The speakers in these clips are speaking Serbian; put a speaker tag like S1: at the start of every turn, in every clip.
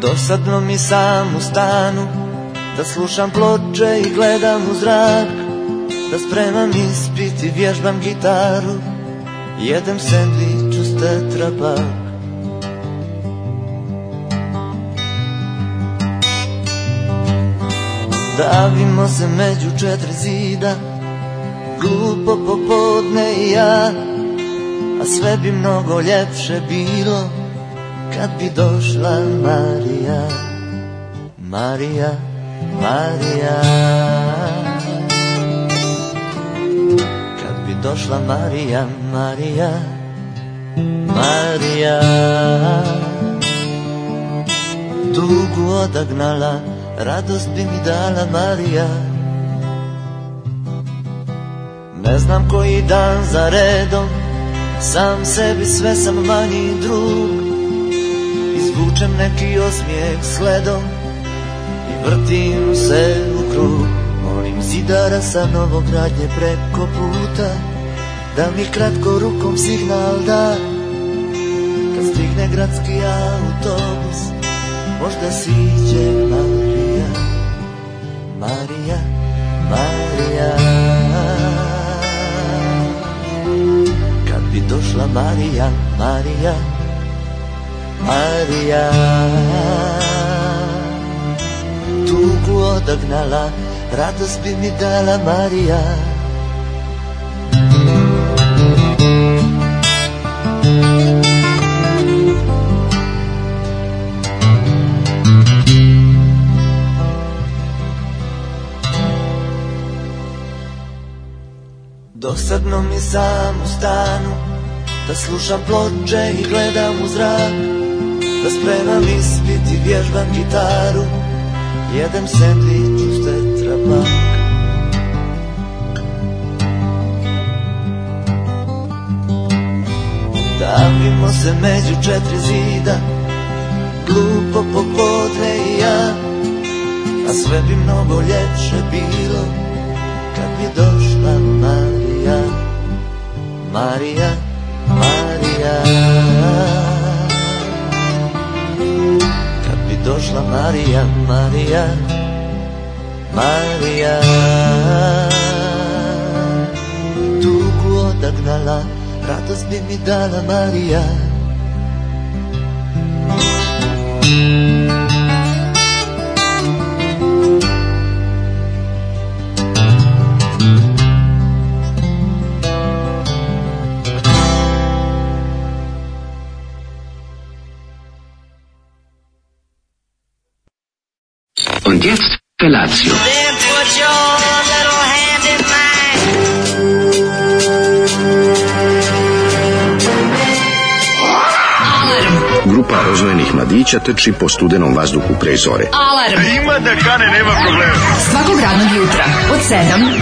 S1: Dosadno mi sam u stanu, da slušam ploče i gledam u zrak, da spremam ispit i vježbam gitaru, jedem sendvič uz tetrapak. Davimo se među četiri zida, glupo popodne i ja, a sve bi mnogo ljepše bilo kad bi došla Marija. Marija, Marija, kad bi došla Marija, Marija, Marija, tugu odagnala, radost bi mi dala Marija. Ne znam koji dan za redom, sam sebi sve sam manji drug, izvučem neki osmijeh sledom i vrtim se u krug. Molim zidara sa Novogradnje preko puta da mi kratko rukom signal da, kad stigne gradski autobus možda siđe Marija. Marija, Marija, kad bi došla Marija, Marija, Marija, tugu odagnala, radost bi mi dala Marija. Dosadno mi sam u stanu, da slušam ploče i gledam u zrak, da spremam ispit i vježbam gitaru, jedem sendvič uz tetrapak. Davimo se među četiri zida, glupo popodne i ja, a sve bi mnogo ljepše bilo kad bi došla Marija. Marija, Marija, kad bi došla Marija, Marija, Marija, tugu odagnala, radost bi mi dala Marija.
S2: Und jetzt Felatio.
S3: Then put your little hand in mine.
S2: Grupa rozvojenih mladića trči po studenom vazduhu pre zore.
S4: Alarm.
S5: Ima da kane, nema problema.
S4: Svakog radnog jutra od 7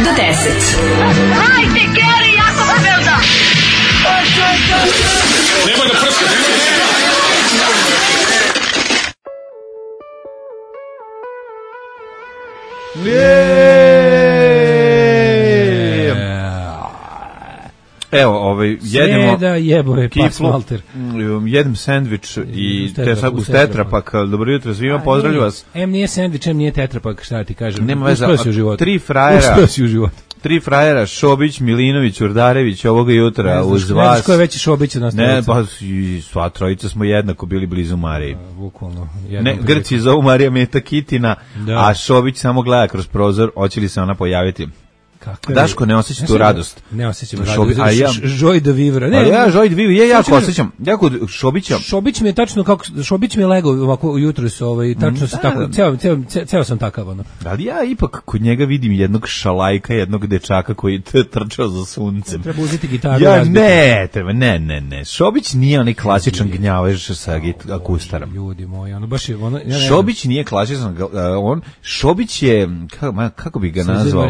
S4: do 10.
S3: Hajde, Geri, jako se velda.
S5: Nema da prska, nema da prska.
S6: Evo, jedemo
S7: Sreda jeboje, pas
S6: kiflu,
S7: Walter.
S6: jedem sendvič i uz tetrapak. Dobro jutro svima, pozdravljam vas.
S7: Nije sendvič, nije tetrapak, šta ti kažem.
S6: Nema veze,
S7: uspeo si u životu.
S6: Tri frajera, Šobić, Milinović, Urdarević, ovoga jutra uz vas.
S7: Ne, ko je veći Šobić od nas?
S6: Ne, pa sva trojica smo jednako bili blizu Mariji.
S7: Bukvalno.
S6: Ne, Grci zovu Marija Meta Kitina, a Šobić samo gleda kroz prozor, hoće li se ona pojaviti. Daško ne osjeća tu radost.
S7: Ne osjećam radost. Joy de vivre.
S6: Ne, ja Joy de vivre, ja jako osjećam. Ja kod Šobića.
S7: Šobić mi je tačno kako Šobić mi je legao ovako jutros, tačno se tako. Ceo sam takav ono.
S6: Ali ja ipak kod njega vidim jednog šalajka, jednog dečaka koji trčao za suncem.
S7: Treba uzeti gitaru.
S6: Ja ne. Šobić nije onaj klasičan gnjavač sa akustarom.
S7: Ljudi moji, ono baš je ono.
S6: Šobić nije klasičan, Šobić je kako bi ga nazvao?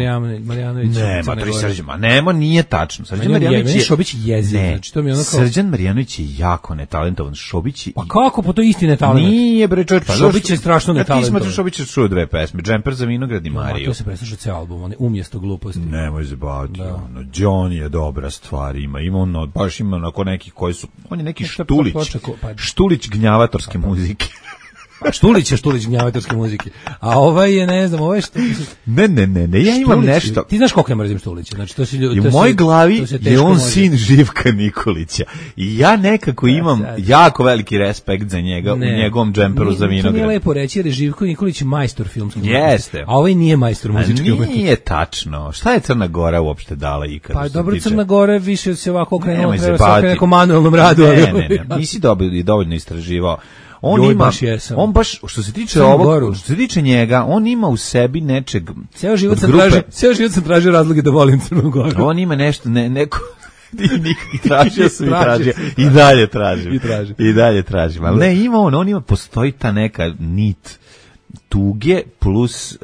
S6: Nema, nije tačno. Srđan Marjanović je
S7: Šobić jezik, znači to mi je ono kao
S6: Srđan Marjanović je jako netalentovan. Šobić je...
S7: Pa kako, po to isti netalent?
S6: Nije bre, čovjek, pa
S7: Šobić je strašno netalentovan.
S6: Ti smatraš Šobić je čuo dve pesme, Džemper za vinograd i Mariju.
S7: To se presluša ceo album, on je umjesto gluposti.
S6: Nemoj zebati, ono, John je dobra stvar, ima ono, baš ima onako nekih koji su, on je neki Štulić gnjavatorske muzike.
S7: Štulić gnjavatorske muzike. A ovaj je, ne znam, ovaj što...
S6: Ne, ja imam
S7: Štulić,
S6: nešto.
S7: Ti znaš koliko ja mrzim Štulića? Znači, to si ljudi...
S6: U mojoj glavi je on sin Živka Nikolića. I ja nekako imam jako veliki respekt za njega u njegovom džemperu za vinograd.
S7: To nije lepo reći, jer je Živko Nikolić majstor filmske umetnosti.
S6: Jeste.
S7: A ovaj nije majstor muzičke umetnosti.
S6: Nije tačno. Šta je Crna Gora uopšte dala ikad?
S7: Pa dobro, Crna Gora više se ovako okrenula, treba se
S6: baviti
S7: nekom manuelnom radu.
S6: Ne, nisi dovoljno istraživao. On baš što se tiče ovog, što se tiče njega, on ima u sebi nečeg. Ceo život
S7: sam tražio razloge da volim Crnu Goru.
S6: On ima nešto, neko tražio i dalje tražim. Ali ne, ima on ima, postoji ta neka nit tuge plus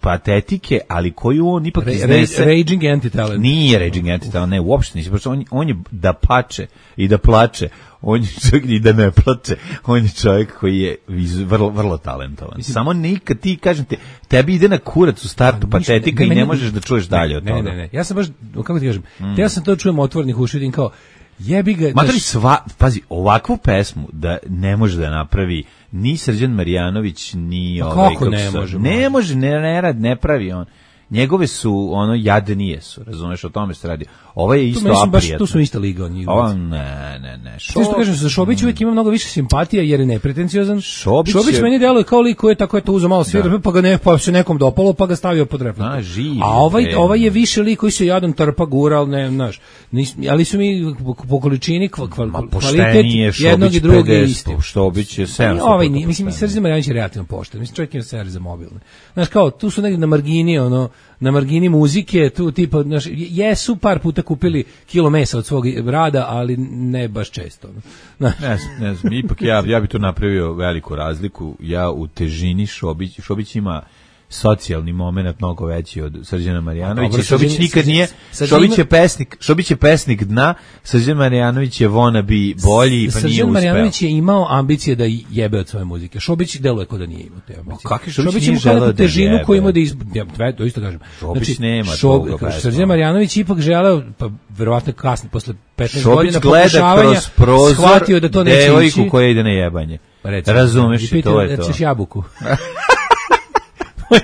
S6: patetike, ali koju on ipak iznese.
S7: Raging anti-talent.
S6: Nije raging anti-talent, ne, uopšte nisi. On je da pače i da plače, on je čovjek i da ne plače, on je čovjek koji je vrlo, vrlo talentovan. Samo nikad ti, kažem te, tebi ide na kurac u startu patetika i ne možeš da čuješ dalje od toga.
S7: Ne, ja sam baš, kako ti kažem, ja sam to čujem otvornih uši, vidim kao, jebi ga...
S6: Matori, pazi, ovakvu pesmu da ne može da napravi ni Srđan Marjanović, ni ovaj...
S7: Kako ne može?
S6: Ne pravi on. Njegove su, jadnije su, razumeš, o tome se radi. Ovo je isto aprijatno.
S7: Tu smo ista liga od njih.
S6: Ne.
S7: Što kažem, za Šobić uvijek ima mnogo više simpatija jer je nepretenciozan. Šobić meni deluje kao lik koji je tako tu uzeo malo svira, pa se nekom dopalo, pa ga stavio pod reflektor. A ovaj je više lik koji se jadan trpa, gura, ali ne, znaš. Ali su mi po količini kvalitet jednog i drugog isti.
S6: Šobić je 700%.
S7: Mislim, Srđan Marjanović je relativno pošten. Mislim, čovjek ima servis za mobilne. Znaš, kao, tu su negdje na margini muzike, tu tipa, znaš, jesu par puta kupili kilo mesa od svog rada, ali ne baš često.
S6: Ne znam, ipak ja bi tu napravio veliku razliku. Ja u težini Šobić ima socijalni moment mnogo veći od Srđana Marjanovića. Šobić nikad nije, Šobić je pesnik dna, Srđan Marjanović je wannabe bolji, pa nije uspeo.
S7: Srđan Marjanović je imao ambicije da jebe od svoje muzike. Šobić deluje kao da nije imao te ambicije.
S6: Šobić nije želeo da
S7: težinu koju ima da to isto kažem.
S6: Šobić nema toga pesma.
S7: Srđan Marjanović ipak želeo, pa verovatno kasno, posle 15 godina
S6: pokušavanja,
S7: shvatio da to neće ići.
S6: Devojku koja ide na jebanje. Razumeš, to je to.
S7: Hoćeš jabuku.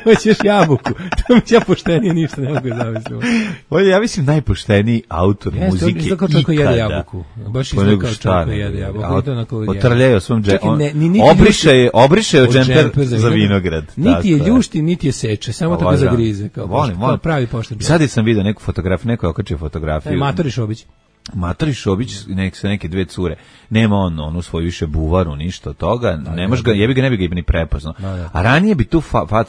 S7: Hoćeš jabuku. To mi ja poštenije ništa ne mogu zamisliti.
S6: On je, ja mislim, najpošteniji autor muzike ikada.
S7: Izgleda kao čovjek koji jede jabuku. Baš izgleda kao čovjek koji jede jabuku.
S6: Otrljaju svom džemperu. Obriše od džemper za vinograd.
S7: Niti je ljušti, niti je seče. Samo tako zagrize.
S6: Volim.
S7: Pravi pošten.
S6: Sad sam vidio neku fotografiju, neko je okačio fotografiju. Matori Šobić sa neke dve cure. Nema on onu svoju više buvaru, ništa od toga. Ne bi ga ni prepoznao. A ranije bi tu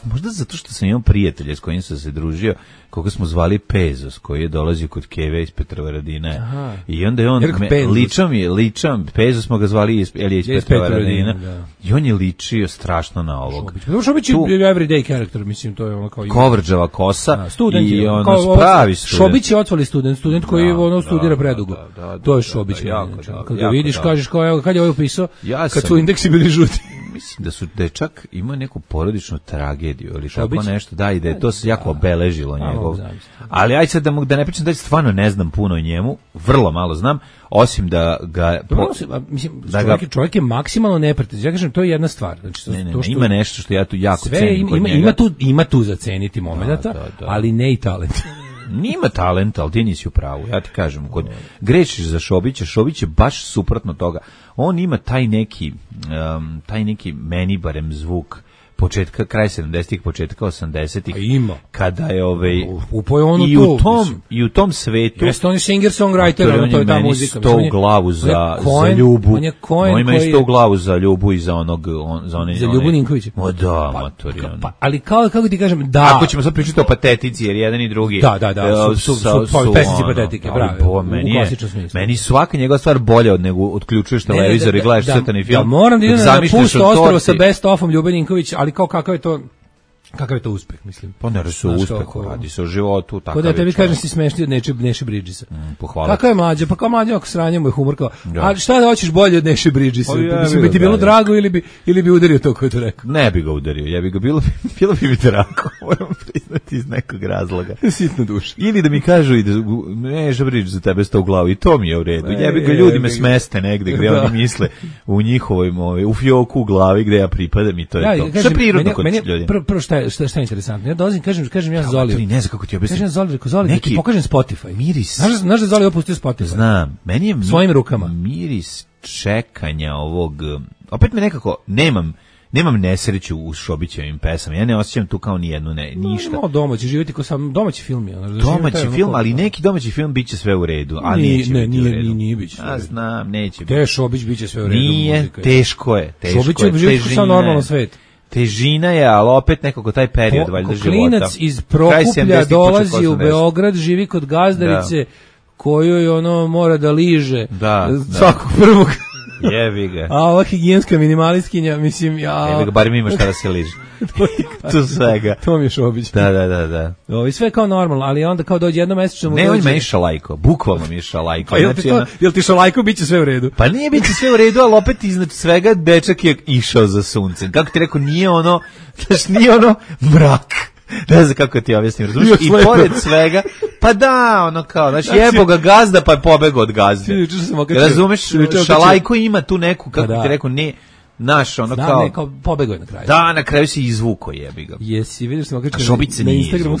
S6: možda zato što sam imao prijatelje s kojim sam se družio, koga smo zvali Pezos, koji je dolazio kod Keve iz Petrovaradina. I onda je on ličam, Pezos smo ga zvali iz Petrovaradina. I on je ličio strašno na ovog.
S7: Šobić je everyday character, mislim, to je ono kao
S6: Kovrđava kosa i ono pravi student.
S7: Šobić je otvali student koji studira predugo. To je Šobić. Kad ga vidiš, kažeš kao, evo, kad je ovo upisao, kad su indeksi bili žuti.
S6: Mislim da je čak imao neku porodičnu tragediju ili tako nešto, da, i da je to se jako obeležilo njegov. Ali aj sad da ne pričam da stvarno ne znam puno o njemu, vrlo malo znam, osim da ga...
S7: Čovjek je maksimalno nepretenziozan. Ja kažem, to je jedna stvar.
S6: Ima nešto što ja tu jako cenim kod njega.
S7: Ima tu za ceniti momenata, ali ne i talent.
S6: Nima talenta, ali ti nisi u pravu, ja ti kažem, grešiš za Šobića, Šobić je baš suprotno toga. On ima taj neki meni barem zvuk kraj 70-ih, početka 80-ih.
S7: Ima.
S6: Kada je i u tom svetu.
S7: Jeste on je singer-songwriter, to je ta muzika.
S6: On je glavu za Ljubu. On ima isto u glavu za Ljubu i za onog...
S7: Za Ljubu Ninkovića.
S6: Da, matori.
S7: Ali kako ti kažem, da...
S6: Ako ćemo sad pričati o patetici, jer jedan i drugi...
S7: Da, su pesnici patetike, bravo, u klasičnom smislu.
S6: Meni svaka njegova stvar bolja nego odključuješ televizor i gledaš crtani film.
S7: Da, moram da idem na pusto ostrvo sa best-offom Ljube Ninković, ali kao kakav je to... Kakav je to uspeh, mislim.
S6: Pa ne se uspeh, radi se o životu, tako.
S7: Da tebi kažem si smešni od Neše Bridgesa.
S6: Pohvala.
S7: Kako je mlađa? Pa kao mlađa ako sranje mu je humor kao. A šta da hoćeš bolje od Neše Bridgesa? Mislim bi ti bilo drago ili bi udario to ko je to rekao?
S6: Ne bi ga udario, ja bi ga bilo bi mi drago, moram priznati iz nekog razloga.
S7: Sitno duša.
S6: Ili da mi kažu i da Neša Bridges za tebe sta u glavu i to mi je u redu. Jebi ga, ljudi me smeste negde gde oni misle u njihovoj u fioku u glavi gde ja pripadam i to je to. Sve prirodno kod ljudi.
S7: Prvo šta je interesantno. Ja dolazim, kažem ja Zoli.
S6: Ne znam kako ti objasnim.
S7: Kažem Zoli, neki ti pokažem Spotify.
S6: Miris.
S7: Znaš da Zoli opustio Spotify?
S6: Znam. Meni je
S7: svojim rukama.
S6: Miris čekanja ovog. Opet me nekako nemam nesreću u Šobićevim pesama. Ja ne osjećam tu kao ni jednu ništa.
S7: No, domaći živjeti ko sam domaći film je.
S6: Domaći film, ali neki domaći film biće sve u redu, a neće biti u redu.
S7: Nije biće.
S6: A znam, neće biti.
S7: Te Šobić biće sve u redu.
S6: Nije, teško je.
S7: Šobić je živjeti kao normalno svet.
S6: Težina je, ali opet nekako taj period valjda života.
S7: Klinac iz Prokuplja dolazi u Beograd, živi kod gazdarice kojoj ono mora da liže svakog prvog.
S6: Jebi ga.
S7: A ova higijenska minimalistkinja, mislim,
S6: Jebi ga, bar mi ima šta da se liže. Tu svega.
S7: To mi je Šobić.
S6: Da.
S7: Ovo, sve kao normalno, ali onda kao dođe jednomesečno mu dođe.
S6: Ne, on me šalajko, bukvalno mi je šalajko.
S7: Pa jel ti šalajko biće sve u redu?
S6: Pa nije biće sve u redu, ali opet iznad svega dečak je išao za suncem. Kako ti rekao, nije ono mrak. Ne znam kako ti objasnim, razumiješ? I pored svega, pa da, ono kao, znači jebo ga gazda, pa je pobegao od gazde. Razumeš, šalajko ima tu neku, kako ti rekao, ne, naš, ono kao...
S7: Ne, kao pobegao je na kraju.
S6: Da, na kraju si izvuko, jebi ga.
S7: Jesi, vidiš sam okačio
S6: na
S7: Instagramu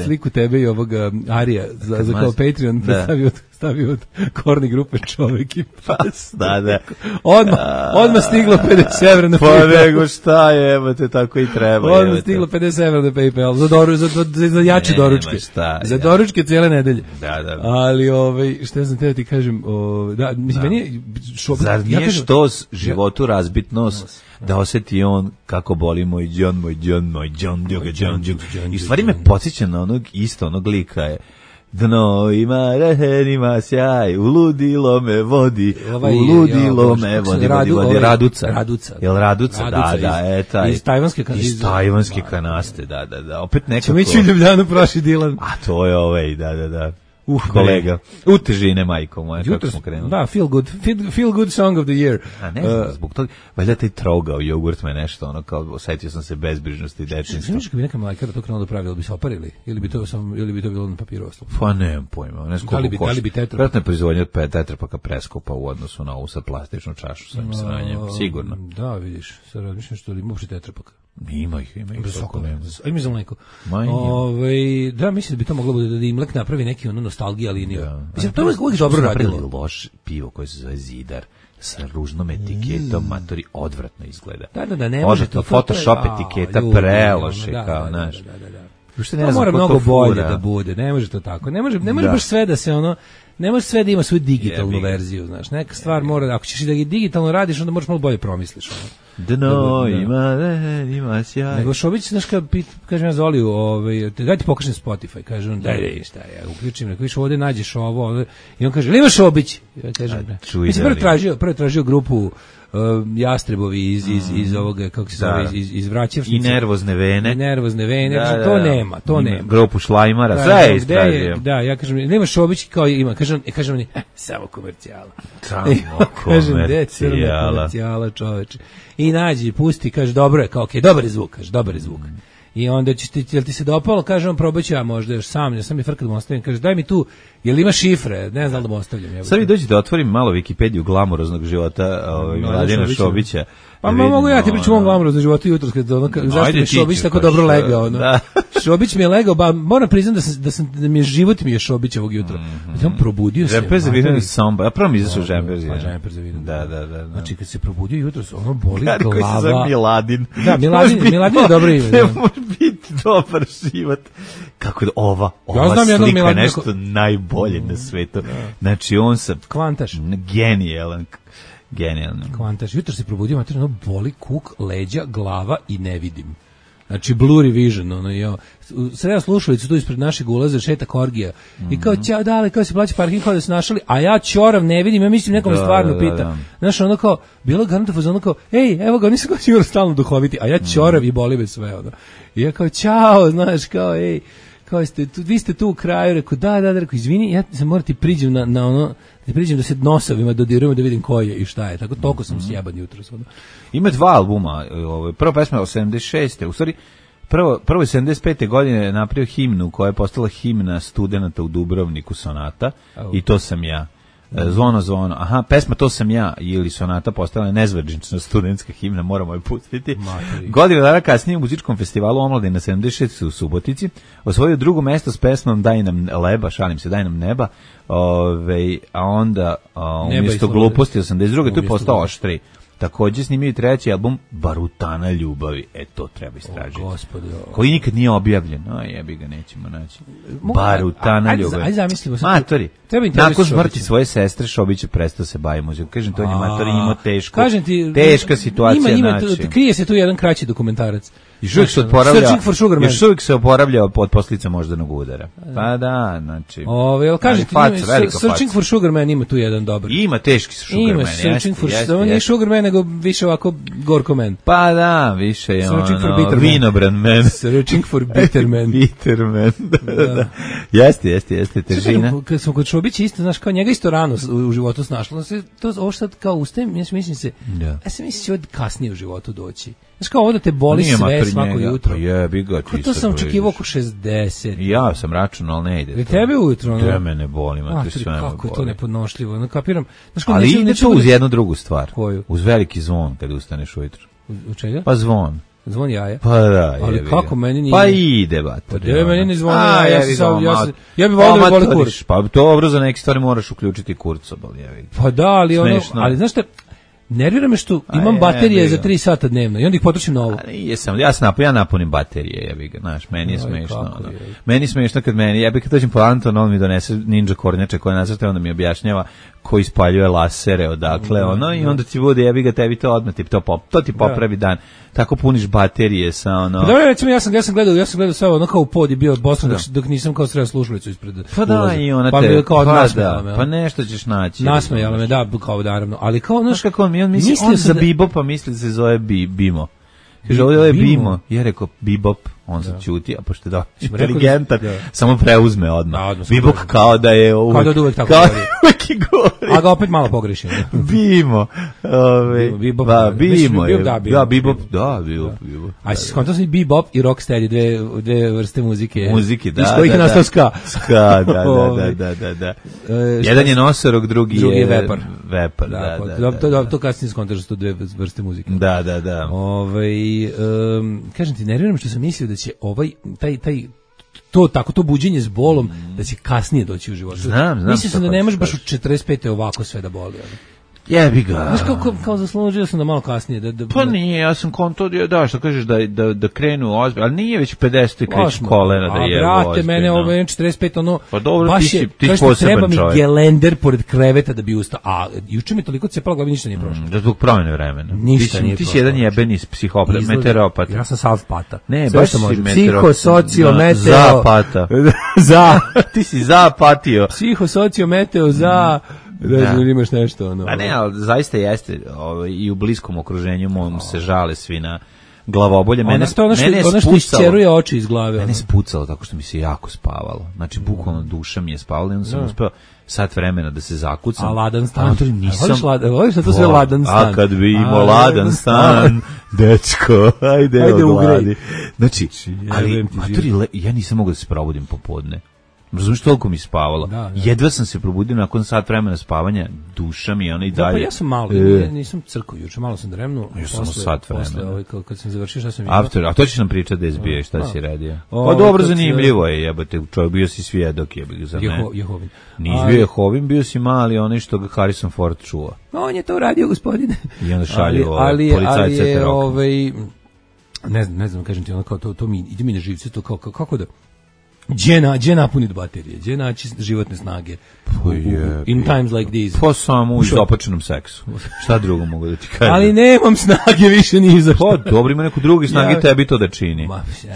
S7: sliku tebe i ovoga Arija, za kao Patreon, stavio od korni grupe čovjek i pas.
S6: Da.
S7: Odmah stiglo 50 evra na PayPal.
S6: Pa nego šta je, evo te tako i treba.
S7: Odmah stiglo 50 evra na PayPal, za jače doručke. Za doručke cijele nedelje.
S6: Da.
S7: Ali, šta znam te ti kažem, da, mislim, meni je...
S6: Zar nije što životu razbitnost da osjeti on kako boli moj John, i u stvari me podsjeća na onog lika je dno ima rehen, ima sjaj, uludilo me vodi, Raduca. Jel Raduca? Da, taj.
S7: Iz tajvanske
S6: kanaste, da. Opet nekako...
S7: Ćemo ići u Ljubljanu, proši Dilan.
S6: A to je da. Kolega. U težine, majko moja, kako smo krenuli.
S7: Da, feel good song of the year.
S6: A ne znam, zbog toga, valjda taj trogao jogurt me nešto, ono kao, osjetio sam se bezbrižnosti i dečinstva.
S7: Znaš kad bi neka mlajkara to krenulo da pravi, ili bi se oparili? Ili bi to bilo na papiru ostalo?
S6: Pa nemam pojma, ne znam koliko košta.
S7: Da li bi tetra?
S6: Vratno je proizvodnja od tetrapaka preskupa u odnosu na ovu sa plastičnu čašu, sam sranjem, sigurno.
S7: Da, vidiš, sad razmišljam što li ima uopšte tetrapaka.
S6: Ima ih.
S7: Ajme za mleko. Da, mislim da bi to moglo da Imlek napravi neki nostalgija liniju. Mislim, to je uvijek dobro radilo.
S6: Loš pivo koje se zove Zidar sa ružnom etiketom, matori, odvratno izgleda.
S7: Da, ne može to.
S6: Photoshop etiketa preloše, kao, znaš.
S7: To mora mnogo bolje da bude, ne može to tako. Ne može baš sve da se ne može sve da ima svoju digitalnu verziju, znaš. Neka stvar mora, ako ćeš i da ga digitalno radiš, onda moraš malo bolje promisliš.
S6: Dno ima sjaj.
S7: Nego Šobić, znaš, kažem ja Zoliju, daj ti pokažem Spotify, kaže on, daj, šta ja uključim, neko više ovdje nađeš ovo, i on kaže, ili ima Šobić? Ja kažem, mislim, prvo tražio grupu Jastrebovi iz ovoga, kako se zove, iz Vraćevšnice.
S6: I nervozne vene.
S7: To nema.
S6: Grupu Šlajmara, sve je istražio.
S7: Da, ja kažem, nema Šobić kao ima, kažem oni, samo komercijala. Komercijala, čoveče. I nađi, pusti, kaže, dobro je, kao, okej, dobar je zvuk. I onda jel ti se dopalo, kaže on, probat ću ja možda još sam mi frkat da mu ostavim, kaže, daj mi tu, jel ima šifre, ne znam da mu ostavljam.
S6: Sad vi dođi da otvorim malo Wikipediju glamuroznog života Mladena Šobića.
S7: Pa mogu ja ti pričam o glamuroznom životu jutros, zašto mi Šobić tako dobro legao. Šobić mi je legao, moram priznam da mi je život mi je Šobić ovog jutra. On probudio se.
S6: Žemper za vidan samba, a prvo mi izašao žemper za
S7: vidan. Da. Znači kad se probudio jutros, ono boli glava.
S6: Koji se zove Miladin.
S7: Da, Miladin je dobro ime.
S6: Ne može biti dobar život. Kako je ova slika je nešto najbolje na svetu. Znači on se...
S7: Kvantaš.
S6: Genijalan.
S7: Kvantaš. Jutro se probudio, materijalno boli kuk, leđa, glava i ne vidim. Znači blurry vision, ono jo. Sreo slušalicu tu ispred našeg ulaza šeta korgija. I kao ćao, dale, kao se plaća parking, kao da se našali, a ja ćorav ne vidim, ja mislim nekom stvarno pita. Znaš, ono kao, bilo garantov, ono kao, ej, evo ga, nisam kao sigurno stalno duhoviti, a ja ćorav i boli me sve, ono. I ja kao, ćao, znaš, kao, ej, kao ste, vi ste tu u kraju, rekao, da, rekao, izvini, ja se morati priđem na ono, da priđem da se nosovima dodirujemo da vidim ko je i šta je, tako toliko sam sjeban jutros. Ono.
S6: Ima 2 albuma, prva pesma je 86. U stvari, prvo je 75. godine napravio himnu koja je postala himna studenata u Dubrovniku, Sonata, i To sam ja. Zvono, aha, pesma To sam ja ili Sonata postala je nezvanična studentska himna, moramo je pustiti. Godinu dana kasnije u muzičkom festivalu Omladina 76 u Subotici osvojio drugo mesto s pesmom Daj nam leba, šalim se, Daj nam neba, a onda umjesto gluposti 82. tu je postao Oštri. Takođe snimio i 3. album Barutana ljubavi. To treba istražiti. Koji nikad nije objavljen. Jebi ga, nećemo naći. Barutana ljubavi.
S7: Ajde zamislimo se.
S6: Matori. Nakon smrti svoje sestre Šobić je prestao se bavi muzikom. Kažem, to je matori imao teška situacija.
S7: Krije se tu jedan kraći dokumentarac.
S6: Još uvijek se oporavlja od posljedica moždanog udara. Pa da, znači.
S7: Kažete, Searching for Sugar Man ima tu jedan dobar.
S6: Ima teški Sugar Man.
S7: Searching for Sugar Man. Nije Sugar Man, nego više ovako gorko man.
S6: Pa da, više je vinobran man.
S7: Searching for Bitter Man.
S6: Bitter Man, da. Jeste, težina.
S7: Kad smo kod Šobića isto, znaš, kao njega isto rano u životu snašlo, ovo sad kao ustajem, ja se mislim će ovo kasnije u životu doći. Znaš kao ovo da te boli sve svako jutro.
S6: Jebi ga,
S7: ti to sam očekivao oko 60.
S6: Ja sam računao, ali ne ide.
S7: I tebe ujutro?
S6: Da me ne boli, matri, sve me boli.
S7: Kako je to nepodnošljivo, ne kapiram.
S6: Ali ide to uz jednu drugu stvar. Koju? Uz veliki zvon kada ustaneš ujutro.
S7: U čega?
S6: Pa zvon.
S7: Zvon jaja?
S6: Pa da,
S7: ali kako meni nije?
S6: Pa ide, bato.
S7: Pa meni ne zvoni jaja, ja bih volio da boli kurac.
S6: Pa dobro, za neke stvari moraš uključiti kurcobol, jevi.
S7: Pa da, ali znaš šta, nervira me što imam baterije za 3 sata dnevno i onda ih potrošim na ovo.
S6: Ja napunim baterije, jebi ga, znaš, meni je smešno. Meni je smešno kad kad dođem po Anton, on mi donese ninja kornjače koje nacrta, onda mi objašnjava koji ispaljuje lasere, odakle, i onda ti bude, jebi ga, tebi to odmah, to ti popravi dan. Tako puniš baterije sa
S7: Dobro, recimo, ja sam gledao sve ono kao u pod je bio Boston dok nisam kao sreo slušalicu ispred.
S6: Pa da, i ona te, pa nešto ćeš naći.
S7: Nasmejala me, da, kao naravno, ali kao, znaš
S6: kako on za Bebopa misli se zove Bimo. Kaže, ovo je Bimo. Ja rekao Bebop, on se čuti, a pošto je inteligentan, samo preuzme odmah. Bebop kao da je
S7: uvek. Kao da uvek tako govori. A ga opet malo pogreši.
S6: Bimo.
S7: Bebop.
S6: Bimo je. Da, Bebop.
S7: A si skontao sam i Bebop i Rocksteady, dve vrste muzike.
S6: Muzike, da.
S7: Iz kojih je nastao ska.
S6: Ska, da. Jedan je nosorog, drugi je
S7: vepar.
S6: Vepar, da.
S7: To kasnije skontaš da su to dve vrste muzike.
S6: Da.
S7: Kažem ti, nerviram što sam mislio da će to buđenje s bolom da će kasnije doći u životu.
S6: Znam.
S7: Mislio sam da ne možeš baš u 45. ovako sve da boli.
S6: Jebi ga.
S7: Znaš kao zaslužio sam da malo kasnije.
S6: Pa nije, ja sam konto, što kažeš da krenu ozbiljno, ali nije već 50. krećeš kolena da je ozbiljno.
S7: Brate, mene ovo je 45,
S6: pa dobro,
S7: baš je, treba mi gelender pored kreveta da bi ustao, a juče mi toliko cepalo glavi, ništa nije prošlo.
S6: Da zbog promjene vremena.
S7: Ništa nije prošlo.
S6: Ti si jedan jebeni psihopat, meteoropat.
S7: Ja sam salpata.
S6: Ne, baš si meteoropat.
S7: Psihosocio, meteo.
S6: Zapata. Ti si zapatio.
S7: Psihosocio, meteo, za... Da imaš nešto
S6: A ne, ali zaista jeste i u bliskom okruženju mojom se žale svi na glavobolje. Mene
S7: što isčeruje oči iz glave.
S6: Mene spucalo tako što mi se jako spavalo. Znači, bukvalno duša mi je spavala i onda sam uspeo sat vremena da se zakucam.
S7: A ladan stan? Voliš da to sve ladan stan?
S6: A kad bi imao ladan stan, dečko, ajde ugradi. Znači, ali ja nisam mogao da se probudim popodne. Razumiješ, toliko mi spavalo. Jedva sam se probudio nakon sat vremena spavanja, duša mi ona i dalje.
S7: Pa ja sam malo, nisam crkao juče, malo sam dremnuo.
S6: Ja sam sat vremena.
S7: Kad sam završio, šta sam imao?
S6: A to ćeš nam pričati da je zbije, šta si radio? Pa dobro, zanimljivo je, jebate, čovjek, bio si svjedok, jebate, za mene.
S7: Jehovin.
S6: Nisi bio Jehovin, bio si mali, onaj što ga Harrison Ford čuva.
S7: On je to uradio, gospodine.
S6: I onda šalju policajce te roka.
S7: Ne znam, kažem ti, ono kao to mi ide mi na živce, to kako da... Gdje napuniti baterije, gdje naći životne snage in times like these.
S6: Pa samo u izopačenom seksu. Šta drugo mogu da ti kažem?
S7: Ali nemam snage više ni za što.
S6: Pa dobro, ima neko drugi snage tebi to da čini.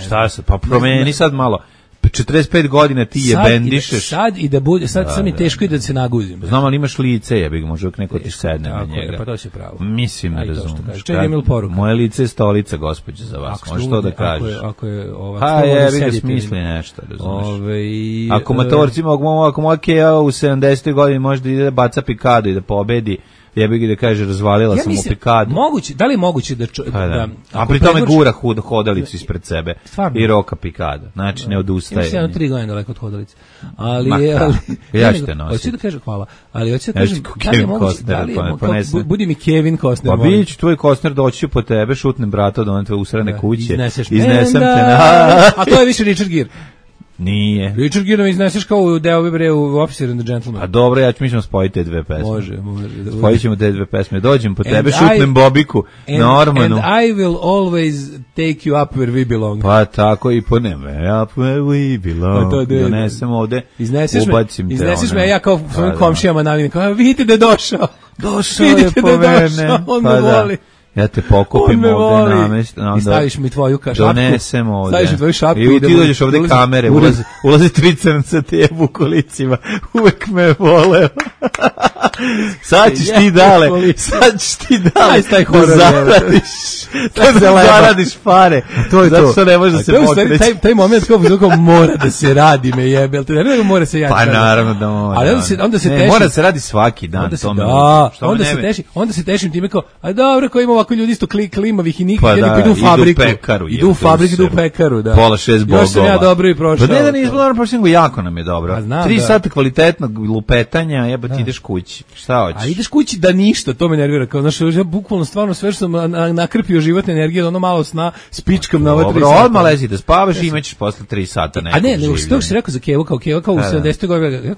S6: Šta se, pa promeni sad malo. 45 godina ti je bendišeš.
S7: Sad i da bude, sad mi teško i da se naguzim.
S6: Znam, ali imaš lice, ja bih možda neko ti sedne na njega.
S7: Pa to si pravo.
S6: Mislim, ne razumiješ.
S7: Moje
S6: lice je stolica, gospođe, za vas. Možeš to da kažeš.
S7: Ako je
S6: jebi ga smisli nešto, razumiješ. Ako motorci ako moja Kea u 70. godini može da ide da baca pikadu i da pobedi, jebi ga da kaže razvalila sam u pikadu.
S7: Moguće, da li je moguće da
S6: a pri tome gura hodalicu ispred sebe i roka pikada. Znači ne odustaje.
S7: Ima 3 godine daleko od hodalice. Ali
S6: ja ću te nositi.
S7: Hoću da kažem hvala. Ali hoću da kažem da li je moguće, budi mi Kevin Costner.
S6: Pa biće tvoj Costner doći po tebe, šutnem brata od one tvoje usrane kuće.
S7: Iznesem te a to je više Richard Gere.
S6: Nije.
S7: Richard Gere izneseš kao u deo bre u Officer and the Gentleman.
S6: A dobro, ja ću mi ćemo spojiti te dve pesme.
S7: Može.
S6: Spojit ćemo te dve pesme. Dođem po tebe, šutnem Bobiku, Normanu.
S7: And I will always take you up where we belong.
S6: Pa tako i po neme. Up where we belong. Donesem ovde, ubacim te.
S7: Izneseš me, ja kao svojim komšijama navim, kao vidite da je došao.
S6: Došao je po mene.
S7: On me voli.
S6: Ja te pokupim ovde
S7: i staviš mi tvoju šapku.
S6: Donesem ovde.
S7: Staviš mi tvoju šapku
S6: i ti dođeš ovde kamere. Ulazi 3 crnca tebe u kolicima. Uvek me voleo. Sad ćeš ti dale. Da zaradiš pare. Zato što ne može da se pokreći.
S7: Taj moment kao mora da se radi me jebe. Ne mora se
S6: pa naravno da mora.
S7: Ali onda se teši.
S6: Mora da se radi svaki dan.
S7: Onda se tešim time kao, a dobro, ko ima ovako ljudi isto klimavih i nikad idu u fabriku. Idu u fabriku, idu u pekaru.
S6: Pola 6 bogova.
S7: Još sam ja dobro i prošao.
S6: Pa ne da nismo dobro prošli, nego jako nam je dobro. 3 sata kvalitetnog lupetanja, jeba ti ideš kući. Šta hoćeš?
S7: A ideš kući da ništa, to me nervira. Kao, znaš, ja bukvalno stvarno sve što sam nakrpio životne energije, ono malo sna, spičkam na ova 3 sata.
S6: Dobro, odmah lezi da spavaš i imaćeš posle 3 sata nekog življenja. A ne, nego što si rekao za Kevu, kao u 70. godini,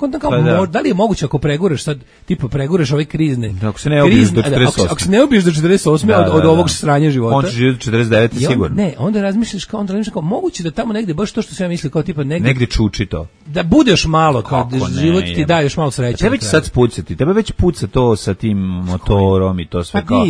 S6: da li je moguće ako preguraš sad, tipa preguraš ove krizne. Ako se ne ubiješ do 48.
S7: Ako se ne ubiješ do 48 od ovog sranja života.
S6: On će živjeti 49 sigurno.
S7: Ne, onda razmišljaš kao moguće da tamo negde baš to što sam ja mislio kao tipa
S6: negde čuči to.
S7: Da budeš malo kao život ti daje još malo sreće.
S6: Tebe će sad spucati. Tebe već puca to sa tim motorom i to sve kao.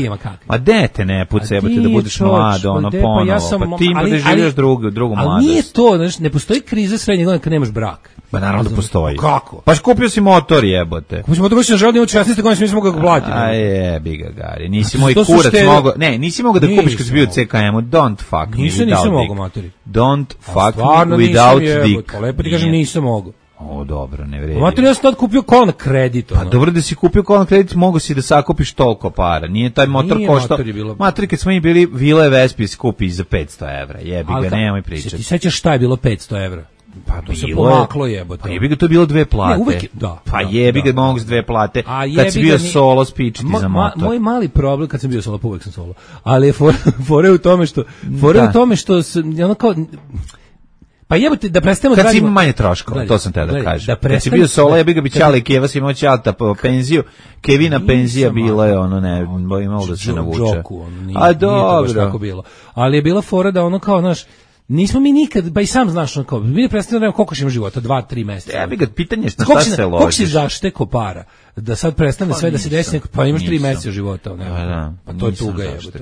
S6: A dete ne puca, jebote da budeš mlad, ono ponovo. Pa ti ima da živiš drugu mladost.
S7: Ali nije to, znači ne postoji kriza srednje godine kad nemaš brak.
S6: Pa naravno da postoji.
S7: Kako?
S6: Pa kupio si motor, jebote.
S7: Kupio si motor, što želio da imaš 16 godina, nisam mogao ga platiti.
S6: A jebi ga, Gari. Nisi moj kurac mogao. Ne, nisi mogao da kupiš kad si bio u CKM-u. Don't fuck me without dick.
S7: Nisam mogao, matori.
S6: Don't fuck me without dick.
S7: Pa lepo ti kažem, nisam mogao.
S6: O, dobro, ne vredi.
S7: Mater, ja sam tad kupio kola na kredit.
S6: Pa dobro da si kupio kola na kredit, mogu si da sakupiš toliko para. Nije taj motor koštao. Mater, kad smo mi bili Vile Vespi skupi za 500 evra. Jebi ga, nemoj pričati.
S7: Se ti sećaš šta je bilo 500 evra?
S6: Pa
S7: to se pomaklo jebote.
S6: Pa jebi ga, to je bilo 2 plate.
S7: Ne, uvek, da.
S6: Pa jebi ga, mogu s 2 plate. Kad si bio solo, spičiti za motor.
S7: Moj mali problem, kad sam bio solo, uvek sam solo. Ali je fore u tome što ono kao... Pa jebote da prestanemo
S6: kad si ima manje troškova, to sam te da kažem. Kad si bio solo, jebi ga bi Ćale Keva si imao Ćalta po penziju, Kevina penzija bila je ono ne, imalo da se navuče. A dobro.
S7: Ali je bila fora da ono kao, znaš, nismo mi nikad, pa i sam znaš, ono kao, mi ne prestanemo koliko ćemo života, 2-3 meseca.
S6: Jebi ga, pitanje je šta se ložiš.
S7: Koliko si zašteko para? Da sad prestane sve da se desi, pa imaš 3 meseca života. Pa to je tuga jebote.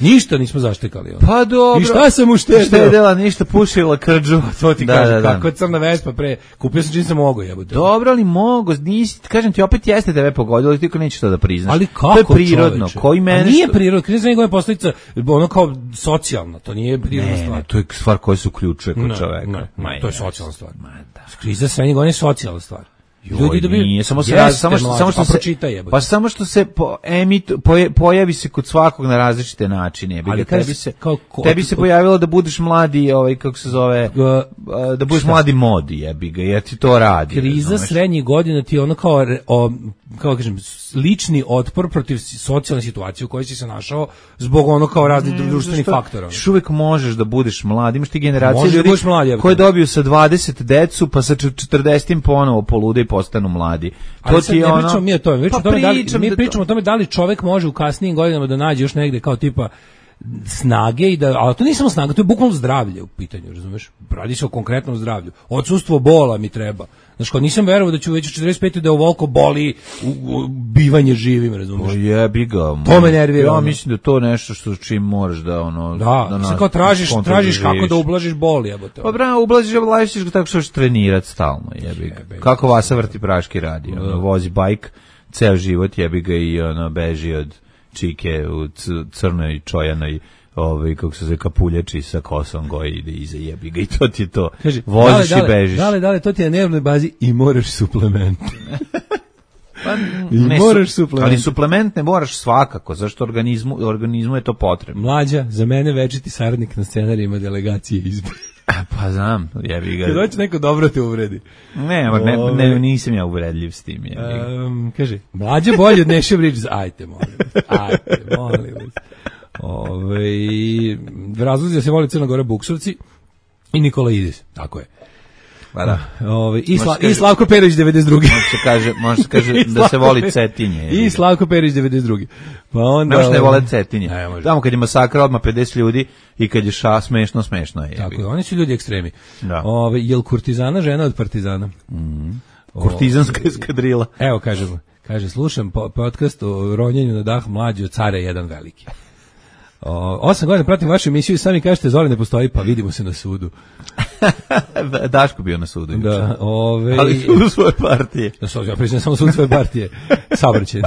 S7: Ništa nismo zaštekali.
S6: Pa dobro.
S7: I šta sam uštedeo?
S6: Štedela ništa, pušila krđu.
S7: To ti kažem, kako crna Vespa pre. Kupio sam čim sam mogao, jebote.
S6: Dobro, ali mogu, nisi, kažem ti, opet jeste tebe pogodilo, ali ti ko nećeš to da priznaš.
S7: Ali kako,
S6: to je prirodno. Koji mene
S7: nije prirodno, kriza njegove posljedica, ono kao socijalna, to nije prirodna stvar.
S6: Ne, to je stvar koja se uključuje kod čoveka.
S7: To je socijalna stvar. Kriza srednje godine je socijalna stvar.
S6: Ljudi dobiju, nije, samo što se pojavi se kod svakog na različite načine. Ali tebi se pojavilo da budeš mladi, kako se zove, da budeš mladi modi, jebi ga, jer ti to radi.
S7: Kriza srednjih godina ti je ono kao kažem, lični otpor protiv socijalne situacije u kojoj si se našao zbog ono kao raznih društvenih faktora.
S6: Još uvijek možeš da budeš mlad, imaš ti generacije ljudi koji dobiju sa 20 decu, pa sa 40 ponovo polude i postanu mladi.
S7: To ti je ono... Mi pričamo o tome da li čovjek može u kasnijim godinama da nađe još negde kao tipa snage i da, ali to nije samo snaga, to je bukvalno zdravlje u pitanju, razumeš? Radi se o konkretnom zdravlju. Odsustvo bola mi treba. Znači, kao nisam verovao da ću već u 45. da ovoliko boli bivanje živim, razumiješ?
S6: Jebi ga.
S7: To me nervira.
S6: Ja mislim da to nešto što čim moraš da ono...
S7: Da se kao tražiš kako da ublažiš bol, jebote.
S6: Pa bravo, ublažiš ga tako što ćeš trenirati stalno, jebi ga. Kako Vasa Vrti Praški radi, vozi bajk, ceo život jebi ga i beži od čike u crnoj čojanoj kako se zove kapuljači sa kosom goji ide iza jebi ga i to ti je to. Kaži, voziš i bežiš.
S7: Dale, to ti je na nervnoj bazi i moraš suplement.
S6: Pa, moraš suplement. Ali suplement ne moraš svakako, zašto organizmu je to potrebno.
S7: Mlađa, za mene večiti saradnik na scenarijima delegacije izbora.
S6: Pa znam, jebi ga.
S7: Kad hoće neko dobro te uvredi.
S6: Ne, nisam ja uvredljiv s tim.
S7: Kaže, mlađa bolje od Neše Bridges. Ajte, molim vas. Razlozi da se voli Crna Gora Buksovci i Nikola Idis, tako je.
S6: Pa da.
S7: I Slavko Perić 92.
S6: Može se kaže da se voli Cetinje.
S7: I Slavko Perić 92. Pa onda
S6: ne može ne vole Cetinje. Tamo kad je masakra odmah 50 ljudi i kad je smešno je.
S7: Tako je, oni su ljudi ekstremi.
S6: Da.
S7: Jel kurtizana žena od partizana?
S6: Kurtizanska eskadrila.
S7: Evo kaže slušam podcast o ronjenju na dah mlađi od Care jedan veliki. 8 godina pratim vašu emisiju i sami kažete Zoli ne postoji, pa vidimo se na sudu.
S6: Daško bio na sudu.
S7: Da,
S6: ali sudu svoje partije.
S7: Ja priznam samo sudu svoje partije. Saobraćaj.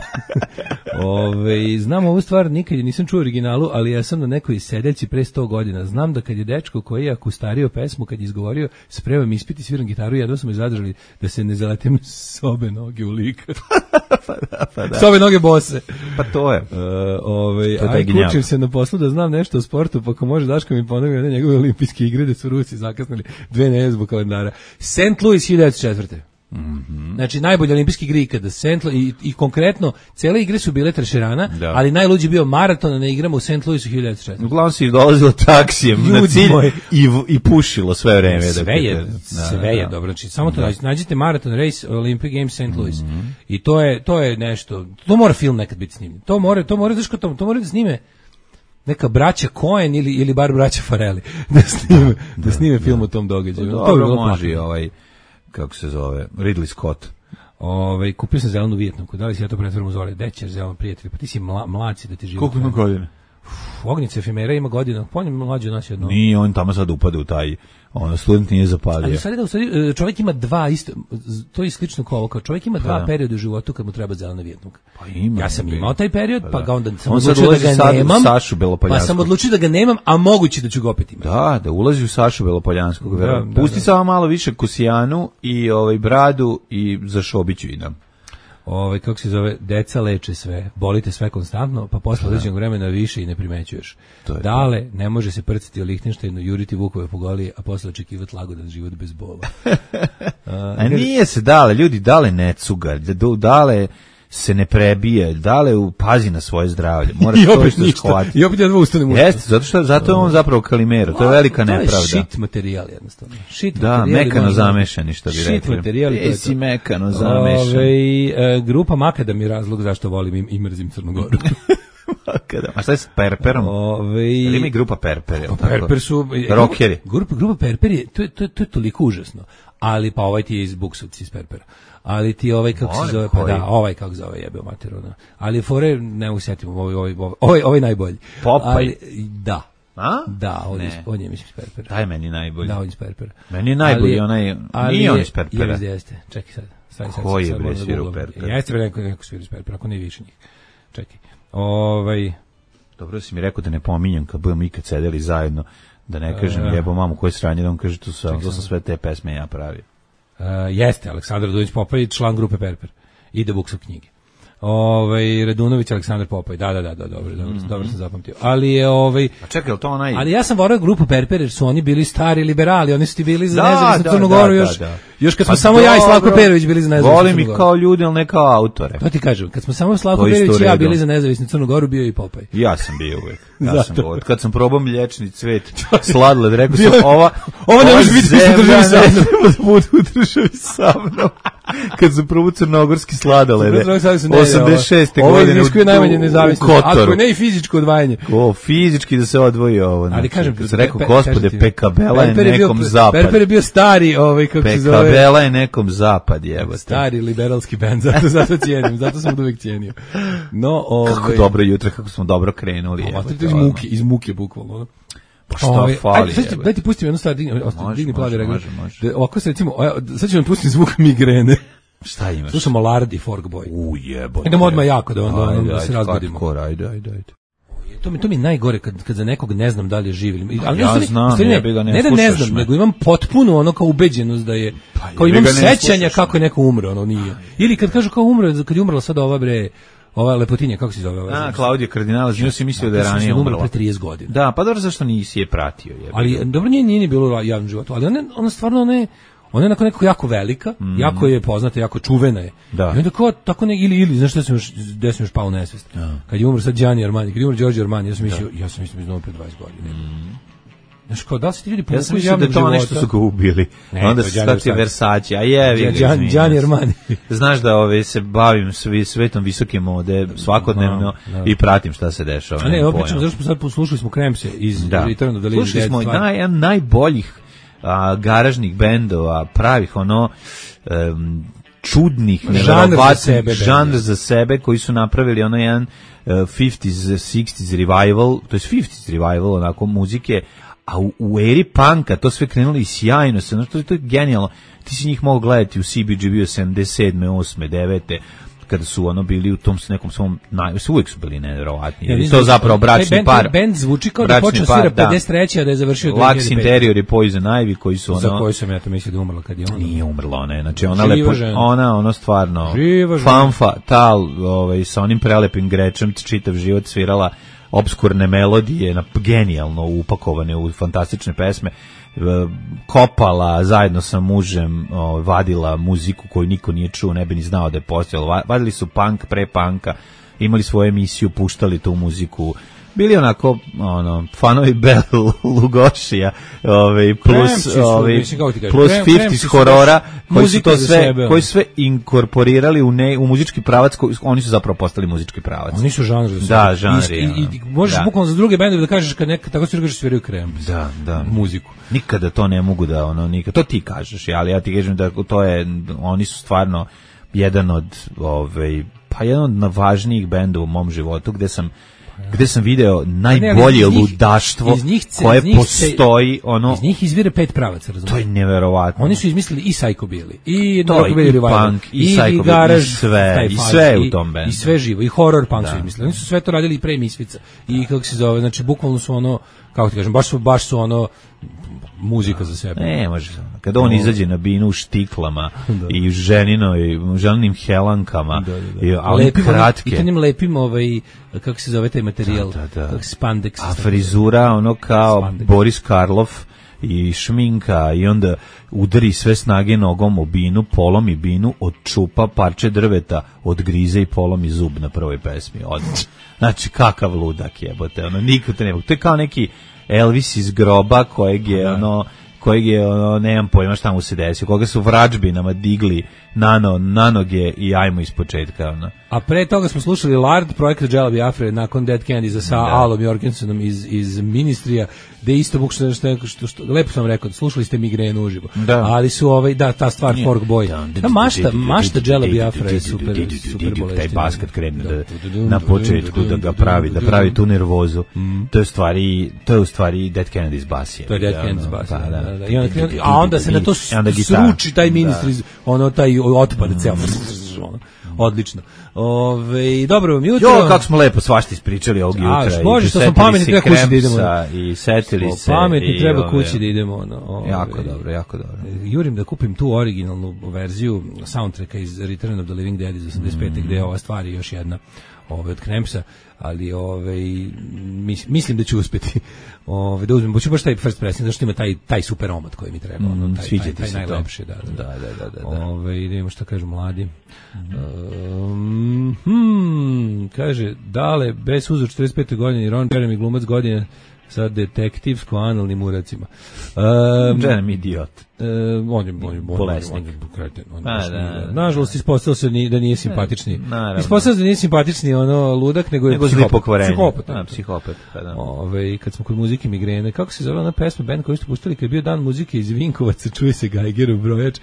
S7: Znam ovu stvar, nikad je nisam čuo originalu, ali ja sam na nekoj sedeljci pre 100 godina. Znam da kad je dečko koji je akustario pesmu, kad je izgovorio spremam ispit i sviram gitaru, jedno su me zadržali da se ne zaletim s obe noge u lika.
S6: Pa da.
S7: S obe noge bose.
S6: Pa to je.
S7: Aj kučim se na poslu da znam nešto o sportu, pa ako može Daško mi ponovi one njegove olimpijske igre da su Rusi zakasnili 2 nedelje zbog kalendara. St. Louis 1904. Znači najbolje olimpijski igre ikada i konkretno cele igre su bile trešerana, ali najluđi bio maraton na igrama u St. Louisu 1904.
S6: Uglavnom si dolazilo taksijem na cilj i pušilo sve vreme.
S7: Sve je dobro. Znači samo to nađite maraton race Olympic Games St. Louis. I to je nešto. To mora film nekad biti snimljen. To mora da snime neka braća Coen ili bar braća Farrelly da snime film o tom događaju.
S6: Dobro može kako se zove, Ridley Scott.
S7: Kupio sam zelenu Vijetnamku, da li si ja to pretvorim u Zoli? Dećer zelen prijatelj, pa ti si mlad si da ti život.
S6: Koliko ima godina?
S7: Ognjica efemera ima godina, po njemu mlađe od nas jedno.
S6: Nije, on tamo sad upade u taj, student nije zapadio.
S7: Ali sad čovjek ima dva isto, to je slično kao ovo, kao čovjek ima dva perioda u životu kad mu treba zelena Vijetnamka.
S6: Pa ima.
S7: Ja sam imao taj period, pa ga onda sam odlučio da ga nemam, pa sam odlučio da ga nemam, a moguće da ću ga opet imati.
S6: Da ulazi u Sašu Belopoljanskog. Pusti samo malo više Kusijanu i bradu i za Šobiću idem.
S7: Kako se zove, deca leče sve, bolite sve konstantno, pa posle određenog vremena više i ne primećuješ. Dale, ne može se prciti o Lihtenštajnu, juriti vukove po goli, a posle očekivati lagodan život bez bola.
S6: A nije se Dale, ljudi, Dale ne cuga, Dale se ne prebije, Dale pazi na svoje zdravlje.
S7: I opet jedva ustane mu.
S6: Jeste, zato je on zapravo Kalimero, to je velika nepravda.
S7: To je shit materijal jednostavno.
S6: Da, mekano zamešani, što bi rekli.
S7: Shit materijal.
S6: Si mekano zamešan.
S7: Grupa Makadam je razlog zašto volim i mrzim Crnu Goru.
S6: A šta je s Perperom? Ili ima i grupa Perper?
S7: Perper su...
S6: Rockeri.
S7: Grupa Perper je, to je toliko užasno. Ali pa ovaj ti je iz Buksovci, iz Perpera. Ali ti kako se zove, pa da, kako zove jebeo materinu. Ali fore, ne mogu sjetiti, ovaj najbolji.
S6: Popaj?
S7: Da.
S6: A?
S7: Da, on je mislim iz Perpera.
S6: Daj meni najbolji.
S7: Da, on je iz Perpera.
S6: Meni je najbolji, nije on iz Perpera.
S7: Jeste, čekaj sad.
S6: Koji je bre svira u Perpera?
S7: Jeste neko svira iz Perpera, ako ne više njih. Čekaj.
S6: Dobro si mi rekao da ne pominjem kad budemo ikad sedeli zajedno, da ne kažem jebo mamu koje sranje, da on kaže to sam sve te pesme ja pravio.
S7: Jeste, Aleksandar Radunović Popaj, član grupe Perper. Ide Buksov knjige. Radunović Aleksandar Popaj. Da, dobro sam zapamtio. Ali je
S6: A čekaj, to onaj.
S7: Ali ja sam voleo grupu Perper jer su oni bili stari liberali, oni su ti bili za nezavisnu Crnu Goru još kad smo samo ja i Slavko Perović bili za nezavisnu Crnu Goru.
S6: Volim ih kao ljudi, al ne kao autore.
S7: To ti kažem, kad smo samo Slavko Perović i ja bili za nezavisnu Crnu Goru, bio i Popaj.
S6: Ja sam bio uvek. Kad sam probao mliječni cvet, sladoled, rekao sam ova
S7: ne može biti u državi sa mnom.
S6: U državi sa mnom. kad su prvo crnogorski sladolede 86.
S7: Ovo iziskuje najmanje nezavisnost, ako ne i fizičko odvajanje.
S6: Fizički da se odvoji ovo.
S7: Ali kažem,
S6: kad se rekao, gospode, Pekabela je nekom zapad.
S7: Perper je bio stari, kako se zove.
S6: Pekabela je nekom zapad, jebote.
S7: Stari liberalski bend, zato cijenim, zato sam uvijek cijenio. No,
S6: kako dobro jutro, kako smo dobro krenuli.
S7: Iz muke bukvalno.
S6: Pa šta fali?
S7: Daj ti pustim jednu stvar, digni plavi regler. Ovako se recimo, sad ću vam pustiti zvuk migrene.
S6: Šta imaš?
S7: Slušamo Lard i Forkboy.
S6: Jebote.
S7: Idemo odmah jako da se razgodimo.
S6: Ajde.
S7: To mi najgore kad za nekog ne znam da li je živ ili
S6: ja znam,
S7: ne da ne znam, nego imam potpuno ono kao ubeđenost da je kao imam sećanja kako je neko umro, ono nije. Ili kad kažu kao umro, kad je umrla sada ova lepotinja, kako se zove ova?
S6: Klaudija Kardinala, njoj si mislio da je ranije umrla.
S7: Pre 30 godina.
S6: Da, pa dobro, zašto nisi je pratio?
S7: Ali dobro, nije bilo u javnom životu, ali ona stvarno ona je onako nekako jako velika, jako je poznata, jako čuvena je.
S6: Da.
S7: I onda kao tako ili znaš šta sam još pao u nesvest. Kad je umro sad Gianni Armani, kad je umro Giorgio Armani, ja sam mislio iznovo pre 20 godina. Znaš, kao da se ti ljudi povuku iz javnog života.
S6: Ja sam mislio da to nešto su ga ubili. Onda se stati Versace, a je.
S7: Gianni Armani.
S6: Znaš da se bavim svetom visoke mode svakodnevno i pratim šta se dešava.
S7: A ne, opičemo, zašto smo sad poslušali smo Kremse iz Return of the Living Dead.
S6: Slušali smo najboljih garažnih bendova, pravih čudnih, žanr za sebe, koji su napravili jedan 50s, 60s revival, to je 50s revival onako muzike, a u eri punka to sve krenulo i sjajno se, to je genijalno. Ti si njih mogao gledati u CBGB 77. 8. 9. kada su bili u tom nekom svom uvijek su bili nevjerovatni. I to zapravo bračni par.
S7: Bend zvuči kao da počeo svira 53. a da je završio 2005.
S6: Lux Interior i Poison Ivy koji su
S7: za koju sam ja to mislio da umrla kad je ona.
S6: Nije umrla ona, znači ona stvarno fanfa tal, sa onim prelepim grečem čitav život svirala obskurne melodije, genijalno upakovane u fantastične pesme, kopala zajedno sa mužem, vadila muziku koju niko nije čuo, ne bi ni znao da je postojalo. Vadili su punk pre punka, imali svoju emisiju, puštali tu muziku. Bili onako fanovi Bela Lugošija, plus 50s horora, koji su sve inkorporirali u muzički pravac, oni su zapravo postali muzički pravac.
S7: Oni su žanr.
S6: Da, žanri.
S7: I možeš bukvalno za druge bendove da kažeš kad tako se kažeš sviraju Krem.
S6: Da.
S7: Muziku.
S6: Nikada to ne mogu da nikad. To ti kažeš, ali ja ti kažem da to je, oni su stvarno jedan od važnijih bendova u mom životu, gde sam video najbolje ludaštvo koje postoji.
S7: Iz njih izvire 5 pravaca, razumiješ?
S6: To je neverovatno.
S7: Oni su izmislili i Psychobilly, i
S6: punk, i Psychobilly, i sve u tom bendu.
S7: I sve živo, i horror punk su izmislili. Oni su sve to radili i pre Misfica. I kako se zove, znači bukvalno su kako ti kažem, baš su muzika za sebe.
S6: Ne, može. Kada on izađe na binu u štiklama i u ženinim helankama, ali kratke.
S7: I to lepim kako se zove taj materijal, spandex.
S6: A frizura kao Boris Karloff i šminka i onda udari sve snage nogom o binu, polomi binu, odčupa parče drveta, odgrize i polomi zub na prvoj pesmi. Znači, kakav ludak jebote. Niko te ne mogu. To je kao neki Elvis iz groba kojeg je nemam pojma šta mu se desio, koga su vrađbinama digli na noge i ajmo iz početka.
S7: A pre toga smo slušali Lard, projekat Jela Biafre nakon Dead Kennedy sa Alom Jorgensenom iz Ministrija, gde isto bukšno što lepo sam rekao, slušali ste Migrenu uživo. Ali su ta stvar Forkboy. Mašta Jela Biafre je super bolestina.
S6: Taj bas kad krene na početku da pravi tu nervozu. To je u stvari Dead Kennedy's bas.
S7: To je Dead Kennedy's bas. A onda se na to sruči taj Ministri, taj otpad ceo. Odlično. Dobro vam jutro.
S6: Kako smo lepo svašta ispričali ovog jutra.
S7: Bože, što smo pametni, treba kući da idemo.
S6: I setili se.
S7: Pametni, treba kući da idemo.
S6: Jako dobro.
S7: Jurim da kupim tu originalnu verziju soundtracka iz Return of the Living Dead iz 85. gde je ova stvar i još jedna od Kremsa, ali mislim da ću uspeti da uzmem, ću baš taj first pressing, zašto ima taj super omot koji mi treba, taj najlepši, da. Da vidimo šta kažu mladi. Kaže, Dale, bez uzor 45. godine, Ron Jeremy glumac godine, sa detektivsko-analnim uracima.
S6: Jeremy idiot.
S7: On je kreten. Nažalost, ispostavilo se da nije simpatični. Ispostavilo se da nije simpatični ludak, nego je
S6: psihopat.
S7: Kad smo kod muzike migrene, kako se zove ona pesma, band koju ste pustili kad je bio dan muzike iz Vinkovaca, čuje se Geigerov brojač.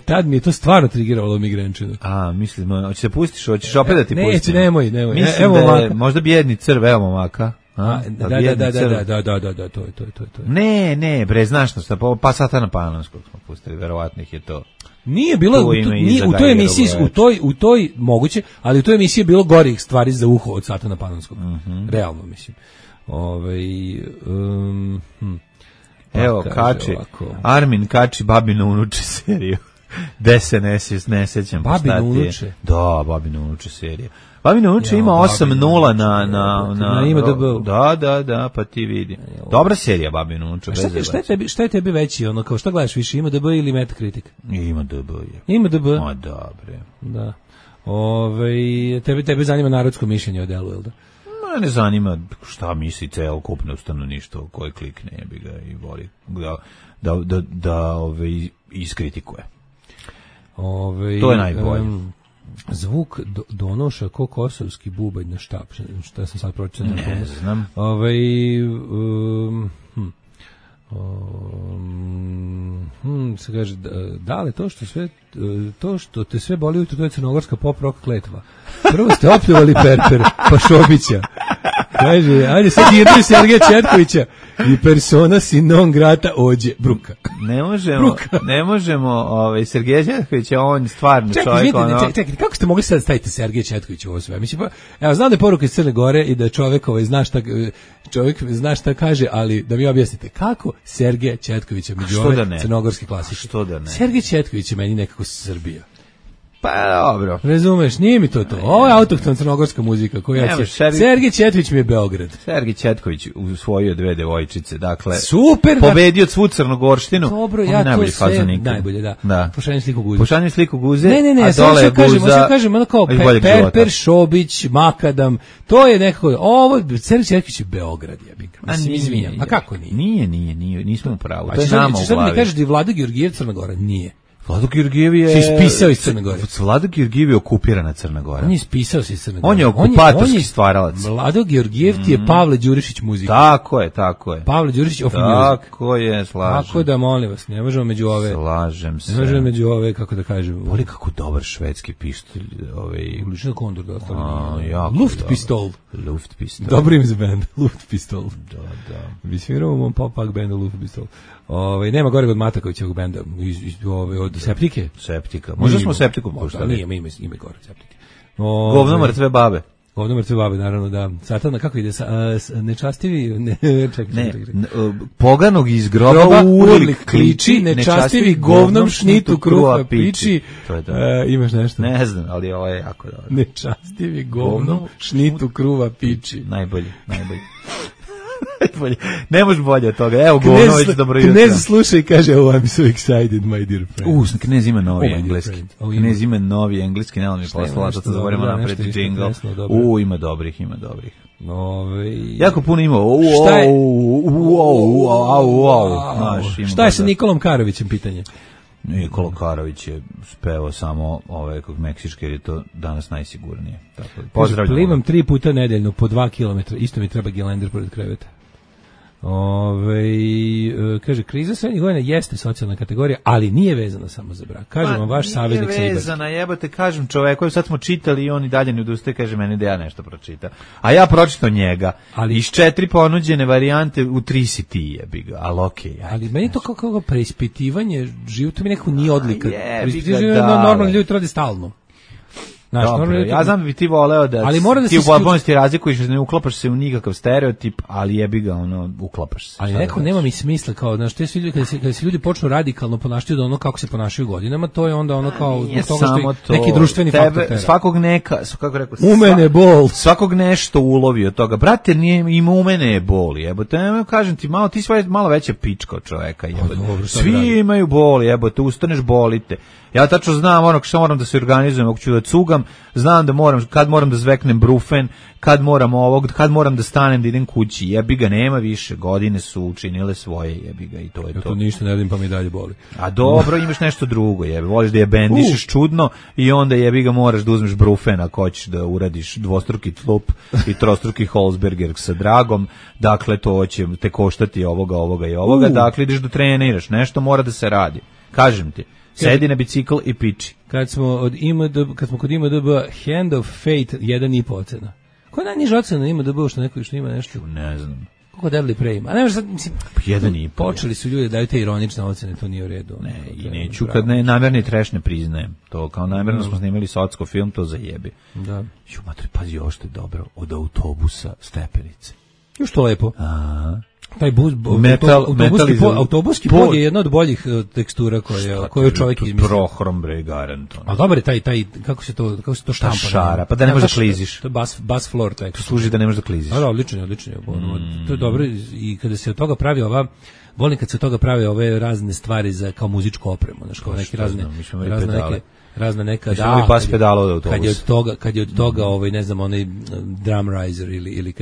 S7: Tad mi je to stvarno trigiralo migrenčinu.
S6: Mislim, hoćeš se pustiš, hoćeš opet da ti pustim?
S7: Neće, nemoj.
S6: Mislim da je možda bijedni crv, evo momaka.
S7: Da, to je.
S6: Ne, bre, znaš što, pa Satana Panonskog smo pustili, verovatno ih je to.
S7: Nije bilo, u toj emisiji, u toj moguće, ali u toj emisiji je bilo gorih stvari za uho od Satana Panonskog. Realno, mislim.
S6: Evo, kači, Armin kači Babino unuče seriju. Gde se ne sećam.
S7: Babino unuče?
S6: Da, Babino unuče serija. Babino unuče ima 8-0 na
S7: IMDb.
S6: Da, pa ti vidi. Dobra serija Babino unuče.
S7: Šta je tebi veći, kao šta gledaš više, IMDb ili Metacritic?
S6: IMDb je.
S7: IMDb?
S6: Ma dobre.
S7: Da. Tebe zanima narodsko mišljenje o delu, jel da?
S6: Ne zanima šta misli celokupno stanovništvo koje klikne, jebi ga i voli da iskritikuje. To je najbolje.
S7: Zvuk donoša ko kosovski bubanj na štap. Šta sam sad pročitao?
S6: Ne znam.
S7: Se kaže, da li to što te sve boli ujutro, to je crnogorska pop rock kletva. Prvo ste opljuvali Perper, pa Šobića. Kaže, ajde sad diraju Sergeja Četkovića i persona si non grata ođe bruka.
S6: Ne možemo Sergeja Četkovića, on stvarno čovjek.
S7: Čekaj, kako ste mogli sad staviti Sergeja Četkovića u ovo sve? Mislim, evo, znam da je poruka iz Crne Gore i da čovjek zna šta kaže, ali da mi objasnite, kako Sergeja Četkovića među ove crnogorske klasike?
S6: Što da ne?
S7: Sergej Četković je meni nekako Srbija.
S6: Pa dobro.
S7: Razumeš, nije mi to. Ovo je autohtona crnogorska muzika koja Sergej Četković mi je Beograd.
S6: Sergej Četković usvojio 2 devojčice, dakle
S7: super,
S6: pobedio svu Crnogorštinu.
S7: Dobro, ja to sve najbolje, da.
S6: Pošaljem sliku guze.
S7: Ne, a dole kažem, ono kao Perper, Šobić, Makadam, to je nekako, ovo Sergej Četković je Beograd, mislim, izvinjam. A kako nije?
S6: Nije, nismo u pravu. To je nama u glavi.
S7: Sad mi kažeš da je Vlada Georgijev Crna Gora? Nije.
S6: Vlado Georgijev je...
S7: Si ispisao iz Crne Gore.
S6: Vlado Georgijev je okupirana Crna Gora.
S7: On je ispisao se iz Crne Gore.
S6: On je okupatorski stvaralac.
S7: Vlado Georgijev ti je Pavle Đurišić muzika.
S6: Tako je.
S7: Pavle Đurišić of music.
S6: Tako je, slažem.
S7: Tako da, molim vas, ne možemo među ove...
S6: Slažem se.
S7: Ne možemo među ove, kako da kažem...
S6: Voli kako dobar švedski pištolj.
S7: Ulični Kondor da ostali.
S6: Luftpistol.
S7: Dobro ime za band. Luftpistol.
S6: Da.
S7: Vi sviramo u mom pop-punk bandu Luftpistol. Nema gore od Matakovićevog benda od Septike.
S6: Septika. Možda smo Septikom puštali.
S7: Nije, ima gore Septike.
S6: Govno mrtve babe.
S7: Govno mrtve babe, naravno, da. Satana, kako ide? Nečastivi... Čekaj.
S6: Poganog iz groba urlik kliči,
S7: nečastivi govnom šnitu kruha piči.
S6: To je to.
S7: Imaš nešto?
S6: Ne znam, ali ovo je jako dobro.
S7: Nečastivi govnom šnitu kruha piči.
S6: Najbolji. Ne može bolje od toga. Evo, Govnović, dobro jutro.
S7: Knez sluša i kaže, oh, I'm so excited, my dear friend.
S6: Knez ima novi engleski. Knez ima novi engleski, ne, on mi poslala, to zavorimo napreti džingl. Ima dobrih. Jako puno ima.
S7: Šta je sa Nikolom Karovićem, pitanje?
S6: Nikola Karović je spevao samo meksičke, jer je to danas najsigurnije. Pozdravljamo.
S7: Plivam 3 puta nedeljno po 2 km, isto mi treba gelender pored kreveta. Kaže, kriza srednjih godina jeste socijalna kategorija, ali nije vezana samo za brak. Kaže vam vaš saveznik Sejbar.
S6: Nije vezana, jebate, kažem čoveku, sad smo čitali i on i dalje ne odustaje, kaže meni da ja nešto pročitam. A ja pročitao njega. Ali iz 4 ponuđene varijante u 3 si ti, jebi ga, ali okej.
S7: Ali meni to kako preispitivanje života mi nekako nije odlika. Preispitivanje normalni ljudi to radi stalno.
S6: Dobro, ja znam da bi ti voleo da ti u potpunosti razlikuješ, ne uklapaš se u nikakav stereotip, ali jebi ga, uklapaš se.
S7: Ali nekako nema mi smisla, kao, znaš, kada se ljudi počnu radikalno ponašati od ono kako se ponašaju godinama, to je onda ono kao, zbog toga što je neki društveni faktor tera.
S6: Svakog kako rekao,
S7: u mene bol.
S6: Svakog nešto ulovi od toga. Brate, ima u mene je bol, jebote, kažem ti, ti si malo veća pička od čoveka, jebote. Svi imaju bol, jebote, ustaneš, bolite. Ja tačno znam ono što moram da se organizujem, ako ću da cugam, znam da kad moram da zveknem brufen, kad moram da stanem da idem kući. Jebi ga, nema više, godine su učinile svoje, jebi ga, i to je to.
S7: Ja to ništa ne radim, pa mi dalje boli.
S6: A dobro, imaš nešto drugo, jebi, voliš da je bendišeš čudno i onda jebi ga moraš da uzmeš brufen ako hoćeš da uradiš dvostruki tlup i trostruki Holzberger sa dragom, dakle to će te koštati ovoga i ovoga, dakle ideš da treniraš, nešto mora da se radi. Kažem ti, sedi na bicikl i piči.
S7: Kad smo kod IMDb, Hand of Fate 1,5 ocena. Ko je najniža ocena na IMDb što ima nešto?
S6: Ne znam.
S7: Kako Deadly Prey ima? A nemaš sad, mislim,
S6: 1,5.
S7: Počeli su ljudi da daju te ironične ocene, to nije u redu.
S6: Ne, i neću kad namerni trash ne priznajem. To kao namerno smo snimali socko film, to zajebi.
S7: Da.
S6: Ju, matri, pazi, ovo što je dobro, od autobusa stepenice.
S7: Još to lepo.
S6: Aha.
S7: Taj autobuski pod je jedna od boljih tekstura koje čovjek izmislio.
S6: Prohrom bre garant.
S7: A dobar je taj kako se to štampa.
S6: Šara, pa da ne možeš da kliziš.
S7: To je bass floor taj.
S6: To služi da ne možeš da kliziš.
S7: Da, odlično. To je dobro i kada se od toga pravi volim kad se od toga prave ove razne stvari za kao muzičku opremu, znači kao neke razna neka kad je od toga ne znam onaj drum riser ili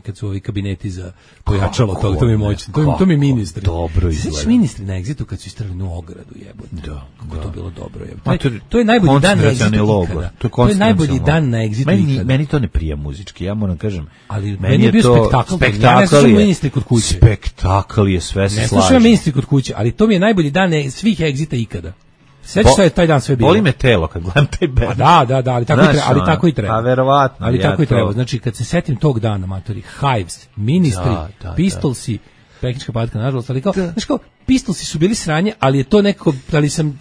S7: kad su ovi kabineti za pojačalo toga, to mi je moćno, to mi ministri
S6: dobro izgleda.
S7: Znači ministri na Exitu kad su istrali na ogradu, jebote, kako to bilo dobro, jebote. To je najbolji dan na Exitu ikada. To je najbolji dan na Exitu ikada.
S6: Meni to ne prija muzički, ja moram kažem,
S7: ali meni je bio spektakl, ministri kod kuće.
S6: Spektakl je, sve se slaže.
S7: Ne slušam ministri kod kuće, ali to mi je najbolji dan svih Exita ikada. Sećaš se taj dan sve bilo.
S6: Boli me telo kad gledam taj bend.
S7: Da, ali tako i treba.
S6: A verovatno.
S7: Ali tako i treba. Znači kad se setim tog dana, matori, Hives, Ministri, Pistolsi, Peknička patka, nažalost, ali kao, znači kao, Pistolsi su bili sranje, ali je to nekako,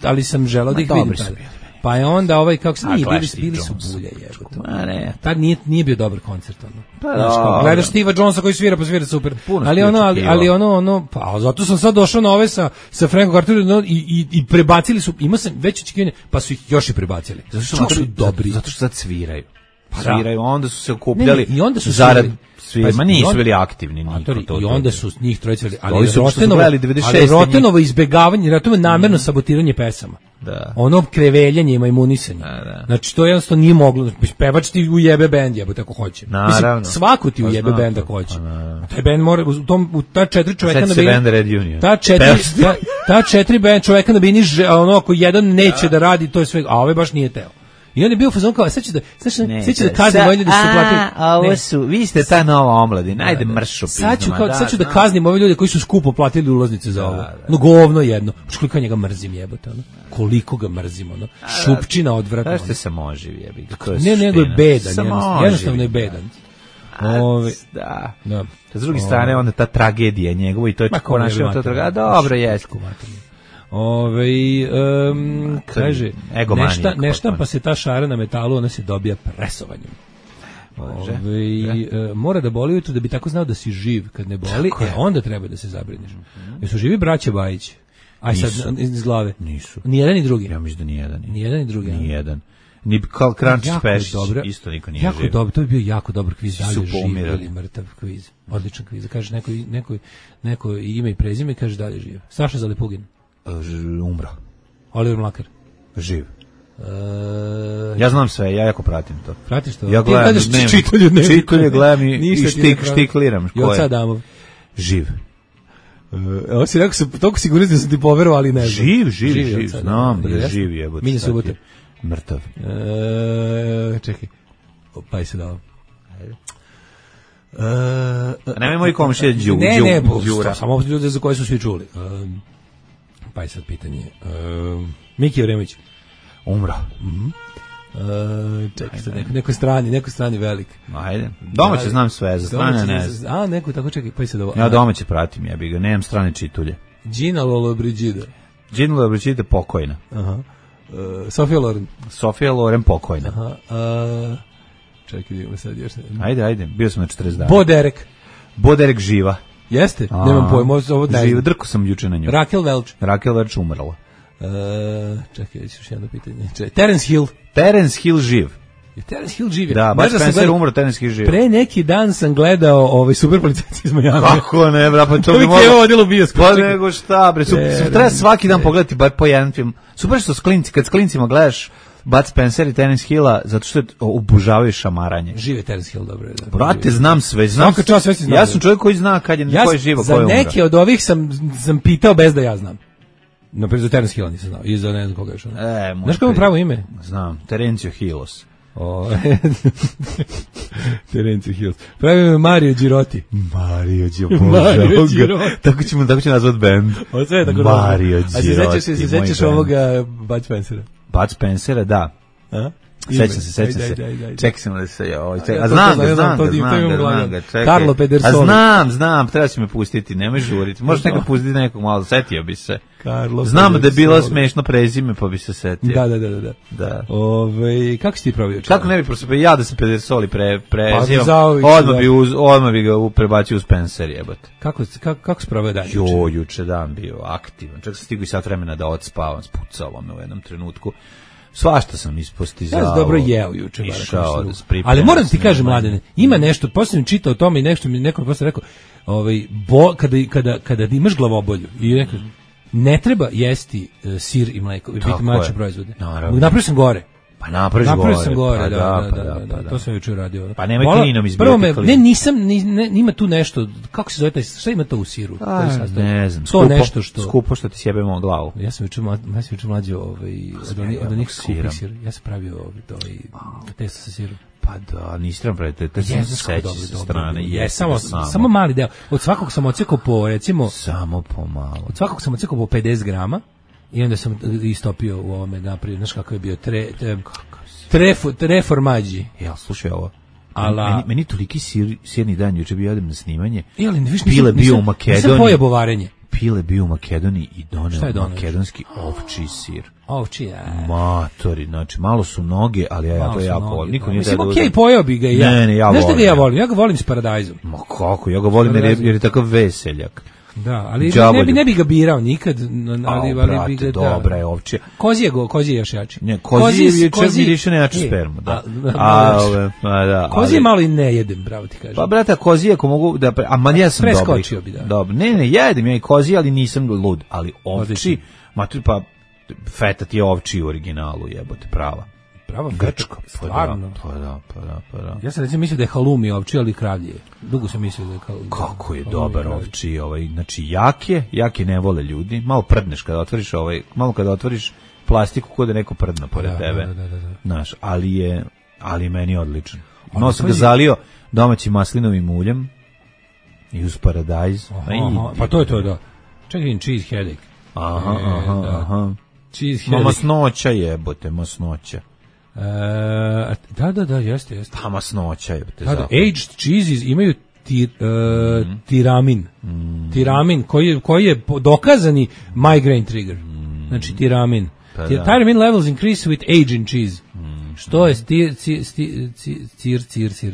S7: ali sam želeo da ih vidim tada. Pa je onda kako se bili su bulje, jebote. Tad nije bio dobar koncert, ono. Gledaš Steva Jonesa koji svira, pa svira super. Ali ono, pa zato sam sad došao na ove sa Frankom Carterom i prebacili su, imao sam već očekivanje, pa su ih još i prebacili. Zato što su dobri.
S6: Zato što sad sviraju. Sviraju, onda su se okupljali zarad svima, nisu bili aktivni.
S7: I onda su njih trojice, ali Rotenovo izbegavanje, Rotenovo namerno sabotiranje pesama.
S6: Da.
S7: Ono kreveljanje i majmunisanje. Znači to jednostavno nije moglo. Pevač ti ujebe bend, jebote, ako hoće.
S6: Mislim,
S7: svako ti ujebe bend ako hoće. Taj bend mora u ta 4 čoveka na bini. Ta 4 čoveka na bini, ono ako jedan neće da radi, to je sve, a ovaj baš nije teo. I on je bio fazon kao, sad ću da kaznim ove ljudi da su platili.
S6: Vi ste ta nova omladina, ajde mršu
S7: pizama. Sad ću da kaznim ove ljudi koji su skupo platili ulaznice za ovo. No govno jedno. Koliko njega mrzim, jebote, ono. Koliko ga mrzim, ono. Šupčina odvratna.
S6: Da ste samoživi, jebi.
S7: Ne, nego je bedan, jednostavno je bedan.
S6: Da. S druge strane, onda ta tragedija njegova i to je ponašanje to tragedija. Dobro, jest.
S7: Kaže, nešta pa se ta šara na metalu, ona se dobija presovanjem. Mora da boli ujutro da bi tako znao da si živ. Kad ne boli, onda treba da se zabrineš. Jesu živi braća Bajić? Aj sad iz glave.
S6: Nisu.
S7: Ni jedan ni drugi.
S6: Ja mislim da ni jedan.
S7: Ni jedan ni drugi.
S6: Ni jedan. Ni Krančić Pešić, isto niko nije
S7: jako
S6: živ.
S7: Dobro, to je bio jako dobar kviz, da li je živ ili mrtav kviz. Odličan kviz. Kaže neko ime i prezime, kaže da li je živ. Saša Zalepugin.
S6: Umro.
S7: Oliver Mlakar.
S6: Živ. Ja znam sve, ja jako pratim to.
S7: Pratiš to?
S6: Ja gledam, čitalje gledam i štikliram.
S7: Joca Adamov.
S6: Živ.
S7: Ovo si rekao, toliko sigurno da sam ti poverovao, ali ne znam.
S6: Živ, znam, živ je.
S7: Minja Subote.
S6: Mrtav.
S7: Čekaj. Pa je se dao.
S6: Nemoj moji komšije Đura.
S7: Samo ljude za koje su svi čuli. Pa je sad pitanje. Miki Jevremović.
S6: Umro.
S7: Čekaj sad, neko strani velik.
S6: Ajde. Domaće znam sve, za strane ne znam.
S7: A, neko tako, čekaj, pa je sad ovo.
S6: Ja domaće pratim, ja bih ga, nemam strane čitulje.
S7: Gina Lollobrigida.
S6: Gina Lollobrigida pokojna.
S7: Aha. Sofia Loren.
S6: Sofia Loren pokojna.
S7: Aha. Čekaj, idemo sad još.
S6: Ajde, bio sam na 40 dana.
S7: Bo Derek
S6: živa.
S7: Jeste? Nemam pojma, ovo da je.
S6: Živa, drko sam juče na nju.
S7: Raquel
S6: Welch umrla.
S7: Čekaj, još jedno pitanje. Terence Hill
S6: živ.
S7: Terence Hill živi.
S6: Da, Bud Spencer umro, Terence Hill živi.
S7: Pre neki dan sam gledao Super policajci iz Miami.
S6: Kako ne, bra, pa to bi
S7: moglo. To vodilo bioskop.
S6: Pa nego šta, bre, treba svaki dan pogledati bar po jedan film. Super što kad s klincima gledaš Bud Spencer i Terence Hilla, zato što obožavaju šamaranje.
S7: Žive Terence Hill, dobro.
S6: Brate, znam sve, znam. Ja sam čovjek koji zna kad je ko je živo, ko je umro.
S7: Za neke od ovih sam pitao bez da ja znam. Naprijed za Terence Hilla nisam znao, i za ne znam koga još. Znaš kako je pravo ime?
S6: Znam, Terencio Hillos.
S7: Terence Hills. Pravi me Mario Giroti.
S6: Mario Giroti. Tako ćemo nazvat band. Mario Giroti.
S7: A se sećaš ovoga Bud Spencera?
S6: Bud Spencera, da. Sećam se. Čekaj sam da se... Znam ga.
S7: Carlo Pedersoli.
S6: Znam, treba si me pustiti, nemoj žuriti. Možeš nekad pustiti nekog malo, setio bi se.
S7: Znam
S6: da je bilo smešno prezime, pa bi se setio.
S7: Da. Kako si ti probio?
S6: Kako ne bi prosipao? Ja da se Pedersoli prezivam, odmah bi ga prebacio u Spencer, jebote.
S7: Kako si probio dan?
S6: Juče dan bio aktivan. Čak sam stigao i sat vremena da odspavam, spucalo me u jednom trenutku. Svašta sam ispostizao.
S7: Ja sam dobro jeo juče.
S6: Ali
S7: moram ti kažem, Mladene, ima nešto, posljedno čitao o tome i nešto mi neko posle rekao, kada imaš glavobolju i rekao, ne treba jesti sir i mleko, biti mlače proizvode. Napravio sam gore.
S6: Pa napravio
S7: sam gore, da. To sam juče uradio.
S6: Pa nemoj klinom izbijati.
S7: Prvo ima tu nešto, kako se zove taj, šta ima to u siru?
S6: Ne znam, skupo što ti sjebemo glavu.
S7: Ja sam juče mlađo od onih skupih sir. Ja sam pravio testo sa sirom.
S6: Pa da, nisi trebam praviti, to sam seći sa strane.
S7: Samo mali deo. Od svakog sam odsekao po, recimo...
S6: Samo po malo.
S7: Od svakog sam odsekao po 50 grama. I onda sam istopio u ovome naprijed, znaš kako je bio tre formađi.
S6: Ja, slušaj ovo. Meni toliki sirni dan, juče bi odem na snimanje.
S7: Pile bio u Makedoniji. Nisam pojebo varenje.
S6: Pile bio u Makedoniji i doneo makedonski ovčji sir.
S7: Ovčji, ja.
S6: Matori, znači, malo su noge, ali ja to jako volim. Niko nije da
S7: uzem. Mislim, pojeo bi ga i ja.
S6: Ne, ja
S7: volim. Znaš da ga ja volim? Ja ga volim s paradajzom.
S6: Ma kako, ja ga volim jer je takav veseljak.
S7: Da, ali ne bi ga birao nikad, ali bi ga
S6: dobra je ovčija.
S7: Kozije još jači.
S6: Ne, kozije više ne jači spermu, da.
S7: Kozije malo i ne jedem, bravo ti kažem.
S6: Pa brate, kozije ako mogu da ja sam dobri.
S7: Preskočio bi, da.
S6: Dobro. Ne, jedem ja i kozije, ali nisam lud, ali ovči, pa feta ti je ovči u originalu, jebote, prava. Grčka, stvarno. Pa da.
S7: Ja sam recimo mislio da je halumi ovči, ali kravlje. Dugo sam mislio da je halumi.
S6: Kako je dobar ovči, znači jake ne vole ljudi. Malo prdneš kada otvoriš malo kada otvoriš plastiku kod da neko prdne pored tebe. Znaš, ali meni je odličan. Malo sam ga zalio domaćim maslinovim uljem i uz paradajz.
S7: Pa to je to, da. Čekaj, cheese headache.
S6: Aha. Cheese headache. Masnoća jebote, masnoća.
S7: Da, jeste.
S6: Pa masnoća je.
S7: Aged cheeses imaju tiramin. Tiramin koji je dokazani migraine trigger. Znači tiramin. Tiramin levels increase with age in cheese. Što je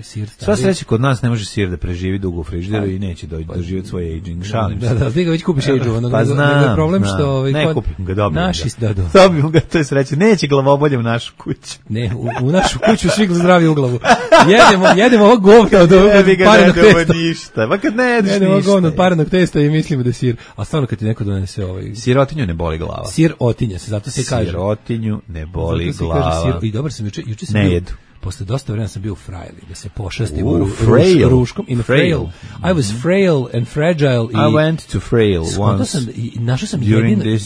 S7: sir.
S6: Sva sreća kod nas ne može sir da preživi dugo u frižideru i neće doživjeti svoj aging. Šalim se.
S7: Da, ti ga već kupiš age-ovanog.
S6: Pa znam.
S7: Problem što
S6: ne kupim ga, dobim
S7: ga.
S6: Dobim ga, to je sreća. Neće glavobolje u našu kuću.
S7: Ne, u našu kuću svi zdravi u glavu. Jedemo ovo govno od parenog testa.
S6: Ništa. Pa kad ne jedeš ništa.
S7: Jedemo ovo govno od parenog testa i mislimo da je sir. A stvarno kad ti neko donese
S6: sirotinju ne boli glava.
S7: Sirotinja se, zato se kaže.
S6: Sirotinju ne boli glava.
S7: I dobro sam juče sam
S6: ne jedu.
S7: Posle dosta vremena sam bio frail, da se pošastim ruškom. Frail. I was frail and fragile.
S6: I went to frail once.
S7: Našao sam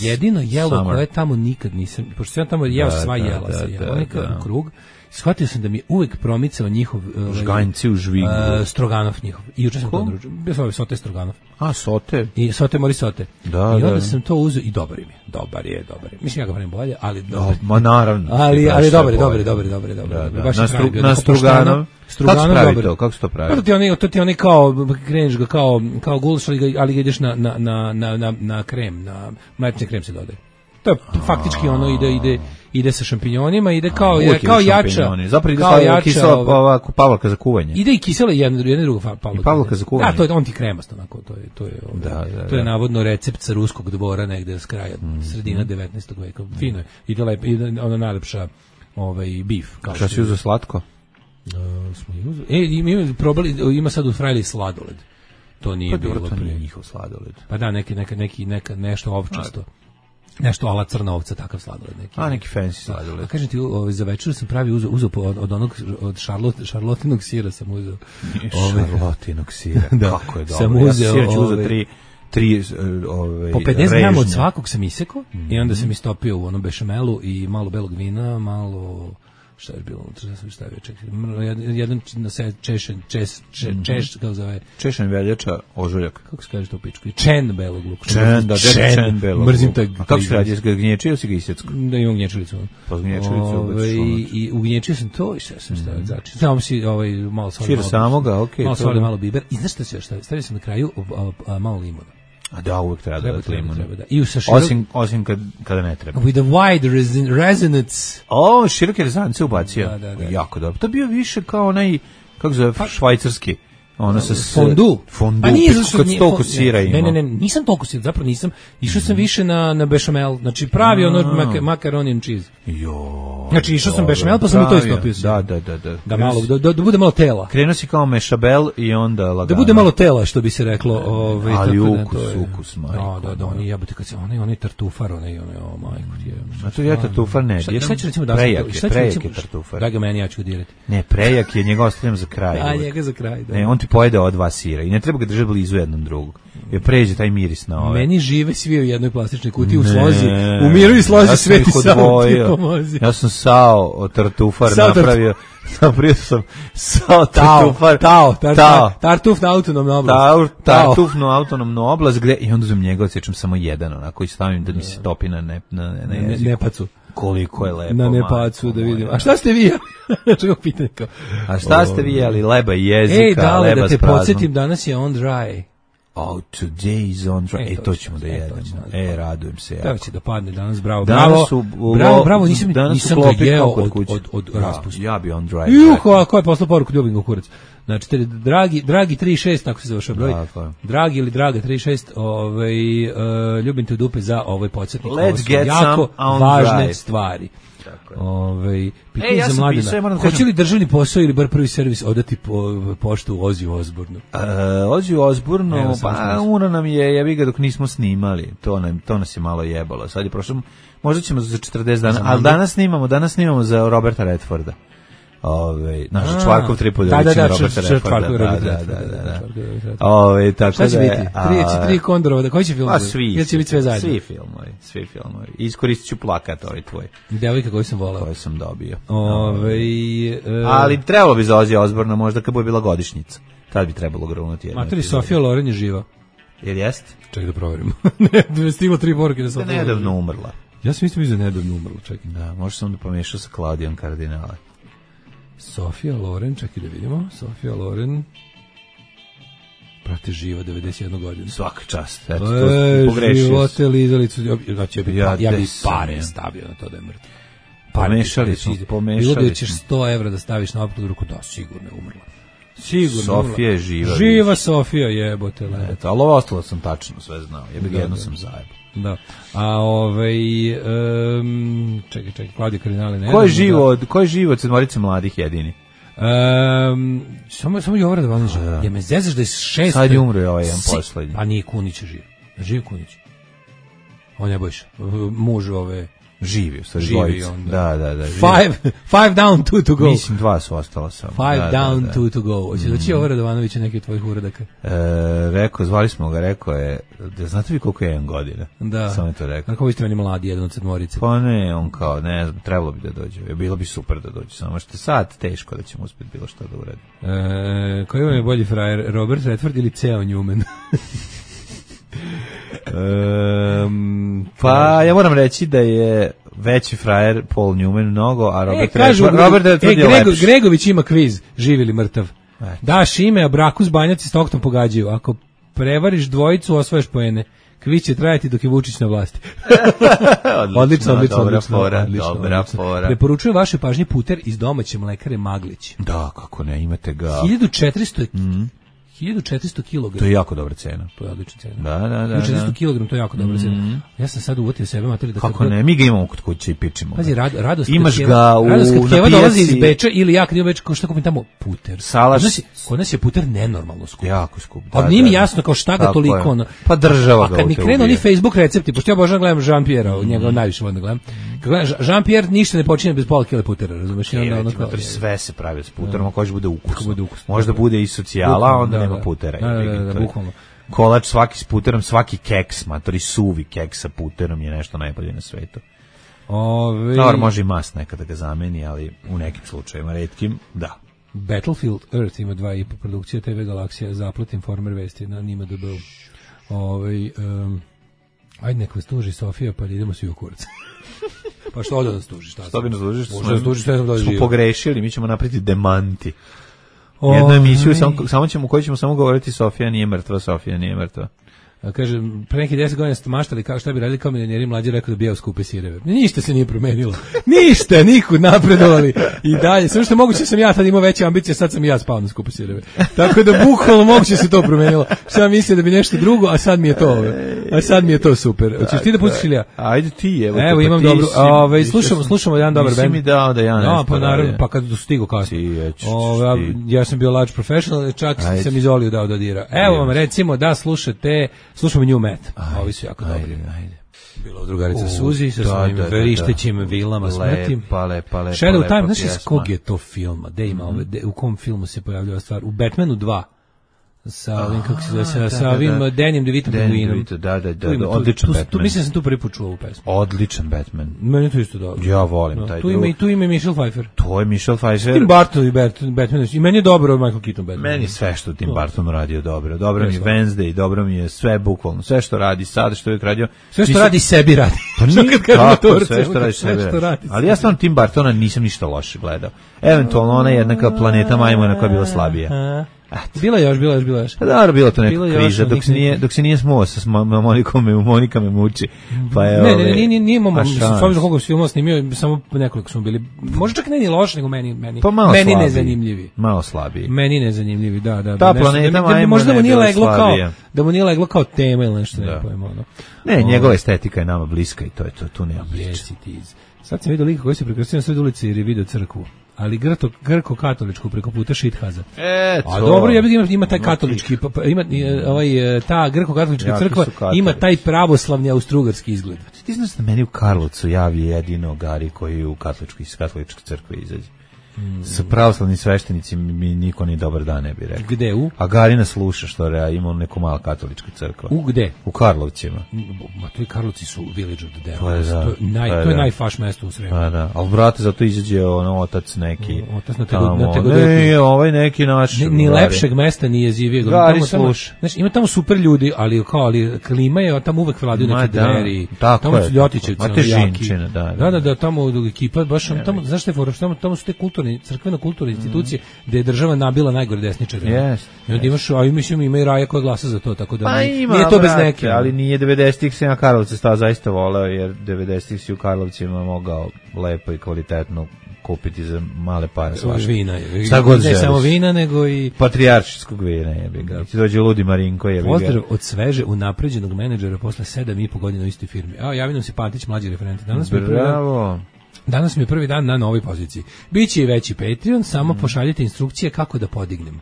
S7: jedino jelo koje tamo nikad nisam, pošto sam tamo jeo sva jela. Nekakav krug. Shvatio sam da mi je uvek promicao njihov
S6: žganjci u žvigu.
S7: Stroganov njihov. I juče sam to naručio. Bio sam sote Stroganov.
S6: Sote?
S7: I sote mori sote.
S6: Da,
S7: i onda sam to uzeo i dobar je. Dobar je. Mislim ja ga pravim bolje, ali dobar.
S6: Ma naravno.
S7: Ali dobar.
S6: Na Stroganov. Kako se to pravi?
S7: To ti oni kao kreneš ga kao gulaš, ali ga ideš na krem, na mlečni krem se dodaje. To je faktički ono ide sa šampinjonima, ide kao jača.
S6: Zapravo ide kao kisela pavlaka za kuvanje.
S7: Ide i kisela jedna druga pavlaka.
S6: I pavlaka za kuvanje.
S7: Da, to je on ti kremast onako, to je navodno recept sa ruskog dvora negde s kraja sredina 19. veka. Fino je. Ide ona najlepša beef.
S6: Šta si uzeo slatko?
S7: Ima sad u Frajli sladoled. To nije bilo
S6: prije njihov sladoled.
S7: Pa da, nešto ovčasto. Nešto ala crna ovca, takav sladoled neki.
S6: Neki fancy sladoled.
S7: A kažem ti, za večer sam pravi uzeo od šarlotinog sira sam uzeo.
S6: Šarlotinog sira, kako je dobro.
S7: Sam uzeo,
S6: ja uzeo tri
S7: po 50 grama od svakog sam isekao i onda sam istopio u onom bešamelu i malo belog vina, malo... Šta je bilo unutra, da sam stavio, čekaj, jedan kako zove?
S6: Češen veljača, ožuljak.
S7: Kako se kaže to u pičku? Čen belog luka.
S6: Čen belog luka.
S7: Mrzim taj.
S6: A kako se radi, jesi ga gnječio ili si ga isjecko?
S7: Da, imam gnječilicu.
S6: Pa gnječilicu.
S7: I ugnječio sam to i sve sam stavio začin. Samo si malo soli.
S6: Šir samoga, okej.
S7: Malo soli, malo biber. I znaš šta se još stavio? Stavio sam na kraju malo limuna.
S6: A da, uvijek treba limuna.
S7: I
S6: osim kada ne treba.
S7: With a wide resonance.
S6: Široke rezance ubacio. Da. Jako dobro. To je bio više kao onaj, kako zove, švajcarski. Ono sa
S7: fondu.
S6: Pa nije kad toliko sira ima.
S7: Ne, nisam toliko sira, zapravo nisam. Išao sam više na bešamel, znači pravi macaroni and cheese. Znači išao sam bešamel, pa sam u to istopio. Da malo, da bude malo tela.
S6: Krenuo si kao mešabel i onda lagano.
S7: Da bude malo tela, što bi se reklo.
S6: Ali ukus, majko.
S7: Da, oni jebote kad se, onaj tartufar, majko ti je.
S6: A to je tartufar, ne.
S7: Šta će recimo da
S6: prejak je tartufar.
S7: Da ga meni, ja ću ga dirati.
S6: Ne, prejak je, njega ostavljam za kraj.
S7: A njega za kraj, da.
S6: Ne, on ti pojede od dva sira i ne treba ga držati blizu jednom drugog. Jer pređe taj miris na ove.
S7: Meni žive svi u jednoj plastičnoj kutiji u slozi. U miru i slozi sve ti samo ti pomozi.
S6: Ja sam sao tartufar napravio. Napravio sam sao tartufar.
S7: Tartufnu autonomnu oblast.
S6: Tartufnu autonomnu oblast gde i onda uzmem njega odsječem samo jedan onako i stavim da mi se topi na jeziku.
S7: Nepacu.
S6: Koliko je lepo.
S7: Na nepacu da vidim. A šta ste vi jeli? Čego pitanje kao?
S6: A šta ste vi jeli? Leba i jezika, leba s praznom.
S7: Ej, da te podsjetim, danas je on dry.
S6: Today is on dry. To ćemo da jedemo. Radujem se jako.
S7: Da će da padne danas, bravo, nisam ga jeo od raspusta.
S6: Ja bi on dry.
S7: Ko je poslao poruku, ljubim ga kurac. Znači, dragi 36, tako se završao broj. Dragi ili draga 36, ljubim te u dupe za ovaj podsjetnik.
S6: Let's get
S7: jako
S6: some
S7: važne stvari. Pitanje za Mladena. Hoće li državni posao ili bar prvi servis odati poštu Oziju Osbournu?
S6: Oziju Osbournu, pa uno nam je, jebi ga dok nismo snimali. To nas je malo jebalo. Sad je prošlo, možda ćemo za 40 dana, ali danas snimamo za Roberta Redforda. Naš Čvarkov tripod
S7: Roberta
S6: Redforda. Tako
S7: šta će biti? Tri Kondorova, koji će film?
S6: Svi.
S7: Će biti sve zajedno?
S6: Svi filmovi. Iskoristit ću plakat ovaj tvoj.
S7: Devojka koju sam volao.
S6: Koju sam dobio. Ali trebalo bi za Ozija Osbourna možda kad bude bila godišnjica. Tad bi trebalo grunuti jedno.
S7: Materi, Sofija Loren je živa.
S6: Jer jest?
S7: Čekaj da proverimo. Ne, stiglo 3 poruke da sam
S6: nedavno umrla.
S7: Ja sam mislim da nedavno umrla, čekaj.
S6: Da, možda sam da pomešao sa Klaudijom Kardinale.
S7: Sofija Loren, čekaj da vidimo. Sofija Loren, prate živa, 91 godina.
S6: Svaka čast. Eto, pogrešio.
S7: Živote lizalicu. Ja bi pare stavio na to da je mrtvo.
S6: Pomešali smo.
S7: Bilo da ćeš 100 evra da staviš na opkladu ruku, da, sigurno je umrla. Sigurno.
S6: Sofija je živa.
S7: Živa Sofija, jebote.
S6: Eto, ali ovo ostalo sam tačno sve znao. Jedno sam zajebao.
S7: Da. A čekaj, Klaudija Kardinale ne.
S6: Ko je živo od sedmorice mladih jedini?
S7: Samo je Jovara Davanović. Ja me zezaš da je 6.
S6: Sad je umro ovaj jedan poslednji.
S7: A nije Kunić živ. Živ Kunić. On je Bojša. Muž ove...
S6: Živi, u stvari dvojica. Da.
S7: Five down, 2 to go.
S6: Mislim, 2 su ostala samo.
S7: 5 down, 2 to go. Hoće doći Jovara Davanovića neki od tvojih uradaka?
S6: Zvali smo ga, rekao je, da znate vi koliko je 1 godina?
S7: Da.
S6: Samo je to rekao.
S7: Kako vi ste meni mladi, jedan od sedmorice?
S6: Pa ne, on kao, ne znam, trebalo bi da dođe. Bilo bi super da dođe, samo što sad teško da ćemo uspjeti bilo što da uradi.
S7: Koji vam je bolji frajer, Robert Redford ili Theo Newman?
S6: Pa ja moram reći da je veći frajer Paul Newman mnogo, a Robert Redford je lepši.
S7: Gregović ima kviz, živ ili mrtav. Daš ime, a braku s Banjaci s Toktom pogađaju. Ako prevariš dvojicu, osvojaš poene. Kviz će trajati dok je Vučić na vlasti. Odlično.
S6: Dobra fora.
S7: Preporučujem vaše pažnje puter iz domaće mlekare Maglić.
S6: Da, kako ne, imate ga.
S7: 1400 kg.
S6: To je jako dobra cena.
S7: To je odlična cena.
S6: Da.
S7: 1400 kg, to je jako dobra cena. Ja sam sad uvotio sebe materi da
S6: kako ne, mi ga imamo kod kuće i pičimo.
S7: Pazi, radost.
S6: Imaš ga u
S7: Keva dolazi iz Beča ili ja kad idem u Beč, kao šta kupim tamo puter.
S6: Salaš.
S7: Kod nas je puter nenormalno skup.
S6: Jako skup.
S7: A nije mi jasno kao šta ga toliko ono.
S6: Pa država ga.
S7: A kad mi krenu oni Facebook recepti, pošto ja obožavam gledam Jean-Pierre, njega najviše volim da gledam. Kad gledam Jean-Pierre ništa ne počinje bez pola kile putera, razumeš?
S6: Sve se pravi s puterom, ako hoće bude ukusno. Možda bude i socijala, onda nema putera.
S7: Da, bukvalno.
S6: Kolač svaki s puterom, svaki keks, matori suvi keks sa puterom je nešto najbolje na svetu. Dobar, može i mast nekada da ga zameni, ali u nekim slučajima, retkim, da.
S7: Battlefield Earth ima 2,5 produkcija TV Galaksija, Zaplet Informer Vesti na njima da byl. Ajde nek vas tuži Sofija, pa idemo svi u kurac. Pa što ovdje nas tuži?
S6: Što bi nas tužiš?
S7: Smo
S6: pogrešili, mi ćemo napraviti demanti. Jednu emisiju, koju ćemo samo govoriti Sofija nije mrtva.
S7: Kaže, pre neki 10 godina ste maštali kao šta bi radili kao milioneri, mlađi rekao da bijao skupe sireve. Ništa se nije promenilo. Ništa, nikud napredovali. I dalje, sve što moguće sam ja tad imao veće ambicije, sad sam i ja spao na skupe sireve. Tako da bukvalno moguće se to promenilo. Sam mislio da bi nešto drugo, a sad mi je to super. Hoćeš ti da pustiš ili ja?
S6: Ajde ti,
S7: evo imam dobro. Slušamo jedan dobar bend.
S6: Nisi mi dao da ja nešto.
S7: Pa naravno, pa kad stigu kasnije. Ja sam bio large professional, čak sam Izoliju dao da dira. Evo vam recimo da slušamo New Met. Ovi su jako dobri. Bila drugarica Suzi sa svojim verištećim vilama smrti.
S6: Lepa.
S7: Shadow Time, znaš iz kog je to filma? U kom filmu se pojavljava stvar? U Batmanu 2. Sa ovim, kako se zove, sa ovim Dannyem DeVitom Penguinom.
S6: Da, odličan Batman.
S7: Mislim da sam tu prvi put čuo ovu pesmu.
S6: Odličan Batman.
S7: Meni to isto dobro.
S6: Ja volim taj drug.
S7: Tu ima i Michelle Pfeiffer.
S6: To je Michelle Pfeiffer.
S7: Tim Burton i Batman. I meni je dobro Michael Keaton Batman.
S6: Meni sve što Tim Burton radio dobro. Dobro mi je Wednesday, dobro mi je sve bukvalno. Sve što radi sad, što je radio.
S7: Sve što radi sebi radi.
S6: Pa nije sve što radi sebi radi. Ali ja stvarno Tim Burtona nisam ništa loše gledao. Eventualno ona jednaka Planeta majmuna koja je bila slabija.
S7: Bila je još.
S6: Pa dobro, bilo to neka kriza, dok se nije smuo sa Monika me muči. Pa je
S7: nije imamo, s obzirom koga film snimio, samo nekoliko smo bili, možda čak ne ni loš, nego meni nezanimljivi.
S6: Malo slabiji.
S7: Meni nezanimljivi, da.
S6: Ta Planeta majmuna
S7: možda da mu nije leglo kao tema ili nešto, ne pojma.
S6: Ne, njegova estetika je nama bliska i to je to, tu nema
S7: priče. Sad sam vidio lika koji se prekrstio na sred ulici jer je vidio crkvu. Ali grko-katoličku preko puta Šithaza. A dobro, ima taj katolički, ima ta grko-katolička crkva, ima taj pravoslavni austrougarski izgled.
S6: Ti znaš da meni u Karlovcu javi jedino Gari koji u katoličke crkve izađe. Sa pravoslavnim sveštenicima mi niko ni dobar dan ne bi rekao.
S7: Gde u?
S6: A Garina sluša što ima neku malu katoličku crkvu.
S7: U gde?
S6: U Karlovcima.
S7: Ma to i Karlovci su village of the devil. To je najfaš mesto u Sremu.
S6: Da. Ali brate, zato izađe otac neki.
S7: Otac na Tegodeti.
S6: Ne, ovaj neki naš.
S7: Ni lepšeg mesta nije živio.
S6: Gari sluša.
S7: Znači, ima tamo super ljudi, ali klima je, tamo uvek vladaju neke dveri. Tamo su Ljotićevci. Da, tamo ekipa, baš tamo, znaš te fora, tamo su te crkveno-kulturne institucije gde je država nabila najgore desničare.
S6: Yes.
S7: I onda imaš, mislim, ima i Raja koja glasa za to, tako da nije to bez neke.
S6: Ali nije 90-ih se na Karlovce zaista voleo, jer 90-ih si u Karlovcima mogao lepo i kvalitetno kupiti za male pare.
S7: Vina.
S6: Ne
S7: samo vina, nego i
S6: patrijaršijskog vina jebi ga. Ti dođe ludi Marinko jebi ga.
S7: Pozdrav od sveže unapređenog menadžera posle 7,5 godina u istoj firmi. Javi nam se Pantić, mlađi referent. Danas mi je prvi dan na novoj poziciji. Biće i veći Patreon, samo pošaljite instrukcije kako da podignem.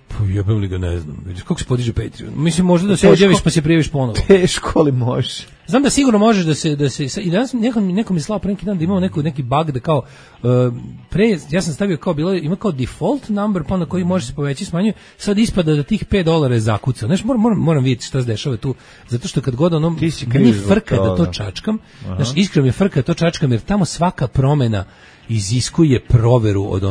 S7: Pa jebem li ga, ne znam. Vidiš kako se podiže Patreon? Mislim, možda da se odjaviš pa se prijaviš ponovo.
S6: Teško, ali može.
S7: Znam da sigurno možeš da se i danas nekom je slao pre neki dan da imao neki bug da kao ja sam stavio kao ima kao default number pa na koji može se poveći smanjuje, sad ispada da tih $5 je zakucao. Znaš, moram vidjeti šta se dešava tu, zato što kad god meni frka da to čačkam, znaš, iskreno mi frka da to čačkam, jer tamo svaka promena iziskuje proveru od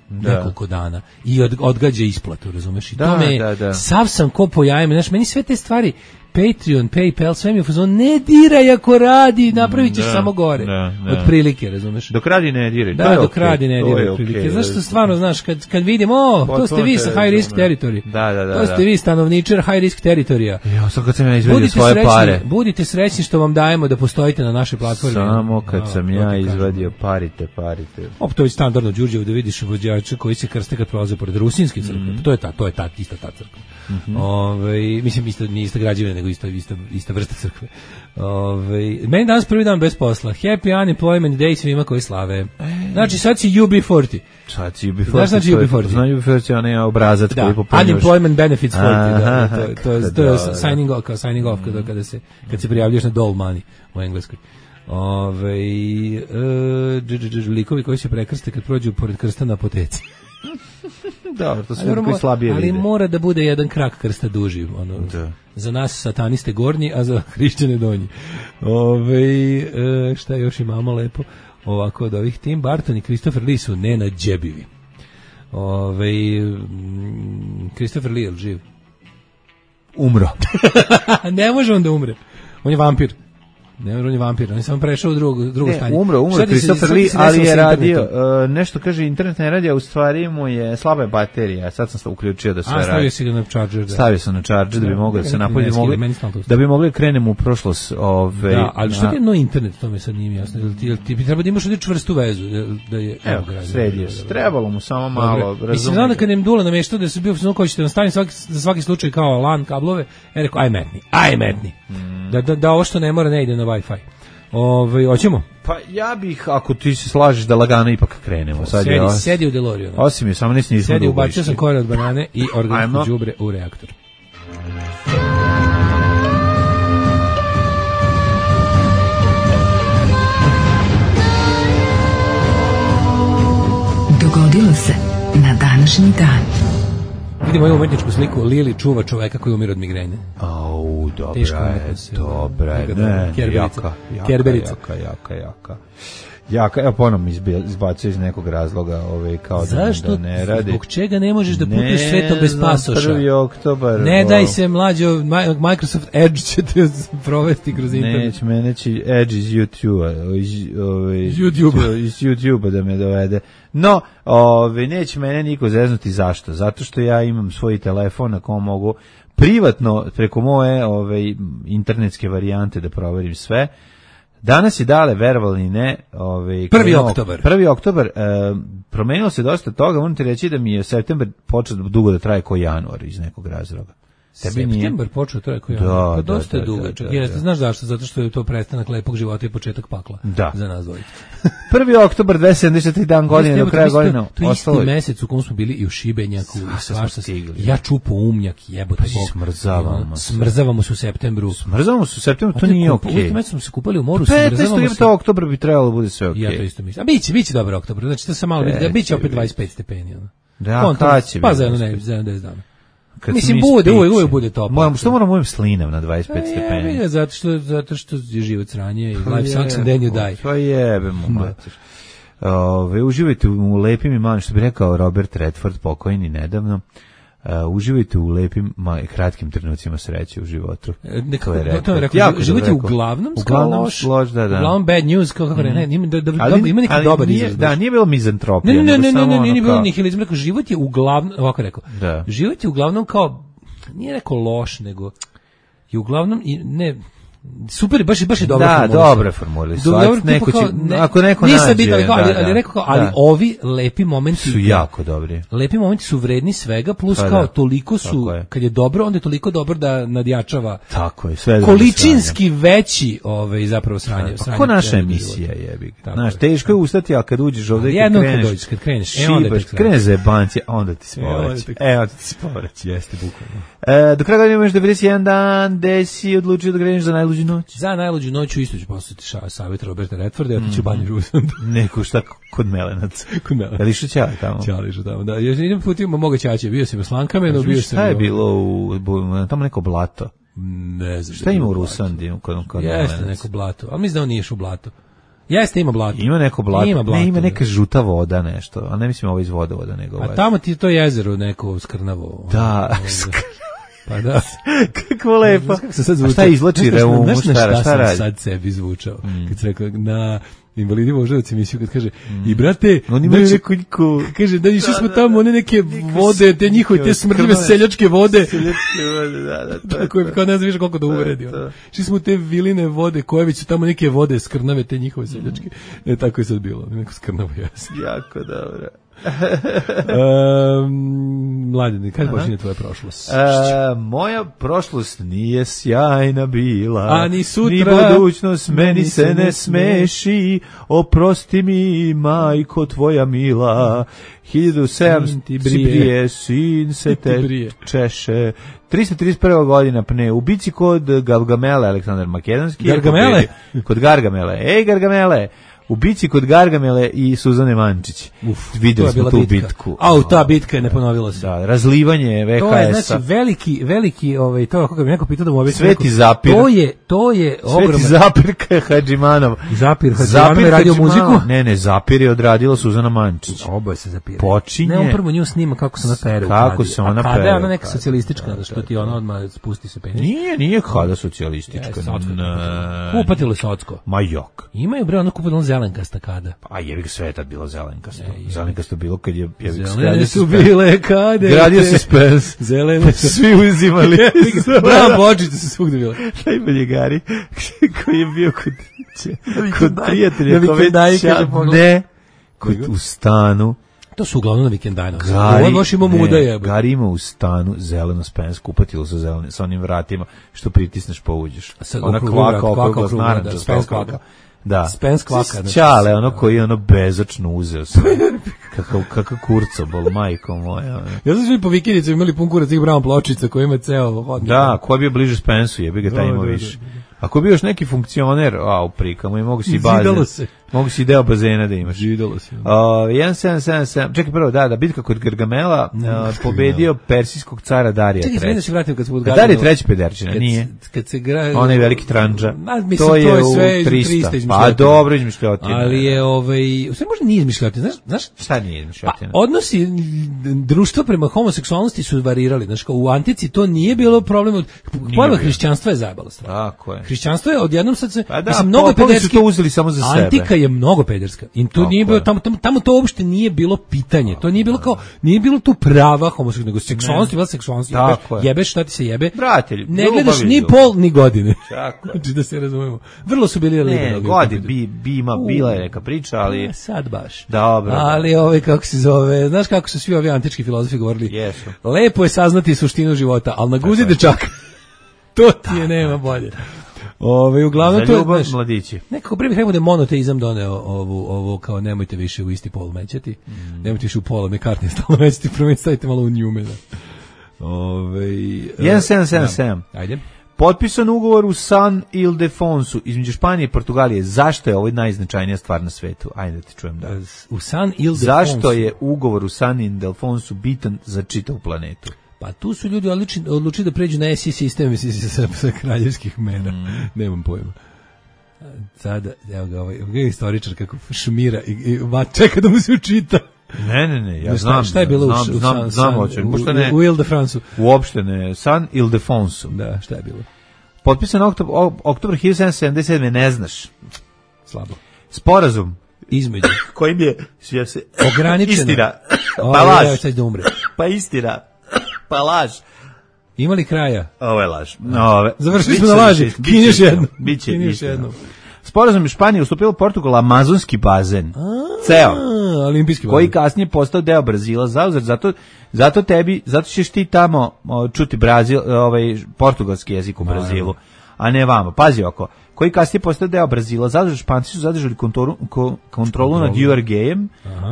S7: nekoliko dana i odgađa isplatu, razumeš? I to me sav sam ko po jajima, znaš, meni sve te stvari Patreon, PayPal, sve mi je fazon, ne diraj ako radi, napravit ćeš samo gore. Od prilike, razumeš?
S6: Dok radi ne diraj.
S7: Da, dok radi ne diraj od prilike. Znaš što stvarno, znaš, kad vidim, to ste vi sa high risk territory.
S6: Da.
S7: To ste vi stanovničar high risk teritorija.
S6: Ja, sad kad sam ja izvadio svoje pare.
S7: Budite srećni što vam dajemo da postojite na našoj platformi.
S6: Samo kad sam ja izvadio parite.
S7: To je standardno Đurđevo da vidiš vođača koji se krste kad prolaze pored rusinske crkve. To je ta ista ta crkva. Mislim nije ista građevina nego ista vrsta crkve. Meni danas prvi dan bez posla. Happy Unemployment Day svima koji slave. Znači sad si UB40.
S6: Sad si UB40.
S7: Znaš znači UB40?
S6: Znam UB40 je onaj obrazac koji popunjaš.
S7: Unemployment Benefits 40. To je signing off kad se prijavljaš na dole money u Engleskoj. Likovi koji se prekrste kad prođu pored krsta na apoteci.
S6: Dobro, to su koji slabije vide.
S7: Ali mora da bude jedan krak krsta duži. Za nas sataniste gornji, a za hrišćane donji. Šta još imamo lepo? Ovako od ovih Tim Burton i Christopher Lee su nenađebivi. Christopher Lee je živ?
S6: Umro.
S7: Ne može on da umre. On je vampir. Ne, on je vampir, on je samo prešao u drugo stanje.
S6: Umro Christopher Lee, ali je radio, nešto kaže, internet ne radi, a u stvari mu je slaba je baterija, sad sam se uključio da sve radi.
S7: Stavio si ga na charger.
S6: Stavio sam na charger da bi mogli da se napolje, da bi mogli krenemo u prošlost.
S7: Da, ali što ti je no internet, to mi sad nije jasno, ti bi treba da imaš ovdje čvrstu vezu, da je...
S6: Evo, sredio se, trebalo mu samo malo razumjeti.
S7: Mislim, znam da kad im Dula nameštao da se bio fazon koji ćete nastaviti za svaki slučaj kao LAN kablove, rekao, aj metni. Da ovo što ne mora ne ide na Wi-Fi. Hoćemo?
S6: Pa ja bih, ako ti se slažeš da lagano ipak krenemo.
S7: Sedi u DeLoreanu.
S6: Osim je, samo nismo
S7: sedi, ubacio sam kore od banane i organsko đubre u reaktor.
S4: Dogodilo se na današnji dan.
S7: Vidimo ovu umetničku sliku, Lili čuva čoveka koji umire od migrene.
S6: Dobra je. Jaka, evo ponovno izbacuje iz nekog razloga kao da ne radi.
S7: Zbog čega ne možeš da putuješ svetom bez pasoša?
S6: 1. oktobar.
S7: Ne daj se mlađo, Microsoft Edge će te provesti kroz internet.
S6: Neće Edge iz YouTube-a. Iz YouTube-a da me dovede. No, neće mene niko zeznuti. Zašto? Zato što ja imam svoj telefon na kom mogu privatno preko moje internetske varijante da proverim sve. Danas je dale, verovali ne, 1. oktobar, promenilo se dosta toga, moram ti reći da mi je septembar počeo dugo da traje ko januar iz nekog razloga.
S7: Septembar počeo traje ko januar, dosta je dugačak. Znaš zašto? Zato što je to prestanak lepog života i početak pakla za nas dvojice.
S6: 1. oktobar, 273 dan godine do kraja godine.
S7: To je isti mesec u kom smo bili i u Šibenjaku. Ja čupo umnjak, jebote bog. Smrzavamo se u septembru.
S6: To nije okej.
S7: U mesec smo se kupali u moru,
S6: 15. oktobar bi trebalo bude sve okej.
S7: Ja to isto mislim. A biće dobar oktobar, znači to se malo biće opet 25 stepeni.
S6: Da, kad će biti?
S7: Pa za jedno 10 dana. Mislim, uvijek bude toplo.
S6: Što moram uvijek slinav na 25 stepeni?
S7: Zato što je život sranje i life sucks and then you die.
S6: Pa jebemo, mater. Uživajte u lepim i malim, što bi rekao Robert Redford, pokojni nedavno. Uživajte u lepim, kratkim trenucima sreće u životu.
S7: To je rekao, živite uglavnom
S6: loš, da.
S7: Uglavnom bad news, kako ne, ima neki dobar izraz.
S6: Da, nije bilo mizantropija.
S7: Nije bilo nihilizam, rekao, život je uglavnom, ovako rekao, život je uglavnom kao, nije rekao loš, nego je uglavnom, ne... Super, baš je dobro formulisano.
S6: Da, dobro formulisano. Ako neko nađe.
S7: Ali rekao, ali ovi lepi momenti
S6: su jako dobri.
S7: Lepi momenti su vredni svega, plus kao toliko su, kad je dobro, onda je toliko dobro da nadjačava.
S6: Tako je, sve
S7: količinski veći zapravo sranje.
S6: Kako naša emisija jebi. Znaš, teško je ustati, a kad uđeš ovde i
S7: kad kreneš,
S6: kreneš za jebanci, onda ti spovrać. Evo ti spovrać, jeste bukvalno. Do kraja godine imaš 91 dan, gde si odlučio da kreneš za najluđu noć?
S7: Za najluđu noć isto ću poslati savjet Roberta Redforda, ja ti ću banju Rusand.
S6: Neko šta kod Melenac. Ali što ćali tamo?
S7: Ćali što tamo, da. Ja idem putima moga ćaće, bio sam u Slankamenu, bio sam...
S6: Šta je bilo tamo neko blato?
S7: Ne znam.
S6: Šta ima u Rusandi?
S7: Jeste neko blato, ali mislim da on nije u blato. Jeste, ima blato.
S6: Ima neko blato. Ima neka žuta voda nešto, a ne mislim ovo iz vodovoda, nego...
S7: A tamo ti je to jezero neko skrnavo.
S6: Da,
S7: Pa da.
S6: Kako lepo. Šta izlači reumu, šta radi?
S7: Sad sebi zvučao. Kad se rekao na Invalidi Voždovac emisiju, kad kaže i brate,
S6: oni imaju nekoliko,
S7: kaže da išli smo tamo one neke vode, te njihove te smrdljive seljačke vode.
S6: Da.
S7: Tako je, kao ne znam više koliko da uvredi. Išli smo te viline vode, koje već su tamo neke vode skrnave, te njihove seljačke. Tako je sad bilo, neko skrnavo jasno.
S6: Jako dobro.
S7: Mladine, kada počinje tvoja prošlost?
S6: Moja prošlost nije sjajna bila,
S7: a ni sutra,
S6: ni budućnost meni se ne smeši, oprosti mi majko tvoja mila, 1700 brije, sin se te češe, 331. godina pne, u bici kod Gargamele, Aleksandar Makedonski.
S7: Gargamele?
S6: Kod Gargamele, Gargamele, u bici kod Gargamele i Suzane Mančić. Videli smo tu bitku.
S7: Ta bitka je ne ponovila se.
S6: Da, razlivanje VHS-a.
S7: To je znači veliki to kako bi neko pitao da mu objasni.
S6: Sveti Zapir.
S7: To je ogroman.
S6: Sveti Zapir Hadžimanov.
S7: Zapir Hadžimanov je radio muziku.
S6: Ne, Zapir je odradila Suzana Mančić.
S7: Oboje se Zapir.
S6: Počinje.
S7: Ne, on prvo nju snima kako se ona pere.
S6: Kako se ona pere.
S7: Kada je ona neka socijalistička, što ti ona odmah spusti se penis.
S6: Nije kada socijalistička.
S7: Kupatilo Socko.
S6: Ma jok.
S7: Imaju bre ono kupatilo zelenkasta kada.
S6: A jebi ga, sve je tad bilo zelenkasto. Zelenkasto bilo kad je
S7: zelene su bile kade.
S6: Gradio se spens.
S7: Zelene su
S6: svi uzimali.
S7: Bravo, bočice su svugde bile.
S6: Najbolji Gari koji je bio kod prijatelja u stanu.
S7: To su uglavnom na vikendajnu. Ovo baš ima muda jebe.
S6: Gari ima u stanu zeleno spens, kupatilo sa onim vratima, što pritisneš pa uđeš. Ona kvaka oko naranča, spens kvaka. Da.
S7: Spens kvaka.
S6: Ćale, ono koji je ono bezočno uzeo sve. Kakav kurcobol, majko moja.
S7: Ja sam svi po vikendicu imali pun kurac tih brown pločica koji ima ceo hodnik.
S6: Da, ko je bio bliže Spensu, jebi ga taj ima više. Ako bi još neki funkcioner, u prikama i mogu si bazen. Mogu si deo bazena da imaš.
S7: Židalo se.
S6: 1777. Čekaj prvo, da, bitka kod Gargamela pobedio persijskog cara Darija III.
S7: Čekaj, se vratim kad smo
S6: odgadali. Darija III Pederčina, nije.
S7: Kad se
S6: onaj veliki tranđa.
S7: To je sve 300.
S6: Pa dobro izmišljotina.
S7: Ali je sve možda nije izmišljotina, znaš?
S6: Šta nije izmišljotina?
S7: Odnosi društva prema homoseksualnosti su varirali, znaš, u antici to nije bilo problem, pojava hrišćanstva je zajebala stvar.
S6: Tako je.
S7: Hrišćanstvo je odjednom sad se,
S6: mislim, mnogo pederski, su to uzeli samo za sebe.
S7: Antika je mnogo pederska. I tu nije bilo, tamo to uopšte nije bilo pitanje. To nije bilo kao, nije bilo tu prava homoseksualnosti, nego seksualnost je bila seksualnost. Jebeš šta ti se jebe.
S6: Bratelj,
S7: ne gledaš ni pol ni godine. Znači da se razumemo. Vrlo su bili liberalni.
S6: Bila je neka priča, ali
S7: sad baš.
S6: Dobro.
S7: Ali kako se zove, znaš kako su svi ovi antički filozofi govorili?
S6: Jesu.
S7: Lepo je saznati suštinu života, al na guzi dečaka. To ti je nema bolje. Uglavnom to je
S6: mladići.
S7: Nekako prvi rekao da je monoteizam doneo ovo kao nemojte više u isti pol mećati. Nemojte više u pola McCartney stalno mećati, prvo stavite malo u Newmana.
S6: 1777.
S7: Ajde.
S6: Potpisan ugovor u San Ildefonsu između Španije i Portugalije. Zašto je ovo najznačajnija stvar na svetu? Ajde da ti čujem da.
S7: U San Ildefonsu.
S6: Zašto je ugovor u San Ildefonsu bitan za čitavu planetu?
S7: Pa tu su ljudi odlučili da pređu na SI sistem sa kraljevskih mera. Nemam pojma. Sada, evo ga ovaj istoričar kako šmira i čeka da mu se učita.
S6: Ne, ja znam.
S7: Šta je bilo u Ile-de-Franceu?
S6: Uopšte ne, San Ildefonsu.
S7: Da, šta je bilo?
S6: Potpisan oktobar 1777, ne znaš.
S7: Slabo.
S6: Sporazum
S7: između
S6: kojim je
S7: ograničena
S6: istina. Pa laž.
S7: Pa
S6: istina. Pa laž.
S7: Ima li kraja?
S6: Ovo je laž.
S7: Završili smo na laži. Kinješ jedno.
S6: Biće jedno. Sporazum je Španija ustupila Portugal amazonski bazen. Ceo.
S7: Olimpijski bazen.
S6: Koji kasnije postao deo Brazila. Zato ćeš ti tamo čuti Brazil, portugalski jezik u Brazilu, a ne vamo. Pazi oko. Koji kasnije postao deo Brazila. Španci su zadržali kontrolu nad Uruguayem.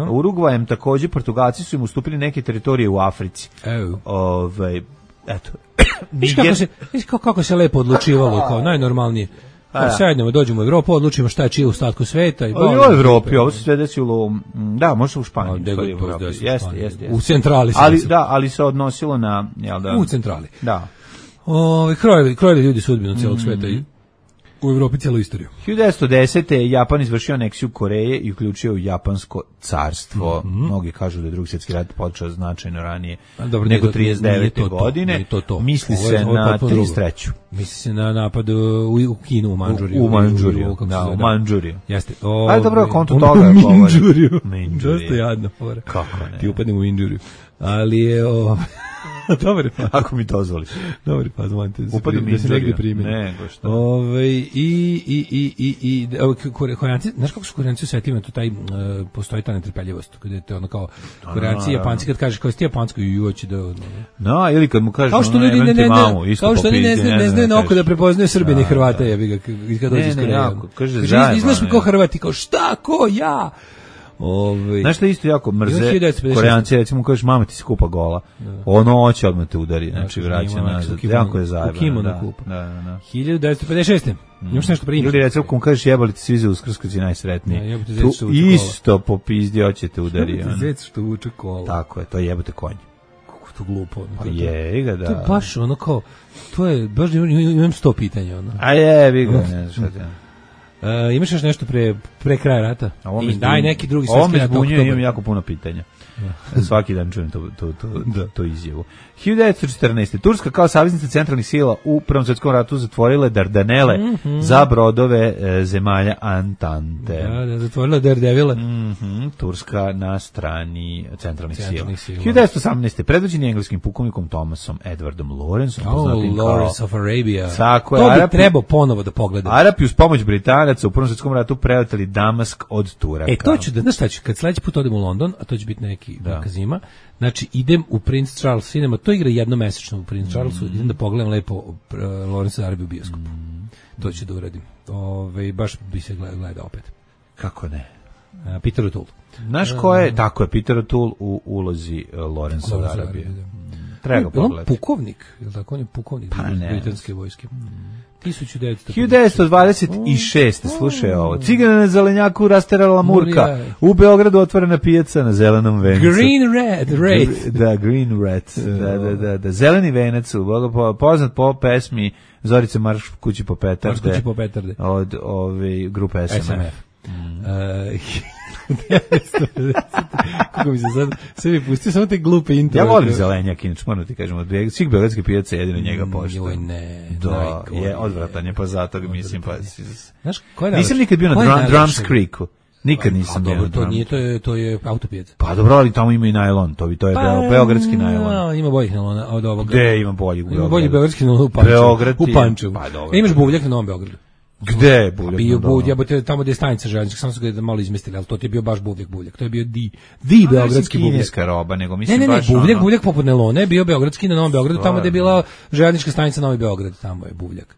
S6: Urugvajem također Portugalci su im ustupili neke teritorije u Africi. Eto.
S7: Viš kako se lepo odlučivalo, kao najnormalnije. Sednemo, dođemo u Evropu, odlučimo šta je čije u ostatku sveta.
S6: Ali u Evropi, ovo se sve desilo, da, možda u Španiji.
S7: Jeste. U centrali.
S6: Ali se odnosilo na...
S7: U centrali.
S6: Da.
S7: Krojili ljudi sudbinu cijelog sveta. u Evropi cijelu istoriju.
S6: 1910. je Japan izvršio aneksiju Koreje i uključio u Japansko carstvo. Mnogi kažu da je Drugi svjetski rat počeo značajno ranije nego 39. godine. Misli se na 33.
S7: Misli se na napad u Kinu, u Mandžuriju.
S6: U Mandžuriju, da, u Mandžuriju.
S7: Jeste.
S6: Ajde, dobro, konto toga je govori.
S7: Mandžuriju. Dosta jadno.
S6: Kako ne?
S7: Ti upadnem u Mandžuriju. Ali je... Dobar je faz.
S6: Ako mi dozvoliš.
S7: Dobar je faz, molim te.
S6: Upadem
S7: da se negdje primjeni.
S6: Nego šta.
S7: Koreanci, znaš kako su Koreanci u svetima, to taj, postoji ta netrpeljivost, kada je to ono kao, Koreanci i Japanci kad kažeš kao si ti Japansko i hoće da...
S6: No, ili kad mu kažeš,
S7: kao što ljudi kao što oni ne znaju na oko da prepoznaju Srbine i Hrvate, jebi ga, kad dođe iz Koreje.
S6: Kaže,
S7: izgledaš mi kao Hrvati, kao šta, ko, ja?
S6: Znaš što isto jako mrze Koreanci, recimo kažeš mama ti se kupa gola, ono hoće odmah te udari, znači vraća nazad, jako je zajebano.
S7: 1956. Imaš nešto prije?
S6: Ili recimo kom kažeš jebali ti svi za Uskrs kad si najsretniji, tu isto po pizdi hoće te udari.
S7: Jebate zec što vuče kola.
S6: Tako je, to jebote konj.
S7: Kako to glupo.
S6: Je ga da.
S7: To je baš ono kao, to je, baš imam 100 pitanja.
S6: A jebi ga, ne znaš šta te.
S7: Imaš još nešto pre kraja rata? Daj neki drugi svetski rat.
S6: Ovo me zbunjuje, imam jako puno pitanja. Svaki dan čujem to izjavu. 1914. Turska kao saveznica centralnih sila u Prvom svjetskom ratu zatvorile Dardanele za brodove zemalja Antante.
S7: Da, zatvorila Daredevile.
S6: Turska na strani centralnih sila. 1918. predvođeni engleskim pukovnikom Thomasom Edwardom Lawrenceom, poznatim kao
S7: Lawrence of Arabia.
S6: Tako
S7: to bi trebao ponovo da pogledam.
S6: Arapi uz pomoć Britanaca u Prvom svjetskom ratu preoteli Damask od Turaka.
S7: To ću da, znaš šta ću, kad sledeći put odem u London, a to će biti neki kazima, znači idem u Prince Charles Cinema, to igra jednomesečno u Prince Charlesu, idem da pogledam lepo Lawrence Arabia u bioskopu. To ću da uradim. Baš bi se gleda opet.
S6: Kako ne?
S7: Peter O'Toole.
S6: Znaš ko je? Tako je, Peter O'Toole u ulozi Lawrence Arabia. Treba pogledati.
S7: On pukovnik, je li tako? On je pukovnik britanske vojske.
S6: 1926. Slušaj ovo. Cigana na zelenjaku rasterala Murka. U Beogradu otvorena pijaca na zelenom vencu.
S7: Green Red.
S6: Da, Green Red. Da. Zeleni venac. Poznat po pesmi Zorice Marš kući po petarde. Od grupe SMF.
S7: Kako mi se sad mi pustio samo te glupe intro.
S6: Ja volim zelenjak, inače moram ti kažem, od svih beogradskih pijaca jedino njega poštujem.
S7: Joj ne.
S6: Da, je odvratan je, pa zato ga mislim, pa...
S7: Znaš, ko je
S6: nisam nikad bio na Drums Creeku. Nikad nisam bio na Drums
S7: Creeku. To je autopijaca.
S6: Pa dobro, ali tamo ima i najlon, to je beogradski najlon.
S7: Ima boljih najlona od ovoga.
S6: Gde ima boljih u Beogradu?
S7: Ima boljih beogradski najlon u Pančevu. Imaš buvljak na Novom Beogradu.
S6: Gde je buvljak?
S7: Bio buvljak, tamo gde je stanica željeznička, samo su ga malo izmestili, ali to ti je bio baš buvljak. To je bio di beogradski buvljak.
S6: Kineska roba, nego mislim baš...
S7: Ne, buvljak poput nelone, bio beogradski na Novom Beogradu, tamo gde je bila željeznička stanica Novi Beograd, tamo je buvljak.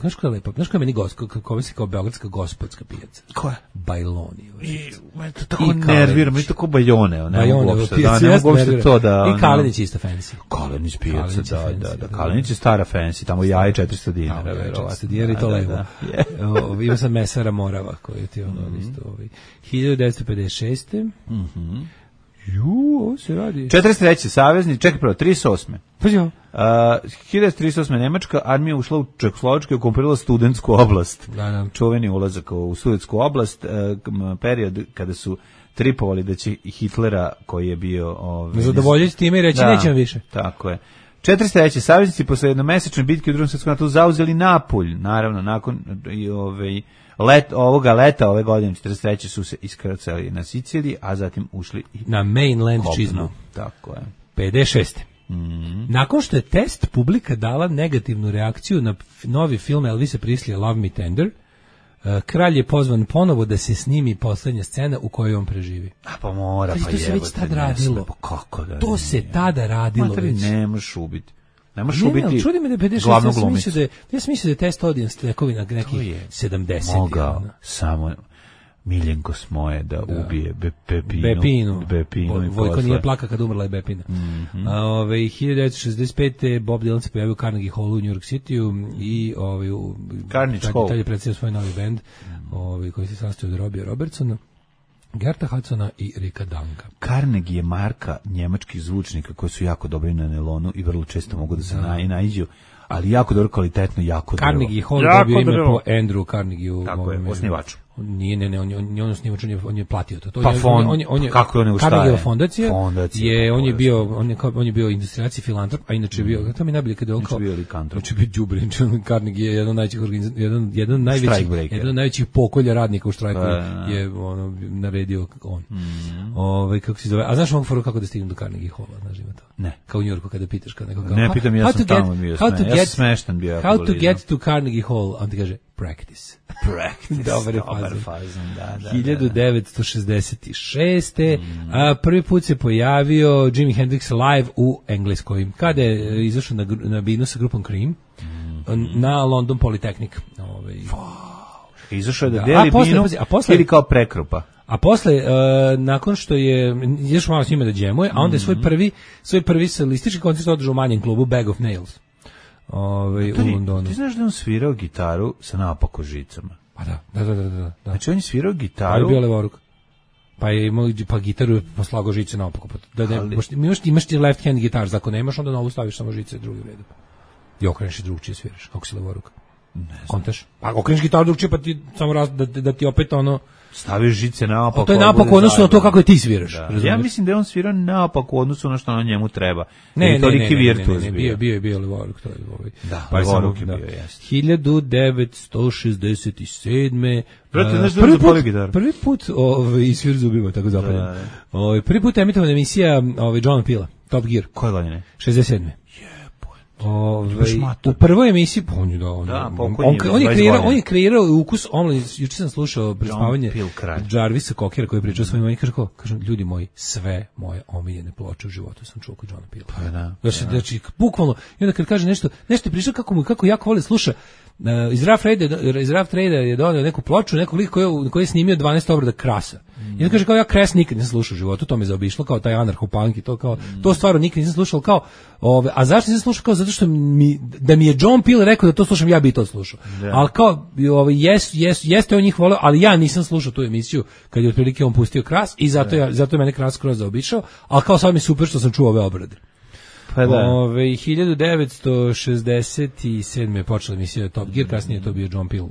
S7: Znaš koja je lepa? Znaš koja je meni kako se kao beogradska gospodska pijaca?
S6: Koja?
S7: Bajloni.
S6: Me to tako nervira, me to kao Bajone.
S7: Bajone,
S6: pijaca, ne mogu uopšte to da...
S7: I Kalenić je isto fancy.
S6: Kalenić pijaca, da. Kalenić je stara fancy, tamo jaje 400 dinara.
S7: 400 dinara i to levo. Ima sam mesara Morava, koji ti ono isto... 1956. Ovo se radi.
S6: 43. savezni, čekaj prvo, 38.
S7: Pa jo.
S6: 1938. Nemačka armija ušla u Čehoslovačku i okupirala studentsku oblast.
S7: Da.
S6: Čuveni ulazak u studentsku oblast, period kada su tripovali da će Hitlera, koji je bio...
S7: zadovoljiti time i reći nećemo više.
S6: Tako je. 43. saveznici posle jednomesečne bitke u Drugom svjetskom ratu zauzeli Napulj. Naravno, nakon ovoga leta ove godine 43. su se iskrcali na Siciliji, a zatim ušli
S7: na mainland čizmu.
S6: Tako je.
S7: 56. Nakon što je test publika dala negativnu reakciju na novi film Elvisa Preslija Love Me Tender, kralj je pozvan ponovo da se snimi poslednja scena u kojoj on preživi.
S6: A pa mora,
S7: to se već tad radilo.
S6: Kako da?
S7: To se tada radilo već.
S6: Ne možeš ubiti. Ne možeš ubiti
S7: čudi me da je 56, ja sam mislio da je test audience tekovina nekih 70.
S6: Mogao samo Miljenko Smoje da ubije
S7: Bepinu.
S6: Vojko
S7: nije plaka kad umrla je Bepina. 1965. Bob Dylan se pojavio u Carnegie Hallu u New York City i
S6: Carnegie Hall.
S7: Tad je predstavio svoj novi bend koji se sastoji od Robbie Robertsona, Gerta Hudsona i Ricka Danka.
S6: Carnegie je marka njemačkih zvučnika koji su jako dobri na nelonu i vrlo često mogu da se naiđu, ali jako dobro, kvalitetno, jako dobro.
S7: Carnegie Hall dobio ime po Andrew Carnegie.
S6: Tako je, osnivaču.
S7: Ne, on osnivač, on je platio to.
S6: Pa fond, kako je on ustaje?
S7: Carnegie fondacija, on je bio industrijaci filantrop, a inače je bio, to mi najbolje kada je on kao, znači bio đubre, Carnegie je jedan od najvećih pokolja radnika u štrajku je ono naredio on. Kako se zove? A znaš mogu foru kako da stignem do Carnegie Halla, znaš ima to?
S6: Ne.
S7: Kao u Njujorku kada pitaš kao nekog.
S6: Ne pitam, ja sam tamo bio, ja sam smeštan bio.
S7: How to get to Carnegie Hall, on ti kaže practice.
S6: Dobar fazon, da.
S7: 1966. Prvi put se pojavio Jimi Hendrix live u Engleskoj. Kada je izašao na binu sa grupom Cream na London Polytechnic.
S6: Izašao je da deli binu ili kao prekrupa.
S7: A posle, nakon što je još malo s njima da džemuje, a onda je svoj prvi solistički koncert održao u manjem klubu Bag of Nails. U Londonu.
S6: Ti znaš da on svirao gitaru sa naopako žicama?
S7: Pa da.
S6: Znači on je svirao gitaru.
S7: Pa je bio levoruk. Pa je imao gitaru poslagao žice naopako. Imaš ti left hand gitar, ako nemaš onda na ovu staviš samo žice drugi redu. I okreneš i drugčije sviraš, ako si levoruk.
S6: Ne znam.
S7: Kontaš? Pa okreneš gitaru drugčije pa ti samo da ti opet ono
S6: staviš žice naopako.
S7: To je naopako odnosno na to kako je ti sviraš.
S6: Ja mislim da je on svirao naopako u odnosu na što na njemu treba.
S7: Ne, bio levoruk, to je ovaj.
S6: Da, pa levoruk je bio, jeste.
S7: 1967. Prvi put svir zubima, tako zapadno. Prvi put emitovana emisija John Pila, Top Gear.
S6: Koje godine?
S7: 67. U prvoj emisiji on je kreirao ukus omladine. Juče sam slušao prespavanje Jarvisa Cockera koji je pričao svojim i kaže ljudi moji, sve moje omiljene ploče u životu sam čuo kod Johna Pila. Znači bukvalno, i onda kad kaže nešto je pričao kako jako voli sluša. Iz Rough Trade je donio neku ploču, nekog lika koji je snimio 12 obrada Krasa. I on kaže kao ja Kras nikad nisam slušao u životu, to me zaobišlo, kao taj anarcho-punk i to kao, to stvarno nikad nisam slušao kao, a zašto nisam slušao kao zato što da mi je John Peel rekao da to slušam, ja bi to slušao. Ali kao, jeste on njih voleo, ali ja nisam slušao tu emisiju kad je otprilike on pustio Kras i zato je mene Kras skroz zaobišao, ali kao sad mi super što sam čuo ove obrade.
S6: Pa da.
S7: 1967. je počela emisija Top Gear, kasnije je to bio John Peel,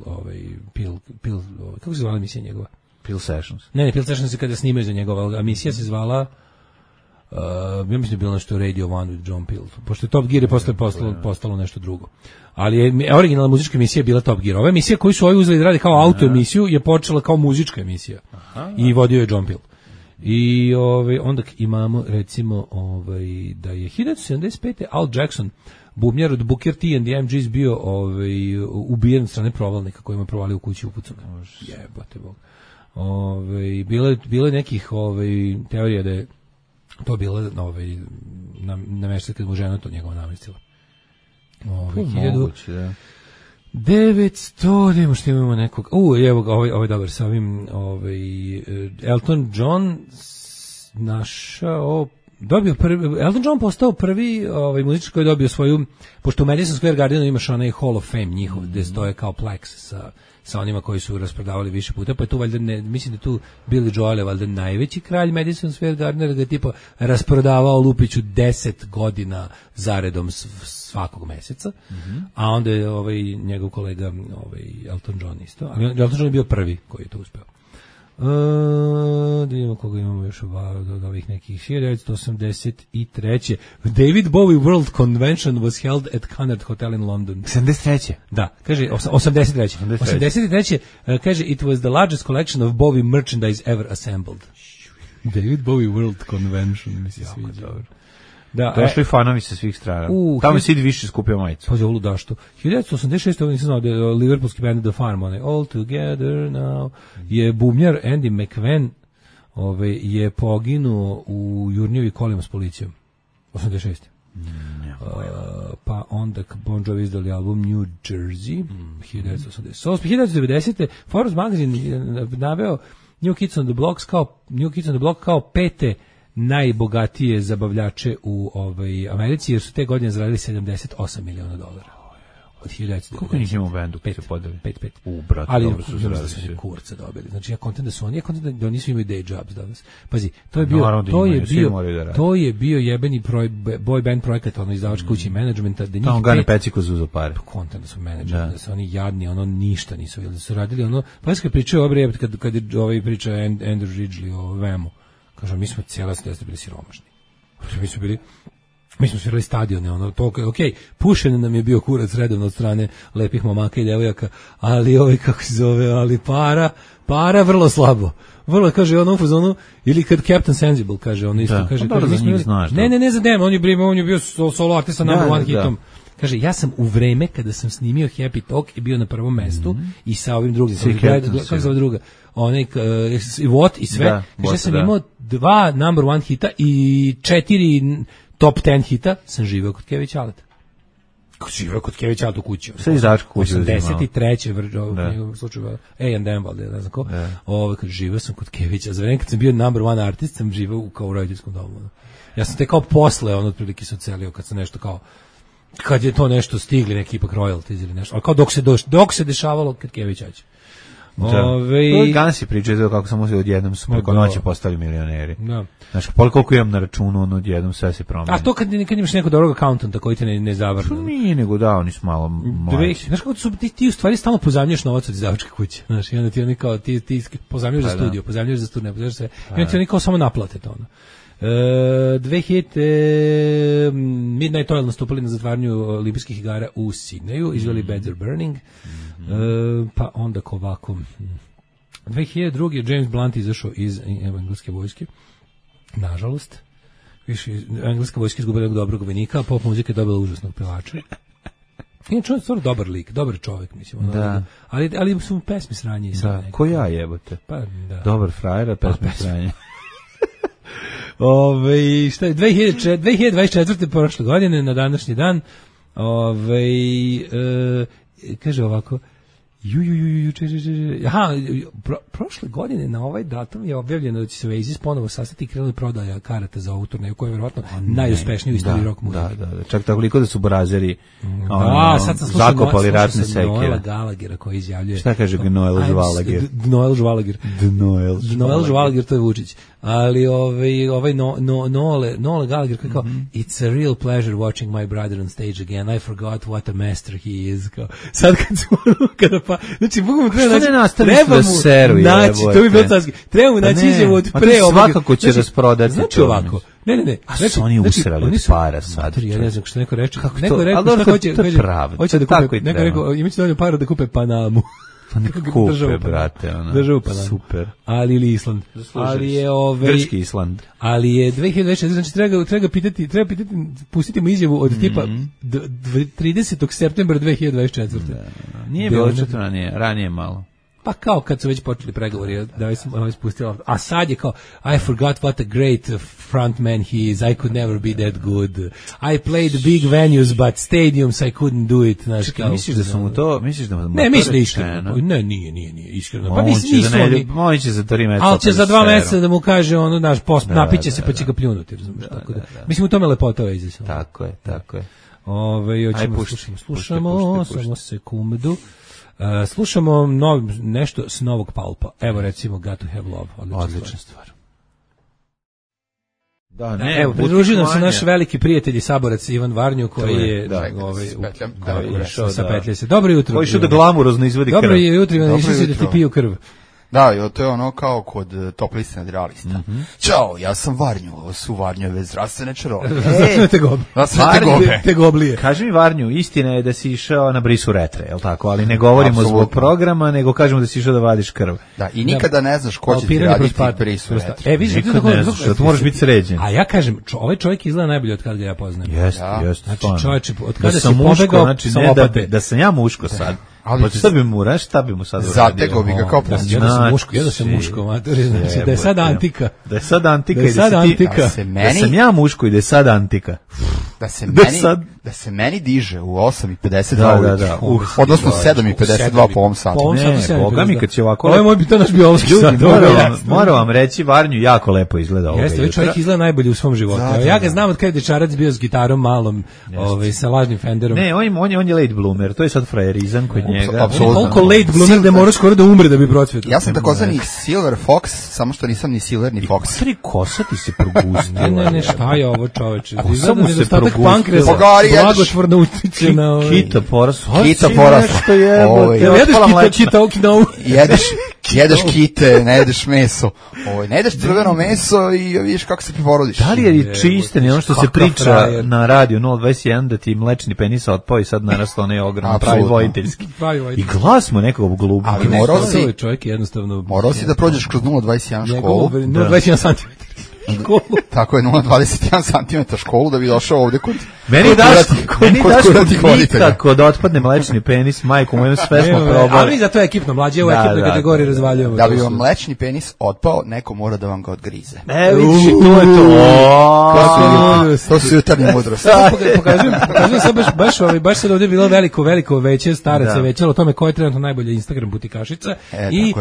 S7: kako se zvala emisija njegova?
S6: Peel Sessions.
S7: Ne, Peel Sessions je kada snimaju za njegova, emisija se zvala, ja mislim da je bilo nešto Radio One with John Peel, pošto je Top Gear je posle postalo nešto drugo. Ali je originalna muzička emisija bila Top Gear. Ova emisija koju su ovi uzeli da radi kao auto emisiju je počela kao muzička emisija. I vodio je John Peel. I onda imamo recimo da je 1975. Al Jackson, bubnjar od Booker T and the MGs bio ubijen od strane provalnika kojima je provalio u kući upucano. Jebote Bog. Bilo je nekih teorija da je to bila namešta kad mu žena to njegova namestila. 900, nemo što imamo nekog, evo ga, ovo je dobar sa ovim, Elton John Elton John postao prvi muzičar koji je dobio svoju, pošto u Madison Square Gardenu imaš onaj Hall of Fame njihov, gde stoje kao Plex sa onima koji su rasprodavali više puta, pa je tu valjda, mislim da tu Billy Joel je valjda najveći kralj Madison Square Gardena, ga je tipa rasprodavao Lupiću 10 godina zaredom svakog meseca, a onda je njegov kolega Elton John isto, ali Elton John je bio prvi koji je to uspeo. Da vidimo koga imamo još od ovih nekih 1983. David Bowie World Convention was held at Cunard Hotel in London.
S6: 73.
S7: Da, kaže 83. Kaže it was the largest collection of Bowie merchandise ever assembled. David Bowie World Convention, mi se sviđa.
S6: Da, došli fanovi sa svih strana. Tamo Sid više skupio majicu.
S7: Pa je luda što. 1986. nisam znao da je liverpoolski band The Farm, All Together Now, je bubnjar Andy McVen je poginuo u Jurnjevi kolima s policijom. 86. Pa onda Bon Jovi izdali album New Jersey 1988. 1990. Forbes magazine je naveo New Kids on the Block kao pete najbogatije zabavljače u Americi, jer su te godine zaradili $78 miliona. Od 1990.
S6: Koliko njih ima u bendu?
S7: 5.
S6: Brate,
S7: ali
S6: dobro su
S7: da su kurca dobili. Znači ja kontent da su oni, da oni su imaju day jobs danas. Pazi, to je bio jebeni boy band projekat, ono izdavač kući menadžmenta, da njih
S6: tamo Gane Peciko zuzo pare.
S7: Kontent da su menadžeri, da su oni jadni, ono ništa nisu, da su radili ono, pa kad pričaju obre, kad je ovaj priča Andrew Ridgeley o Vemu, kaže mi smo cijela stesta bili siromašni. Mi smo svirali stadione, ono, to, okej, pušen nam je bio kurac redovno od strane lepih momaka i devojaka, ali kako se zove, ali para vrlo slabo. Vrlo, kaže, ono u fazonu, ili kad Captain Sensible, kaže, ono isto, kaže, ne za dem, on je bio solo artista number one hitom. Kaže, ja sam u vreme kada sam snimio Happy Talk i bio na prvom mestu i sa ovim drugim, kako zove druga, onaj, What i sve, kaže, ja sam imao 2 number one hita i 4 top 10 hita, sam živeo kod Kević Aleta. Živeo kod Kević Aleta u kući.
S6: Sve izdavačka kuća.
S7: 83. u slučaju A&M, valjda, ne znam ko. Kad živeo sam kod Kevića, za vreme kad sam bio number one artist, sam živeo kao u roditeljskom domu. Ja sam te kao posle, otprilike se ocelio, kad sam nešto kao, kad je to nešto stigli, neki ipak royalties ili nešto, ali kao dok se dešavalo kad Kević Aće.
S6: Gans je pričao kako sam uzeo odjednom su preko noći postali milioneri. Znaš, koliko imam na računu, ono odjednom sve se promeni.
S7: A to kad imaš nekog dobrog accountanta koji te ne zavrne.
S6: Nije, nego da, oni su malo mlađi.
S7: Znaš kako su, ti u stvari stalno pozajmljuješ novac od izdavačke kuće. Znaš, i onda ti oni kao, ti pozajmljuješ za studio, pozajmljuješ za studiju, pozajmljuješ sve. I onda ti oni kao samo naplate to ono. 2000 Midnight Oil nastupili na zatvaranju olimpijskih igara u Sidneju, izveli Beds Are Burning, pa onda ovako 2002. James Blunt izašao iz engleske vojske, nažalost engleska vojska izgubila jednog dobrog vojnika, a pop muzika je dobila užasnog pevača. Inače on je stvarno dobar lik, dobar čovjek, mislim. Ali su mu pesmi sranje.
S6: Da, ko ja jebote.
S7: Pa, da.
S6: Dobar frajer, a pesmi sranje.
S7: Šta je 2024. prošle godine na današnji dan kaže ovako prošle godine na ovaj datum je objavljeno da će se Oasis ponovo sastati i krenuli prodaja karata za ovu turneju koja je vjerojatno najuspešnija u istoriji rock muzike.
S6: Da, čak toliko da su Brazeri
S7: sad sam
S6: zakopali ratne sekire.
S7: Noela Gallaghera koji izjavljuje.
S6: Šta kaže Noel Žvalagir?
S7: Noel Žvalagir, to je Vučić. Ali Noel Gallagher kao it's a real pleasure watching my brother on stage again. I forgot what a master he is. Sad kada pa, znači bukvalno treba mu naći izjavu od pre ovoga.
S6: Svakako će rasprodati.
S7: Znači ovako. Ne.
S6: A su oni usrali od para sad.
S7: Ja ne znam što neko reče.
S6: Neko rekao šta hoće
S7: da kupe. Neko rekao imaće dovoljno para da kupe Panamu.
S6: Pa neko kupe, brate, ono.
S7: Državu Panamu.
S6: Super.
S7: Ali ili Island. Ali je
S6: grčki Island.
S7: Ali je 2024, znači treba pitati, pustiti mu izjavu od tipa 30. septembra 2024.
S6: Nije bilo ranije malo.
S7: Pa kao kad su već počeli pregovori, da sam spustila. A sad je kao, I forgot what a great frontman he is, I could never be that good. I played big venues, but stadiums I couldn't do it.
S6: Čekaj, misliš da sam mu to, misliš da mu
S7: ne, mislim da iskreno. Ne, nije iskreno. Pa nisu oni.
S6: On će za 3 meseca.
S7: Ali će za 2 meseca da mu kaže, ono, naš post, napiće se pa će ga pljunuti, razumiješ, tako da. Mislim, u tome lepota je izisao.
S6: Tako je.
S7: Slušamo, samo sekundu. Slušamo nešto s novog Palpa. Evo recimo Got to Have Love.
S6: Odlična stvar.
S7: Evo, pridružio nam se naš veliki prijatelj i saborac Ivan Varnju koji je išao sa petlje se. Dobro jutro.
S6: Koji išao da glamurozno izvodi krv.
S7: Dobro jutro, išao si da ti piju krv.
S8: Da, to je ono kao kod top liste nadrealista. Ćao, ja sam Varnju, ovo su Varnjove zdravstvene čarolije.
S7: Zdravstvene tegoblije.
S6: Kaži mi Varnju, istina je da si išao na brisu retre, je li tako? Ali ne govorimo zbog programa, nego kažemo da si išao da vadiš krv.
S8: Da, i nikada ne znaš ko će ti raditi brisu retre.
S6: Nikad ne znaš, da moraš biti sređen.
S7: A ja kažem, ovaj čovjek izgleda najbolje od kada ga ja poznajem.
S6: Jeste.
S7: Znači čovječe, od kada si pobegao sa lopate.
S6: Da sam ja muško sad. Ali šta bi mu sad uradio?
S8: Zatego bi ga kao
S7: ja da sam muško, matori, znači da je sad antika.
S6: Da sam ja muško i da je sad antika.
S8: da se meni diže u 8:52 odnosno 7:52 po ovom satu.
S6: Ne, boga mi kad će ovako...
S7: Ovo je moj naš biološki sat.
S6: Moram vam reći, Varnju jako lepo izgleda ovoga jutra.
S7: Jeste, čovjek izgleda najbolje u svom životu. Ja ga znam od kada je dečarac bio s gitarom malom, sa lažnim Fenderom.
S6: Ne, on je late bloomer, to je sad frajerizam kod njega.
S7: Koliko late bloomer da mora skoro da umre da bi procvetao.
S8: Ja sam takozvani Silver Fox, samo što nisam ni Silver ni Fox.
S6: Tri kosa ti se progustila.
S7: Ne, šta je ovo, čoveče?
S6: Samo se progustila.
S7: Blagotvorno utiče na...
S6: Kita porasla.
S8: Što
S7: je?
S8: Jedeš kite, ne jedeš meso. Ne jedeš crveno meso i vidiš kako se preporodiš.
S6: Da li je čiste, ono što se priča na radiju 021 da ti mlečni penis otpao i sad narastao onaj ogroman pravi vojiteljski. I glas mu nekog glubu.
S8: Ali morao si da prođeš kroz 021 školu.
S7: 021 cm.
S8: Tako je, 0,21 cm školu da bi došao ovde kod
S6: meni kod otpadne mlečni penis, majku mojom sve smo probali.
S7: Ali zato je ekipno mlađe u ekipnoj kategoriji razvaljujemo.
S8: Da bi vam mlečni penis otpao, neko mora da vam ga odgrize.
S6: Vidiš, to je to.
S8: To su jutarnje mudrosti.
S7: Pokazujem sad baš sad ovdje je bilo veliko veće, starac je većalo o tome ko je trenutno najbolja Instagram butikašica i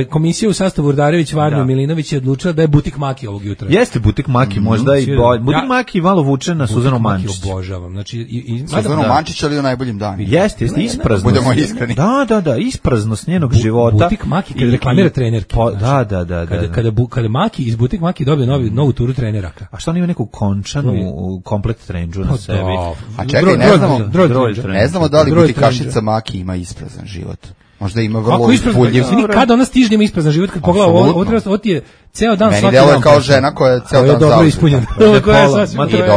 S7: komisija u sastavu Urdarević, Varnjo, Milinović je odlučila da je butik Maki ovog jutra.
S6: Jeste butik Maki, možda i butik Maki malo vuče na Suzanu Mančić.
S7: Obožavam. Znači
S8: Suzanu Mančić ali u najboljim danima.
S6: Jeste, ispraznost.
S8: Budemo iskreni.
S6: Da, ispraznost njenog života.
S7: Butik Maki kad reklamira trenerke.
S6: Da.
S7: Kada Maki iz butik Maki dobije novu turu trenera.
S6: A što oni imaju neku končanu komplet trendžu na sebi?
S8: A čekaj, ne znamo da li butikašica Maki ima isprazan život. Možda ima vrlo uzbudljiv.
S7: Kada ona stiže ima isprazan život, kad pogleda ovo ti je ceo dan svaki dan.
S8: Meni deluje kao žena koja je ceo dan
S7: dobro ispunjena.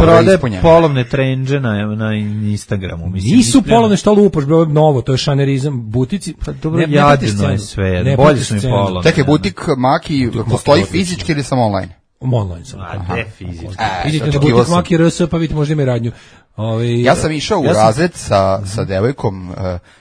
S6: Prode polovne trendže na Instagramu.
S7: Nisu polovne, što lupaš, novo, to je šanerizam, butici.
S6: Pa dobro, jadino je sve, bolje su mi polovne.
S8: Čekaj, butik Maki postoji fizički ili samo online?
S7: Online sam.
S6: Ne fizički.
S7: Idite na butik Maki RS, pa vidite možda ima radnju.
S8: Ja sam išao u razred sa devojkom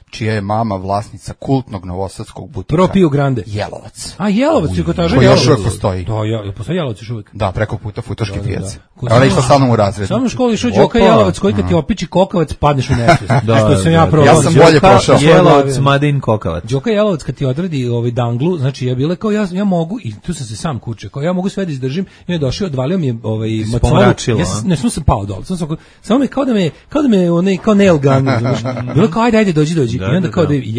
S8: čija je mama vlasnica kultnog novosadskog butika.
S7: Propiju Grande.
S8: Jelovac.
S7: A Jelovac, kotaža
S8: Jelovac. Koji još uvijek postoji.
S7: Da, postoji Jelovac još uvijek.
S8: Da, preko puta Futoški pijac. Ona išla sa mnom u razred.
S7: Samo u školi išao Đoka Jelovac, koji kad ti opiči kokavac, padneš u nesvijest.
S6: Što
S7: sam ja probao.
S8: Ja sam bolje prošao.
S6: Jelovac, Madin kokavac.
S7: Đoka Jelovac kad ti odradi danglu, znači ja bile kao ja mogu, i tu sam se sam kuče, kao ja mogu sve da izdržim, i je došao, odvalio mi je macolu. Ne sam pao dole. Samo me kao da me onaj kao nail gun, bilo kao ajde dođi. I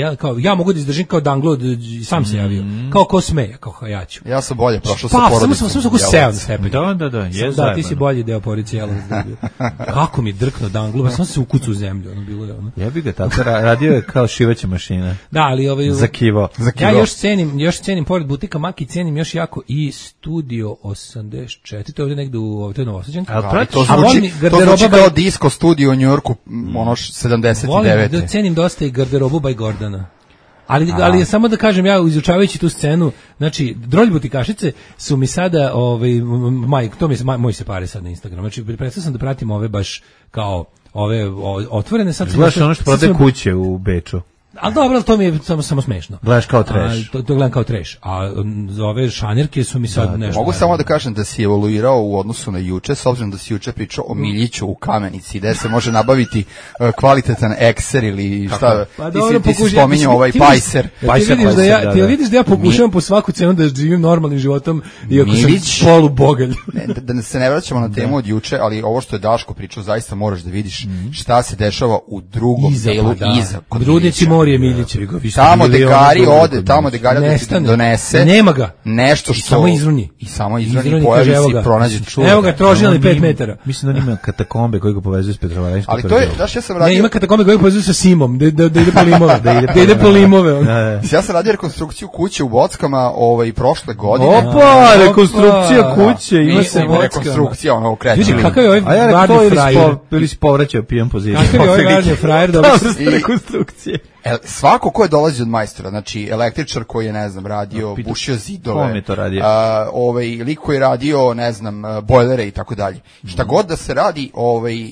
S7: onda ja mogu da izdržim kao danglo, sam se javio. Kao ko smeje, kao ja ću.
S8: Ja sam bolje prošao sa porodicom.
S7: Samo sam seo na stepen.
S6: Da,
S7: ti si bolji deo porodice Jelovac. Kako mi drkno danglo, sam se ukucao u zemlju, bilo je ono.
S6: Ja bih ga tako radio je kao šivaća mašina.
S7: Da, ali
S6: za kivo.
S7: Ja još cenim pored butika Maki, cenim još jako i Studio 84, to je ovdje negde u Novosađanki.
S8: To zvuči kao disco studio u Njujorku, ono 79.
S7: Volim da cenim dosta i garderobu by Gordana. Ali samo da kažem, ja izučavajući tu scenu, znači drolj butikašice su mi sada moj se pare sad na Instagram. Znači prestao sam da pratim ove baš kao ove otvorene sad.
S6: Gledaš ono što prode kuće u Beču.
S7: Ali dobro, to mi je samo smešno.
S6: Gledaš kao trash.
S7: To gledam kao trash. A ove šanjerke su mi sad nešto.
S8: Mogu samo da kažem da si evoluirao u odnosu na juče, s obzirom da si juče pričao o Miljiću u Kamenici, gde se može nabaviti kvalitetan ekser ili šta. Ti si spominjao ovaj pajser.
S7: Ti vidiš da ja pokušavam po svaku cenu da živim normalnim životom, iako sam polubogalj.
S8: Da se ne vraćamo na temu od juče, ali ovo što je Daško pričao, zaista moraš da vidiš šta se dešava u drugom delu iza.
S7: Rudnici Morije Miljića.
S8: Tamo Degari ode, tamo Degari donese.
S7: Nema ga.
S8: Nešto što
S7: samo izruni.
S8: I samo izruni, pojavi se i pronađe čuva.
S7: Evo ga, trožilni 5 metara.
S6: Mislim da ima katakombe koji ga povezuju s Petrovaradinskog.
S8: Ali to je, znaš, ja sam radio.
S7: Ne, ima katakombe koji ga povezuju sa Simom, da ide po limove, da ide po limove.
S8: Ja sam radio rekonstrukciju kuće u Bockama, prošle godine.
S6: Opa, rekonstrukcija kuće, ima se
S8: rekonstrukcija, ono kreće.
S7: Vidi kakav je ovaj varni frajer.
S6: Ili si povraćao pijan poziciju.
S7: Kakav je ovaj varni frajer da
S6: rekonstrukcije.
S8: Svako ko je dolazi od majstora, znači električar koji je, ne znam, radio, bušio zidove, lik koji je radio, ne znam, bojlere i tako dalje. Šta god da se radi,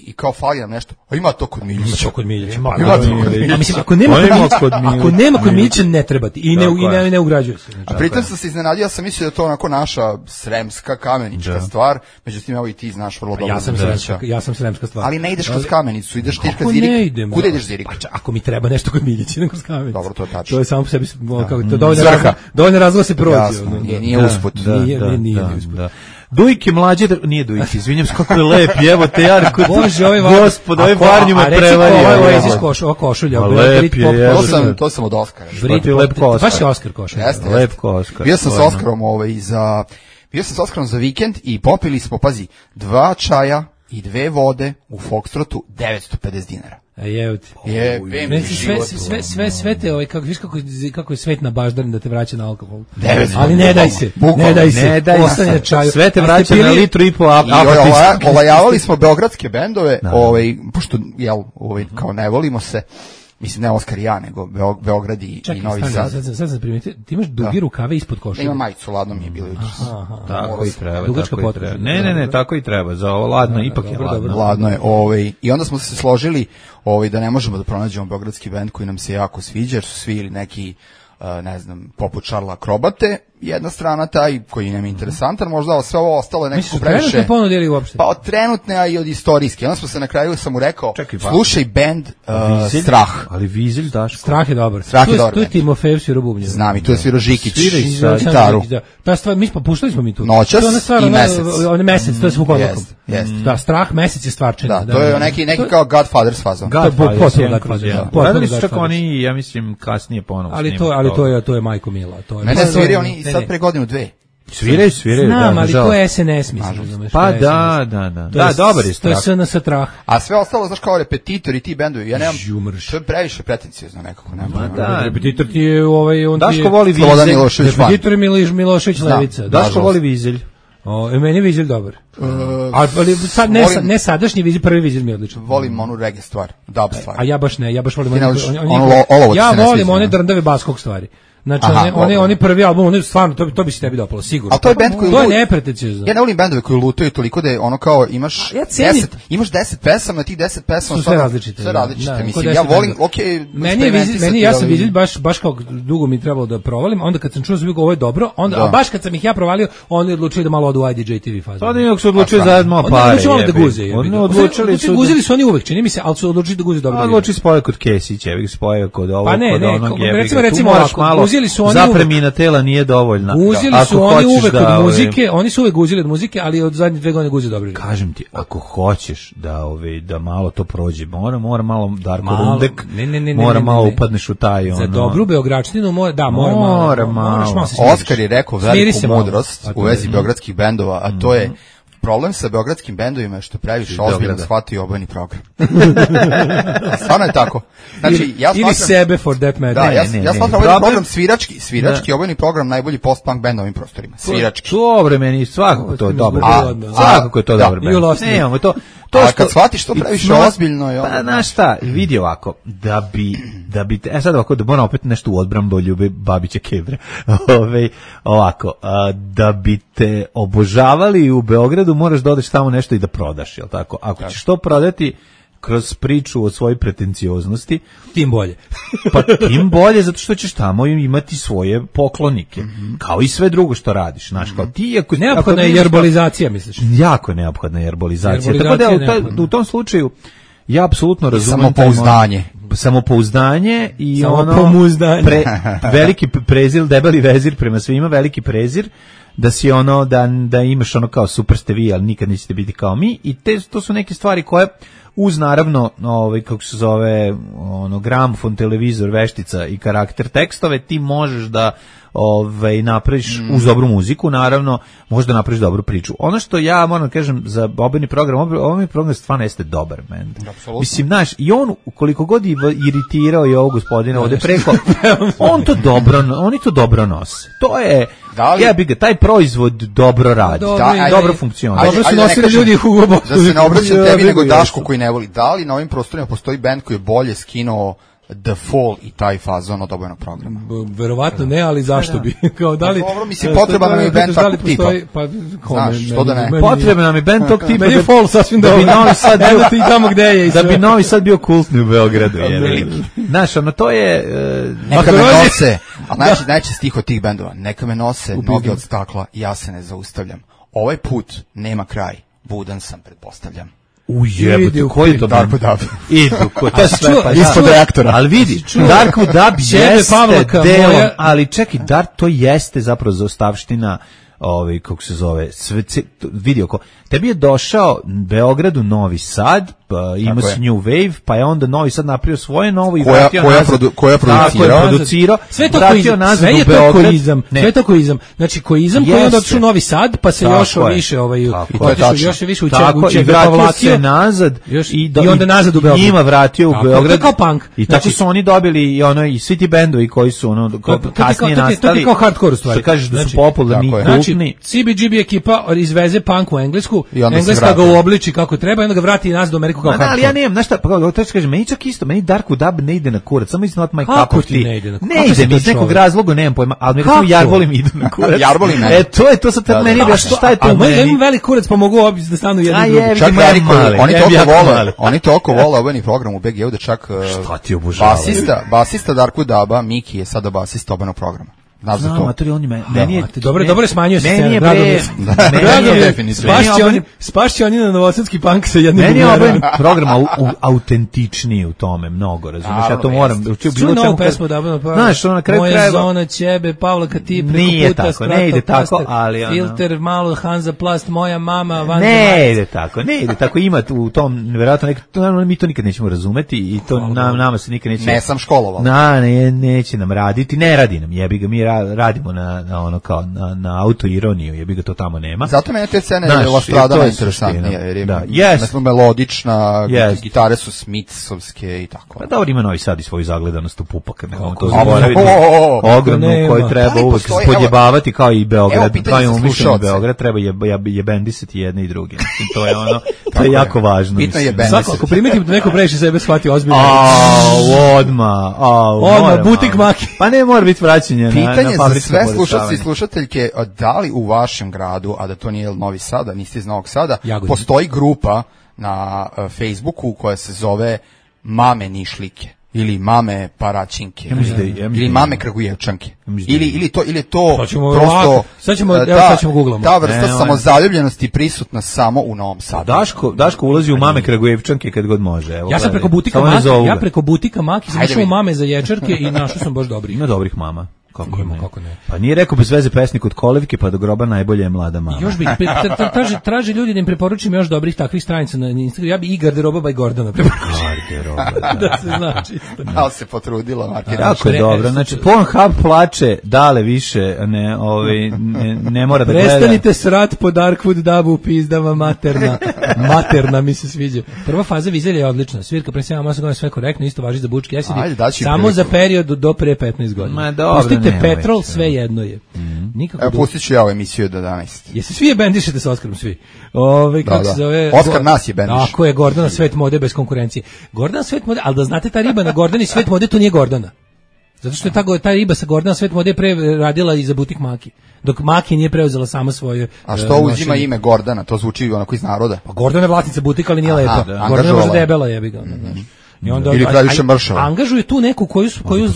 S8: i kao fali nam nešto, Ima to kod Miljića.
S7: Ima kod Miljića.
S6: Mislim,
S7: ako nema kod Miljića, ne treba ti. I ne ugrađuje se.
S8: A pritom sam se iznenadio, ja sam mislio da je to onako naša sremska, kamenička stvar, međutim, evo i ti znaš vrlo dobro.
S7: Ja sam sremska stvar.
S8: Ali ne ideš kroz Kamenicu, ideš ti kroz Zirik. Kuda ideš Zirik?
S7: Ako mi treba nešto kod Miljića, idem kroz Kamenicu.
S8: Dobro, to je tačno.
S7: To je samo po sebi, to dovoljno razloga se prođe.
S8: Nije usput.
S7: Nije usput.
S6: Dujke mlađe, nije Dujke, izvinjam se kako je lep, evo te Jarko,
S7: Bože,
S6: gospod, ovaj varnju me prevario.
S7: Ova košulja,
S6: lep je,
S8: to sam od Oskara.
S7: Baš je Oskar košulja.
S6: Lep Oskar.
S8: Bio sam s Oskarom za vikend i popili smo, pazi, 2 čaja i 2 vode u Foxtrotu, 950 dinara.
S7: Sve te viš kako je svet na baždarin da te vraća na alkohol.
S8: Ali
S7: ne daj se. Ostane na čaju.
S6: Sve te vraća na litru i po
S8: apatista. Olajavali smo beogradske bendove, pošto kao ne volimo se. Mislim, ne Oskar i ja, nego Beograd i Novi Sad.
S7: Sad sam primetio, ti imaš duge rukave ispod košulje.
S8: Ima majicu, ladno mi je bilo jutros.
S6: Tako i treba.
S7: Dugačka potreba.
S6: Ne, tako i treba. Za ovo ladno, ipak je ladno.
S8: Ladno je. I onda smo se složili da ne možemo da pronađemo beogradski bend koji nam se jako sviđa, jer su svi ili neki, ne znam, poput Šarla Akrobate, jedna strana taj koji nam je interesantan, možda sve ovo ostalo je nekako previše.
S7: Misliš, trenutne ponudili uopšte?
S8: Pa od trenutne, a i od istorijske. Onda smo se na kraju, sam mu rekao, slušaj bend Strah.
S6: Ali Vizelj, Daško.
S7: Strah je dobar. Tu je Timofejev svirao bubnje.
S8: Znam, i tu je svirao Žikić gitaru.
S7: Ta stvar, puštali smo mi tu.
S8: Noćas i Mesec.
S7: On je Mesec, to je svog odlakom. Da, Strah, Mesec je stvarčenje.
S8: Da, to je neki kao Godfather's fazon.
S6: Radili su čak oni, ja mislim, kasnije ponovno snimali.
S7: Ali to je Majko Mila.
S8: Mene sviraju oni sad pre godinu 2.
S6: Sviraju.
S7: Znam, ali to je SNS, mislim.
S6: Pa da. Da, dobar je Strah.
S7: To je SNS Strah.
S8: A sve ostalo, znaš, kao Repetitor i ti bendovi, ja nemam, to je previše pretencijozno nekako.
S7: Repetitor ti je
S6: Daško voli Vizelj.
S7: Repetitor je Milošević Levica.
S6: Daško voli Vizelj.
S7: Meni je Vizelj dobar. Ali sad ne sadašnji Vizelj, prvi Vizelj mi je odličan.
S8: Volim onu reggae stvar, dub stvar.
S7: A ja baš ne, ja baš volim ja volim one drndave baskog stvari. Znači, oni prvi album, oni stvarno, to bi se tebi dopalo, sigurno.
S8: A to je bend koji
S7: to je nepretencijozno.
S8: Ja ne volim bendove koji lutaju toliko da je ono kao imaš 10 pesama, tih 10 pesama
S7: sve različite.
S8: Mislim, ja volim,
S7: meni ja sam Vizelj baš kao dugo mi trebalo da provalim, onda kad sam čuo da ovo je dobro, onda baš kad sam ih ja provalio, oni odlučili da malo odu IDJ TV fazu.
S6: Oni su odlučili zajedno malo pare.
S7: Oni odlučili su guzili su oni uvek, čini mi se, al su odlučili da guze dobro.
S6: Odlučili spoje kod Kesića, spoje kod ovog, kod onog jebiga.
S7: Recimo
S6: zapremina tela nije dovoljna.
S7: Guzili su oni uvek od muzike, oni su uvek guzili od muzike, ali od zadnje 2 godine guze dobro.
S6: Kažem ti, ako hoćeš da malo to prođe, mora malo Darko Rundek, mora malo upadneš u taj
S7: za dobru beogradštinu, mora malo.
S8: Oskar je rekao veliku mudrost u vezi beogradskih bendova, a to je problem sa beogradskim bendovima je što previše ozbiljno shvatio obojeni program. Stvarno je tako. Znači, ja
S7: ili sebe for that matter.
S8: Da, ja smatram ovaj program svirački obojeni program najbolji post-punk band na ovim prostorima. Svirački.
S6: Dobro, meni svakako to je dobro. Svakako je to dobro band. Nemamo to.
S8: A kad shvatiš to previše ozbiljno je...
S6: Pa, znaš šta, vidi ovako, da bi sad ovako, da moram opet nešto u odbrambu Ljube Babića Kebre, ovako, da bi te obožavali u Beogradu, moraš da odeš tamo nešto i da prodaš, jel tako? Ako ćeš to prodati kroz priču o svojoj pretencioznosti,
S7: tim bolje.
S6: Pa tim bolje, zato što ćeš tamo imati svoje poklonike, kao i sve drugo što radiš, znaš, kao ti ako
S7: neophodna je jerbolizacija, misliš?
S6: Jako neophodna je jerbolizacija. Tako da u tom slučaju ja apsolutno razumem samopouzdanje i veliki prezir, debeli vezir prema svima, veliki prezir, da si da imaš kao super ste vi, ali nikad nećete biti kao mi, i to su neke stvari koje uz naravno kako se zove gramofon, televizor, veštica i karakter tekstove ti možeš da napraviš uz dobru muziku, naravno možeš da napraviš dobru priču. Ono što ja moram kažem za obojeni program stvarno jeste dobar bend. Mislim, znaš, i on koliko god iritirao i ovog gospodina ovde preko, oni to dobro nose. To je taj proizvod dobro radi, dobro funkcionira.
S7: Dobro su nosili ljudi Hugo Boss.
S8: Da se ne obraćam tebi nego Daško koji ne voli. Da li na ovim prostorima postoji bend koji je bolje skinuo The Fall i taj fazon od obojenog programa.
S7: Verovatno ne, ali zašto bi? Kao da li?
S8: Dobro, mislim, potreban nam je band takvog tipa.
S7: Pa,
S8: znaš, što da ne?
S6: Potreban nam je band tog tipa.
S7: Meni je Fall sasvim da bi Novi Sad bio i tamo gde je.
S6: Da bi Novi Sad bio kultni u Beogradu. Znaš, ono, to je...
S8: Neka me nose, a najče stih od tih bendova, neka me nose noge od stakla, ja se ne zaustavljam. Ovaj put nema kraj, budan sam, pretpostavljam.
S6: Ujebate, koji je to
S8: Dark Dub?
S6: Idu, to je sve, pa
S8: ispod reaktora.
S6: Ali vidi, Dark Dub jeste delom, ali čekaj, Dark to jeste zapravo zaostavština, kako se zove, vidi oko, tebi je došao Beogradu Novi Sad, pa ima se New Wave, pa je onda Novi Sad napravio svoje novo i vratio nazad.
S8: Koja
S6: producirao?
S7: Sve to koizam, sve je to koizam, sve to koizam. Znači koizam koji je onda odšao Novi Sad, pa se još više još više u
S6: i vratio se nazad
S7: i onda nazad u Beograd.
S6: Njima vratio u Beograd.
S7: Kao punk.
S6: I tako su oni dobili i svi ti bendovi koji su kasnije nastali.
S7: To je kao hardcore u stvari.
S6: Što kažeš da su popularni i kultni.
S7: CBGB ekipa izveze punk u Englesku, Engleska ga uobliči kako treba i onda ga vrati nazad u Ameriku kao hardcore.
S6: Ali ja nemam, znaš šta, pa to kažem, meni čak isto, meni Dark Dub ne ide na kurac, samo it's not my cup of tea.
S7: Ne ide,
S6: mi iz nekog razloga, nemam pojma, ali recimo Jarbolim ide na kurac.
S8: Jarbolim ne.
S6: To sad meni je, šta je to meni?
S7: Ja imam velik kurac, pa mogu da stanu jedni drugi.
S8: Čak oni toliko vole obojeni program u BG-u da čak basista Darku Duba, Miki je sada basista obojenog programa.
S6: Znam, meni je...
S7: Dobro, smanjio se
S6: scena.
S7: Spašće oni na novosadski punk sa jednim...
S6: Meni je obojen program autentičniji u tome, mnogo, razumiješ, ja to moram...
S7: Čuj novu pesmu da obojenog programa.
S6: Znaš, na kraju
S7: Moja zona ćebe, Pavla Kati, preko puta, Stratoplaster, Filter, malo Hanza Plast, moja mama, Van
S6: Ne ide tako, ima u tom, nevjerojatno, mi to nikad nećemo razumeti i to nama se nikad neće...
S8: Ne sam školoval.
S6: Neće nam raditi, ne radi nam, jebi ga, mi radimo na ono kao na autoironiju, jebi ga, to tamo nema.
S8: Zato meni te scene Lastradana interesantnije, jer je melodična, gitare su Smithsovske i tako.
S6: Pa dobro, ima Novi Sad i svoju zagledanost u pupak, ne to zaboraviti. Ogromnu koju treba uvek spodjebavati kao i Beograd, kao i umišljeni Beograd, treba jebendisati jedne i druge. Mislim, to je ono, to je jako važno.
S8: Bitno je bendisati.
S7: Ako primetim da neko previše sebe shvati ozbiljno.
S6: Odmah,
S7: butik maki.
S6: Pa ne mora biti vraćanje.
S8: Pitanje za sve slušalci i slušateljke, da li u vašem gradu, a da to nije Novi Sada, niste iz Novog Sada, postoji grupa na Facebooku koja se zove Mame Nišlike ili Mame Paraćinke ili Mame Kragujevčanke ili to prosto
S7: sad ćemo googlamo.
S8: Ta vrsta samozaljubljenosti prisutna samo u Novom Sadu.
S6: Daško ulazi u Mame Kragujevčanke kad god može.
S7: Ja sam preko butika Maki sam išao u Mame za ječarke i našao sam baš dobrih.
S6: Ima dobrih mama. Kako ne? Pa nije rekao bez veze pesnik od Kolevke pa do groba najbolje je mlada mama.
S7: Još bih traže ljudi da im preporučim još dobrih takvih stranica na Instagramu. Ja bi i Garderoba by Gordana preporučio.
S6: Garderoba,
S7: da se zna čisto.
S8: Da se potrudila Martina.
S6: Jako je dobro. Znači Pornhub plače, dale više ne mora da gleda.
S7: Prestanite srat po Darkwood Dubu, pizdava materna mi se sviđa. Prva faza vizelja je odlična. Svirka pre 7 godina sve korektno, isto važi za Bučki Acid. Samo za period do pre 15 godina.
S6: Ma dobro.
S7: Petrol, sve jedno je.
S8: Evo, pustit ću ja ovu emisiju do 11.
S7: Jesi svi je bendišete sa Oskarom, svi? Kako se zove?
S8: Oskar nas je bendiš.
S7: Tako je, Gordana Svet mode bez konkurencije. Gordana Svet mode, ali da znate, ta riba na Gordani Svet mode, to nije Gordana. Zato što je ta riba sa Gordana Svet mode pre radila i za butik Maki. Dok Maki nije preuzela sama svoje...
S8: A što uzima ime Gordana? To zvuči onako iz naroda.
S7: Pa Gordana je vlasnica butika, ali nije lepa. Gordana je možda debela, jebi ga. I onda
S8: ili Kraljiša Mršava.
S7: Angažuje tu neku koju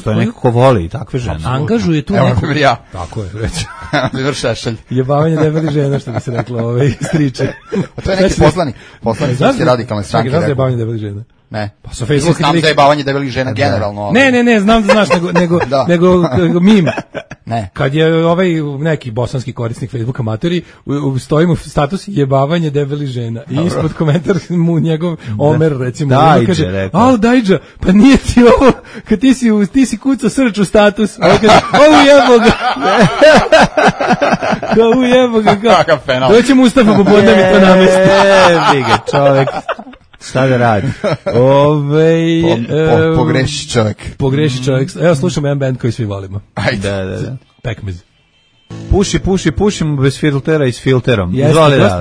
S6: to je neko ko voli takve žene.
S7: Angažuje tu neku.
S8: Evo ja.
S7: Tako je, reći.
S8: Liver Šešelj.
S7: Jebavanje debelih žena, što bi se reklo, striče.
S8: A to je neki poslanik srpske radikalne stranke.
S7: Znaš jebavanje debelih žena?
S8: Ne.
S7: Pa sa Facebook
S8: znam za jebavanje debelih žena generalno.
S7: Ne, znam da znaš, nego mim.
S8: Ne.
S7: Kad je neki bosanski korisnik Facebooka matori, stoji mu status jebavanje debelih žena. I ispod komentar mu njegov Omer, recimo, kaže, Dajđa, pa nije ti ovo, kad ti si kucao srč u status. Ovo jebo ga.
S8: Kakav fenomen.
S7: Doći Mustafa popodne mi to namesti.
S6: Ga čovek. Šta da radi?
S8: Pogreši čovjek.
S7: Evo slušamo jedan band koji svi volimo.
S8: Ajde.
S7: Da. Pekmez.
S6: Pušim bez filtera i s filterom.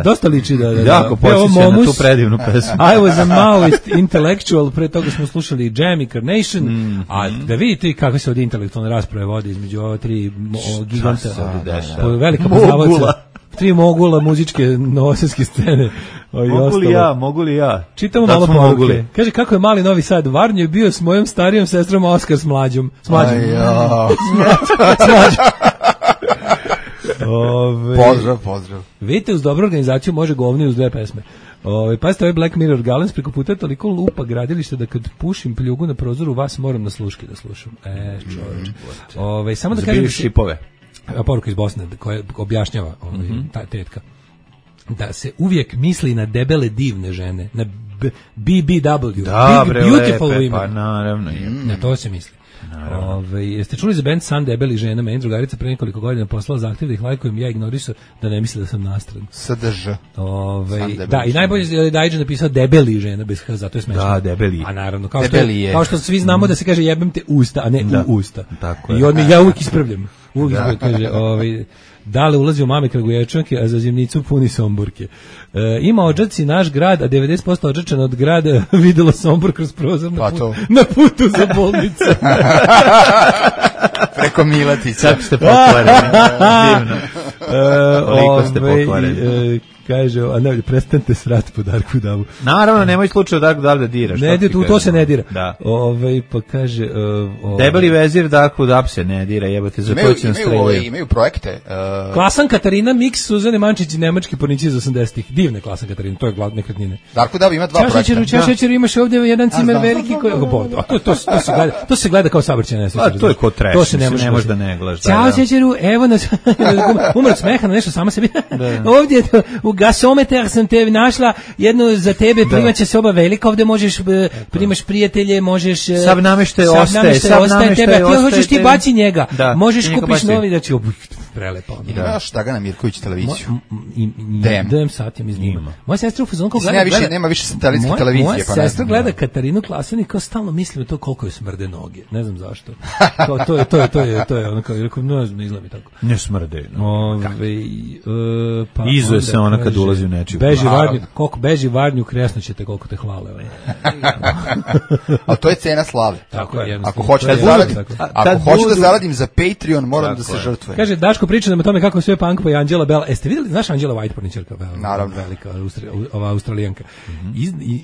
S7: Dosta liči da.
S6: Jako podsjeća na tu predivnu pesmu.
S7: I was a Maoist intellectual, pre toga smo slušali Jam i Carnation, a da vidite kako se ovdje intelektualne rasprave vodi između ova tri giganta, velika poznavaca, tri mogula muzičke novosadske scene.
S6: Mogu li ja?
S7: Čitamo malo poruke. Kaže, kako je mali Novi Sad, Varnjo je bio s mojom starijom sestrom, a Oskar s mlađom. S mlađom.
S8: Pozdrav.
S7: Vidite, uz dobru organizaciju može govno i uz dve pesme. Pazite, ovaj Black Mirror Galens preko puta toliko lupa gradilište da kad pušim pljugu na prozoru vas moram na sluške da slušam. Čovječ. Samo da kažem...
S6: šipove.
S7: Poruka iz Bosne koja objašnjava ta tetka. Da se uvijek misli na debele divne žene, na BBW, beautiful women.
S6: Pa naravno.
S7: Na to se misli. Jeste čuli za band San debeli žena? Meni drugarica pre nekoliko godina poslala zahtjev da ih lajkujem, ja ignorisao da ne misle da sam nastran.
S8: SDŽ.
S7: Da, i najbolje je da Dajđe napisao debeli žena bez H, zato je smešno.
S6: Da, debeli.
S7: A naravno, kao što svi znamo da se kaže jebem te usta, a ne u usta.
S6: Tako
S7: je. I on ja uvijek ispravljam. Kaže, Dale ulazi u mame Kragujevčanke, a za zimnicu puni Somborke. Ima Odžaci naš grad, a 90% Odžačana od grada videlo Sombor kroz prozor na putu za bolnicu.
S8: Preko Miletića.
S6: Čak ste pokvareni. Divno. Koliko ste pokvareni.
S7: Kaže, a ne, prestanite srat po Darku Davu.
S6: Naravno, nemoj slučaju Darku Davu da diraš.
S7: Ne, to se ne dira.
S6: Da.
S7: Pa kaže...
S6: Debeli vezir Darku Davu se ne dira, jebate, za to će nam streljaju.
S8: Imaju projekte.
S7: Klasan Katarina, miks Suzane Mančić i nemački pornici iz 80-ih. Divne Klasan Katarina, to je glavne nekretnine.
S8: Darku Davu ima dva projekta.
S7: Šećeru, imaš ovdje jedan cimer veliki koji... To se gleda kao saobraćajna nesreća.
S6: A to je ko trash, to se ne može da ne gledaš.
S7: Ćao Šećeru, evo nas, umr od smeha na nešto sama sebi. Ovdje u gasometar sam te našla, jednu za tebe, primaće se oba velika, ovdje možeš, primaš prijatelje, možeš...
S6: Sav nameštaj ostaje
S7: tebe, a ti hoćeš ti baci njega, možeš kupiš novi, da će prelepo.
S8: Imaš Dragana Mirković televiziju.
S7: DM sat, ja mi znam. Moja sestra u fazonu kao
S8: gleda... Nema više satelitske televizije.
S7: Moja sestra gleda Katarinu Klasan i kao stalno mislim to koliko je smrde noge, ne znam zašto. To je ono kao, ne znam, ne izgleda mi tako.
S6: Ne smrde.
S7: Pa
S6: izuje se ona kad ulazi u nečiju.
S7: Koliko beži Varnju, kresno ćete koliko te hvale.
S8: A to je cena slave.
S7: Tako je.
S8: Ako hoću da zaradim za Patreon, moram da se žrtvujem.
S7: Kaže, Daško priča nam o tome kako je sve punk pa i Anđela Bell. Jeste vidjeli, znaš Anđela White porničarka?
S8: Naravno.
S7: Velika, ova Australijanka.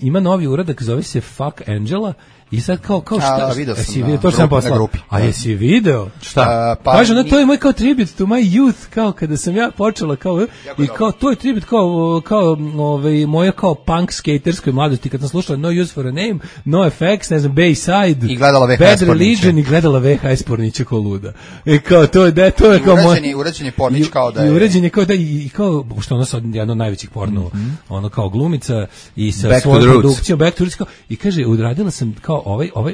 S7: Ima novi uradak, zove se Fuck Angela. I sad kao šta?
S8: Vidio sam
S7: to sam poslao. A jesi video?
S6: Šta?
S7: Kaže, to je moj kao tribute to my youth, kao kada sam ja počela i kao to je tribute kao moja kao punk skaterskoj mladosti kad sam slušala No Use for a Name, No Effects, ne znam, Bayside,
S8: i gledala VHS
S7: Bad Religion i gledala VHS pornića kao luda. I kao to je kao
S8: uređen je pornić kao da je.
S7: I uređen je kao da i kao što ono sad jedno od najvećih pornova, ono kao glumica i sa svojom produkcijom Back to Roots i kaže, odradila sam kao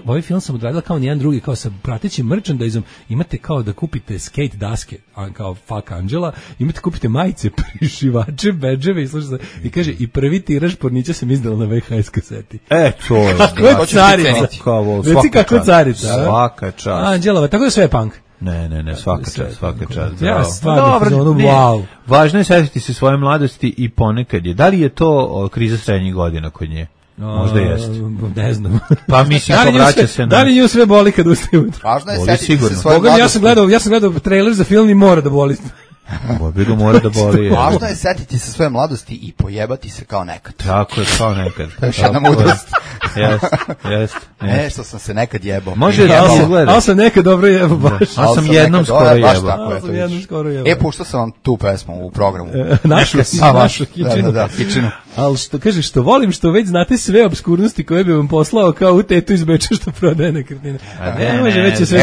S7: ovaj film sam odradila kao nijedan drugi, kao sa pratećim merchandiseom, imate kao da kupite skate daske, kao Fuck Angela, imate kupite majice, prišivače, bedževe i kaže, i prvi tiraž pornića sam izdala na VHS kaseti.
S6: To je.
S7: Kako carica. Reci kako carica.
S6: Svaka čast.
S7: Anđelova, tako da sve je punk.
S6: Ne, svaka čast.
S7: Ja stvarno, wow.
S6: Važno je setiti se svoje mladosti i ponekad je. Da li je to kriza srednjih godina kod nje? Možda jeste.
S7: Ne znam.
S6: Pa mislim, povraća se na...
S7: Da li nju sve boli kad ustaje ujutro?
S8: Važno je setiti se svoje mladosti.
S7: Ja sam gledao trailer za film i mora da boli.
S6: Mora da boli.
S8: Važno je setiti se svoje mladosti i pojebati se kao nekad.
S6: Tako je, kao nekad.
S8: To je jedna mudrost.
S6: Jest.
S8: Što sam se nekad jebao.
S6: Može da se gleda.
S7: Ali sam nekad dobro jebao baš.
S6: Ali sam jednom skoro jebao.
S8: Puštao sam vam tu pesmu u programu.
S7: Našu Kičinu. Ali što kažeš, što volim, što već znate sve obskurnosti koje bi vam poslao kao u tetu iz Beča što prodaje nekretnine.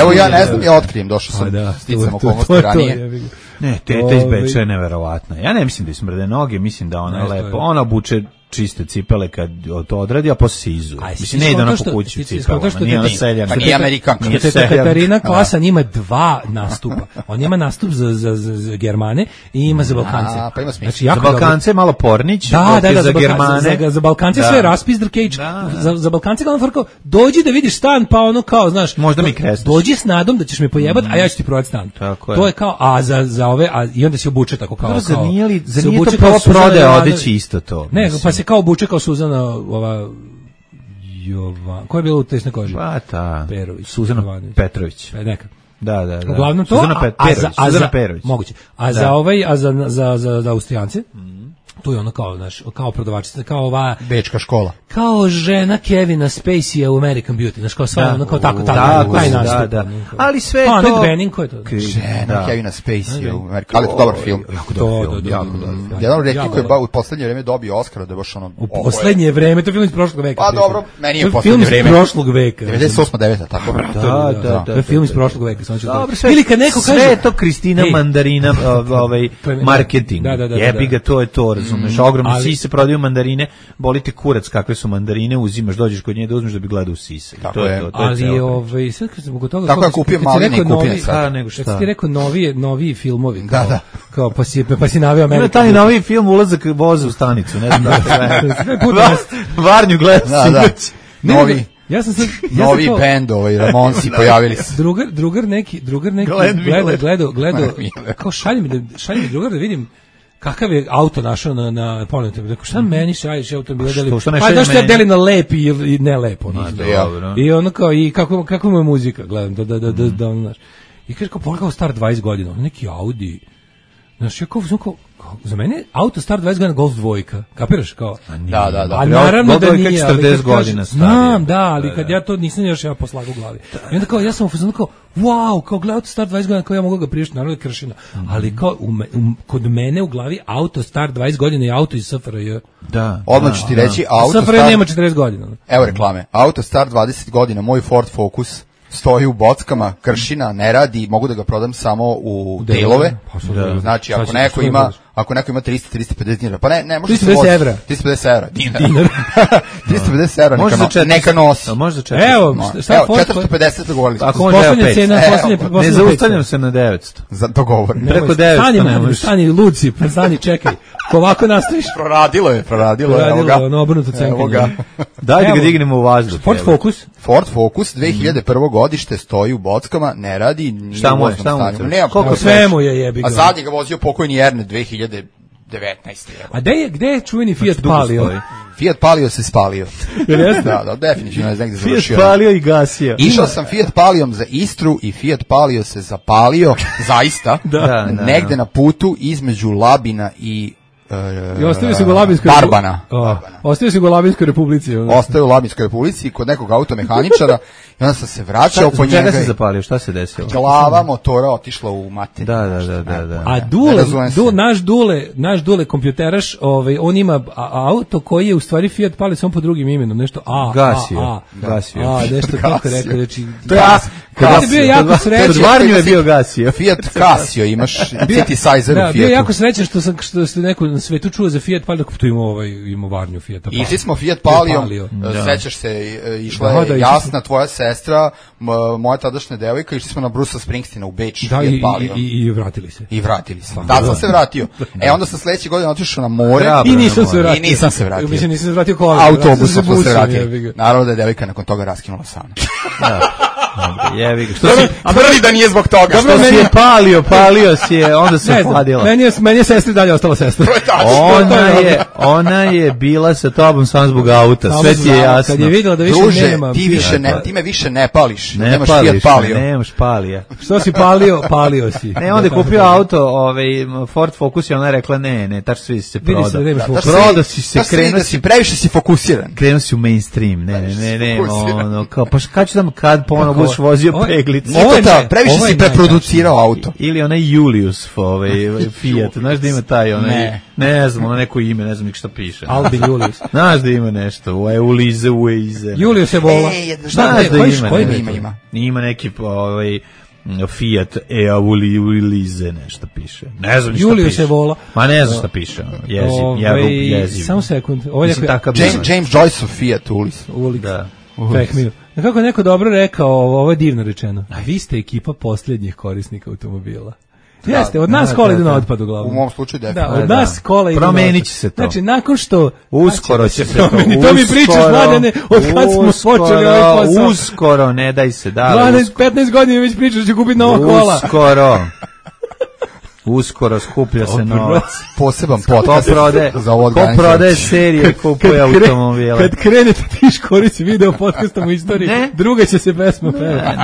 S8: Evo ja ne znam, ja otkrijem, došao sam sticam okolnosti ranije.
S6: Ne, teta iz Beča je neverovatna. Ja ne mislim da je smrde noge, mislim da ona je lepo. Ona obuče čiste cipele kad to odradi, a posle se izuje. Mislim, ne ide ona po kući u cipelama, nije ona seljan.
S8: Pa nije Amerikanka.
S7: Katarina Klasa ima 2 nastupa. On ima nastup za Germane i ima za Balkance.
S8: Pa ima smisla.
S7: Znači,
S6: za Balkance je malo Pornić,
S7: da,
S6: za Germane.
S7: Za Balkance sve raspis Drkejić. Za Balkance kao frko, dođi da vidiš stan, pa ono kao, znaš,
S6: možda mi kresneš.
S7: Dođi s nadom da ćeš me pojebat, a ja ću ti prodati stan. To je kao, a za ove, i onda se obuče tako kao.
S6: Za nije to prvo prodaje odeći isto to.
S7: Ne, pa se kao obuče kao Suzana, ko je bilo u tesnoj koži?
S6: Pa ta,
S7: Perović.
S6: Suzana Petrović.
S7: Neka.
S6: Da.
S7: Uglavnom to,
S6: Suzana Perović.
S7: Moguće. A za Austrijance, tu je ono kao, znaš, kao prodavačica, kao ova
S8: bečka škola.
S7: Kao žena Kevina Spacey u American Beauty, znaš, kao sva ono kao tako, taj nastup.
S6: Da. Ali sve
S7: to...
S6: Annette
S7: Bening, ko je to?
S8: Žena Kevina Spacey u American, ali je to dobar film.
S6: Jako dobar film.
S8: Jedan od retkih koji je u poslednje vreme dobio Oscara, da je baš ono...
S7: U poslednje vreme, to je film iz prošlog veka.
S8: Pa dobro, meni je poslednje vreme.
S7: Film iz prošlog veka.
S8: 98-9, tako?
S7: Da. To je film iz prošlog veka.
S6: Ili kad neko kaže... Sve je to Kristina Mandarina, marketing. Jebi ga, to je to, razumeš, ogromno sise prodaju mandarine, boli te kurac kakve su mandarine, uzimaš, dođeš kod nje da uzmeš da bi gledao sise.
S8: To je to.
S7: Ali sad kad zbog toga
S8: tako ja kupio maline i kupio sad.
S7: Kad ti rekao noviji filmovi,
S8: da.
S7: Kao pa si naveo Ameriku.
S6: Taj novi film ulazak voza u stanicu, ne znam da se Varnju gledao.
S8: Novi.
S7: Ja sam sad
S8: novi bend, Ramonsi pojavili se.
S7: Drugar neki gledao kao šalji mi drugar da vidim kakav je auto našao na ponudu. Rekao, šta meni šalješ automobile? Pa da što ja delim na lep i ne lepo. I ono kao, i kako mu je muzika, gledam, da znaš. I kaže, kao pogledao star 20 godina, neki Audi. Znaš, ja kao, za mene auto star 20 godina Golf dvojka, kapiraš kao?
S8: Da.
S7: A naravno da nije,
S6: ali 40 godina
S7: znam, ali kad ja to nisam još poslago u glavi. I onda kao, ja sam u fazonu kao, wow, kao gleda auto star 20 godina, kao ja mogu ga prišti, naravno je kršina. Ali kao, kod mene u glavi auto star 20 godina je auto iz SFRJ.
S6: Da.
S8: Odmah ću ti reći, auto
S7: SFRJ nema 40 godina.
S8: Evo reklame, auto star 20 godina, moj Ford Focus, stoji u bockama, kršina, ne radi, mogu da ga prodam samo u delove. Znači, ako neko ima 300-350 dinara, pa ne može se voziti.
S7: 350 evra.
S8: 350 evra, dinar. 350 evra, neka nosi.
S6: Može za 400.
S7: Evo,
S8: 450 dogovorili.
S7: Poslednja cena,
S6: ne zaustavljam se na 900.
S8: Dogovorim.
S6: Preko 900.
S7: Stani, Luci, stani, čekaj. Ko ovako nastaviš?
S8: Proradilo je, evo ga.
S7: Ono obrnuto cenkanje.
S6: Dajte ga dignemo u vazduh.
S7: Ford
S8: Focus, 2001. godište, stoji u bockama, ne radi, nije
S6: šta mu je?
S8: Koliko
S7: sve mu je jebi ga.
S8: A zadnji ga vozio pokojni Erne 2019.
S7: A gde je čuveni Fiat Palio?
S8: Fiat Palio se spalio. Da, definitivno je negdje završio.
S6: Fiat Palio i gasio.
S8: Išao sam Fiat Palijom za Istru i Fiat Palio se zapalio, zaista, negde na putu između Labina i
S7: ostavio se go Labinskoj
S8: Barbana.
S7: Ostavio se go Labinskoj Republici.
S8: Ostao u Labinskoj Republici kod nekog automehaničara i onda sam se vraćao po njega.
S6: Čega se zapalio? Šta se desilo?
S8: Glava motora otišla u mater.
S6: Da.
S7: A naš Dule kompjuteraš, on ima auto koji je u stvari Fiat Palio samo pod drugim imenom, nešto
S6: Gasio.
S7: Nešto tako rekao, znači.
S8: Kad
S7: je bio jako srećan.
S6: Pod Varnju je bio Gasio.
S8: Fiat Casio imaš City-sizer u Fiatu.
S7: Bio jako srećan što se neko na svetu čuo za Fiat Palio, tu ima Varnju Fiata.
S8: Išli smo Fiat Palio, sećaš se, išla je Jasna, tvoja sestra, moja tadašnja devojka, išli smo na Brusa Springsteena u Beč, Fiat Palio.
S7: I vratili se.
S8: Da, sam se vratio. Onda sam sledeće godine otišao na more.
S7: I nisam se vratio.
S8: Mislim,
S7: nisam se vratio kola.
S8: Autobusom smo se vratili. Naravno da je devojka nakon toga raskinula sana.
S6: Jevi ga.
S8: A prvi da nije zbog toga.
S6: Dobro, meni je palio si je, onda se hladila.
S7: Meni je sestra dalje ostala sestra.
S6: Ona je bila sa tobom samo zbog auta, sve ti je jasno.
S7: Kad je videla da više nema.
S8: Ti me više ne pališ. Nemaš Fiat Palio.
S6: Nemaš palija.
S7: Što si palio si.
S6: Ne, onda je kupio auto, Ford Focus i ona je rekla ne, tač svi se prodao. Prodao si se, krenuo si.
S8: Previše si fokusiran.
S6: Krenuo si u mainstream. Ne, ono, kao, pa kad ću kad ponovno budeš vozio peglicu.
S8: Previše si preproducirao auto.
S6: Ili onaj Julius Fiat, znaš da ima taj ne znam, ono neko ime, ne znam nik šta piše.
S7: Albin Julius.
S6: Znaš da ima nešto, Ulize.
S7: Julius je bola.
S8: Znaš da ima.
S6: Ima neki Fiat Eaulize nešto piše. Ne znam šta
S7: Julio
S6: piše.
S7: se vola.
S6: Ma ne znam šta piše. Jeziv.
S7: Samo sekund.
S8: James Joyce of Fiat Ulis.
S6: Da.
S7: Fehmiju. Kako neko dobro rekao, ovo je divno rečeno. A vi ste ekipa posljednjih korisnika automobila. Jeste, od nas kola idu na otpad uglavnom.
S8: U mom slučaju definitivno.
S7: Da, od nas kola idu na otpad.
S6: Promenit će se to.
S7: Znači, nakon što...
S6: Uskoro će se to.
S7: To mi pričaš, Mladene, od kad smo počeli ovaj posao.
S6: Uskoro, ne daj se.
S7: 15 godina već pričaš da će kupiti nova kola.
S6: Uskoro skuplja se novac.
S8: Poseban podcast za ovo
S6: organizaciju. Ko prodaje serije, kupuje automobile.
S7: Kad krenete tiš korici video podcastom u istoriji, druga će se pesma pevati.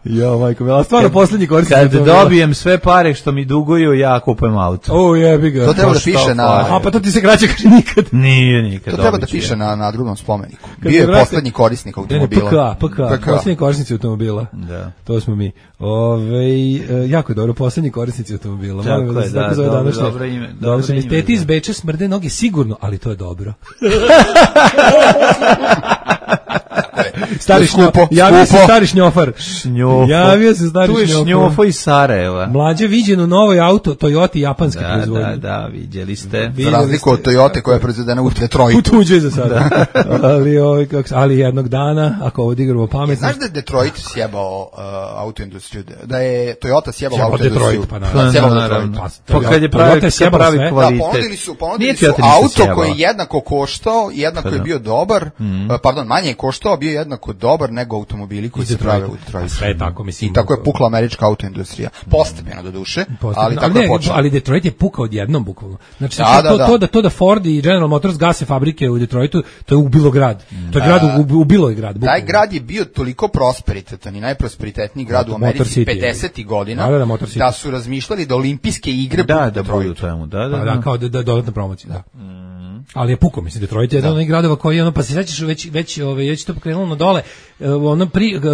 S7: Jo, majko, bila stvarno posljednji korisnik.
S6: Kad dobijem sve pare što mi duguju, ja kupujem auto.
S7: O, jebi ga.
S8: To treba da piše na...
S7: A pa to ti se kraće kaže nikad.
S6: Nije nikad.
S8: To treba da piše na drugom spomeniku. Bio je posljednji korisnik automobila.
S7: PK. Posljednji korisnici automobila.
S6: Da.
S7: To smo mi. Jako je dobro, posljednji korisnici automobila.
S6: Tako je, da, dobro ime.
S7: Teti iz Beča smrde noge sigurno, ali to je dobro. Javio se stari šnjofar. Javio se stari šnjofar.
S6: Tu je šnjofo iz Sarajeva.
S7: Mlađe viđen u novoj auto, Toyota japanske proizvodnje.
S6: Da, vidjeli ste.
S8: Za razliku od Toyota koja je proizvedena u Detroitu.
S7: U tuđoj za sada. Ali jednog dana, ako ovo digramo pametno.
S8: Znaš da je Detroit sjebao autoindustriju? Da je Toyota sjebao autoindustriju?
S6: Pa kad je pravi kvalitet.
S8: Ponudili su auto koji je jednako koštao, jednako je bio dobar, pardon, manje je koštao, bio jednako dobar nego automobili koji se prave u Detroitu.
S7: Sve je tako, mislim.
S8: I tako je pukla američka autoindustrija. Postepeno do duše, ali tako je počelo.
S7: Ali Detroit je pukao odjednom bukvalno. Znači to da Ford i General Motors gase fabrike u Detroitu, to je ubilo grad. To je grad ubilo je grad.
S8: Taj grad je bio toliko prosperitetan i najprosperitetniji grad u Americi 50. godina da su razmišljali da olimpijske igre budu u Detroitu.
S7: Da, kao da dodatna promocija, da. Ali je puko, mislim, Detroit je jedan od onih gradova koji je pa se sećaš već to pokrenulo na dole,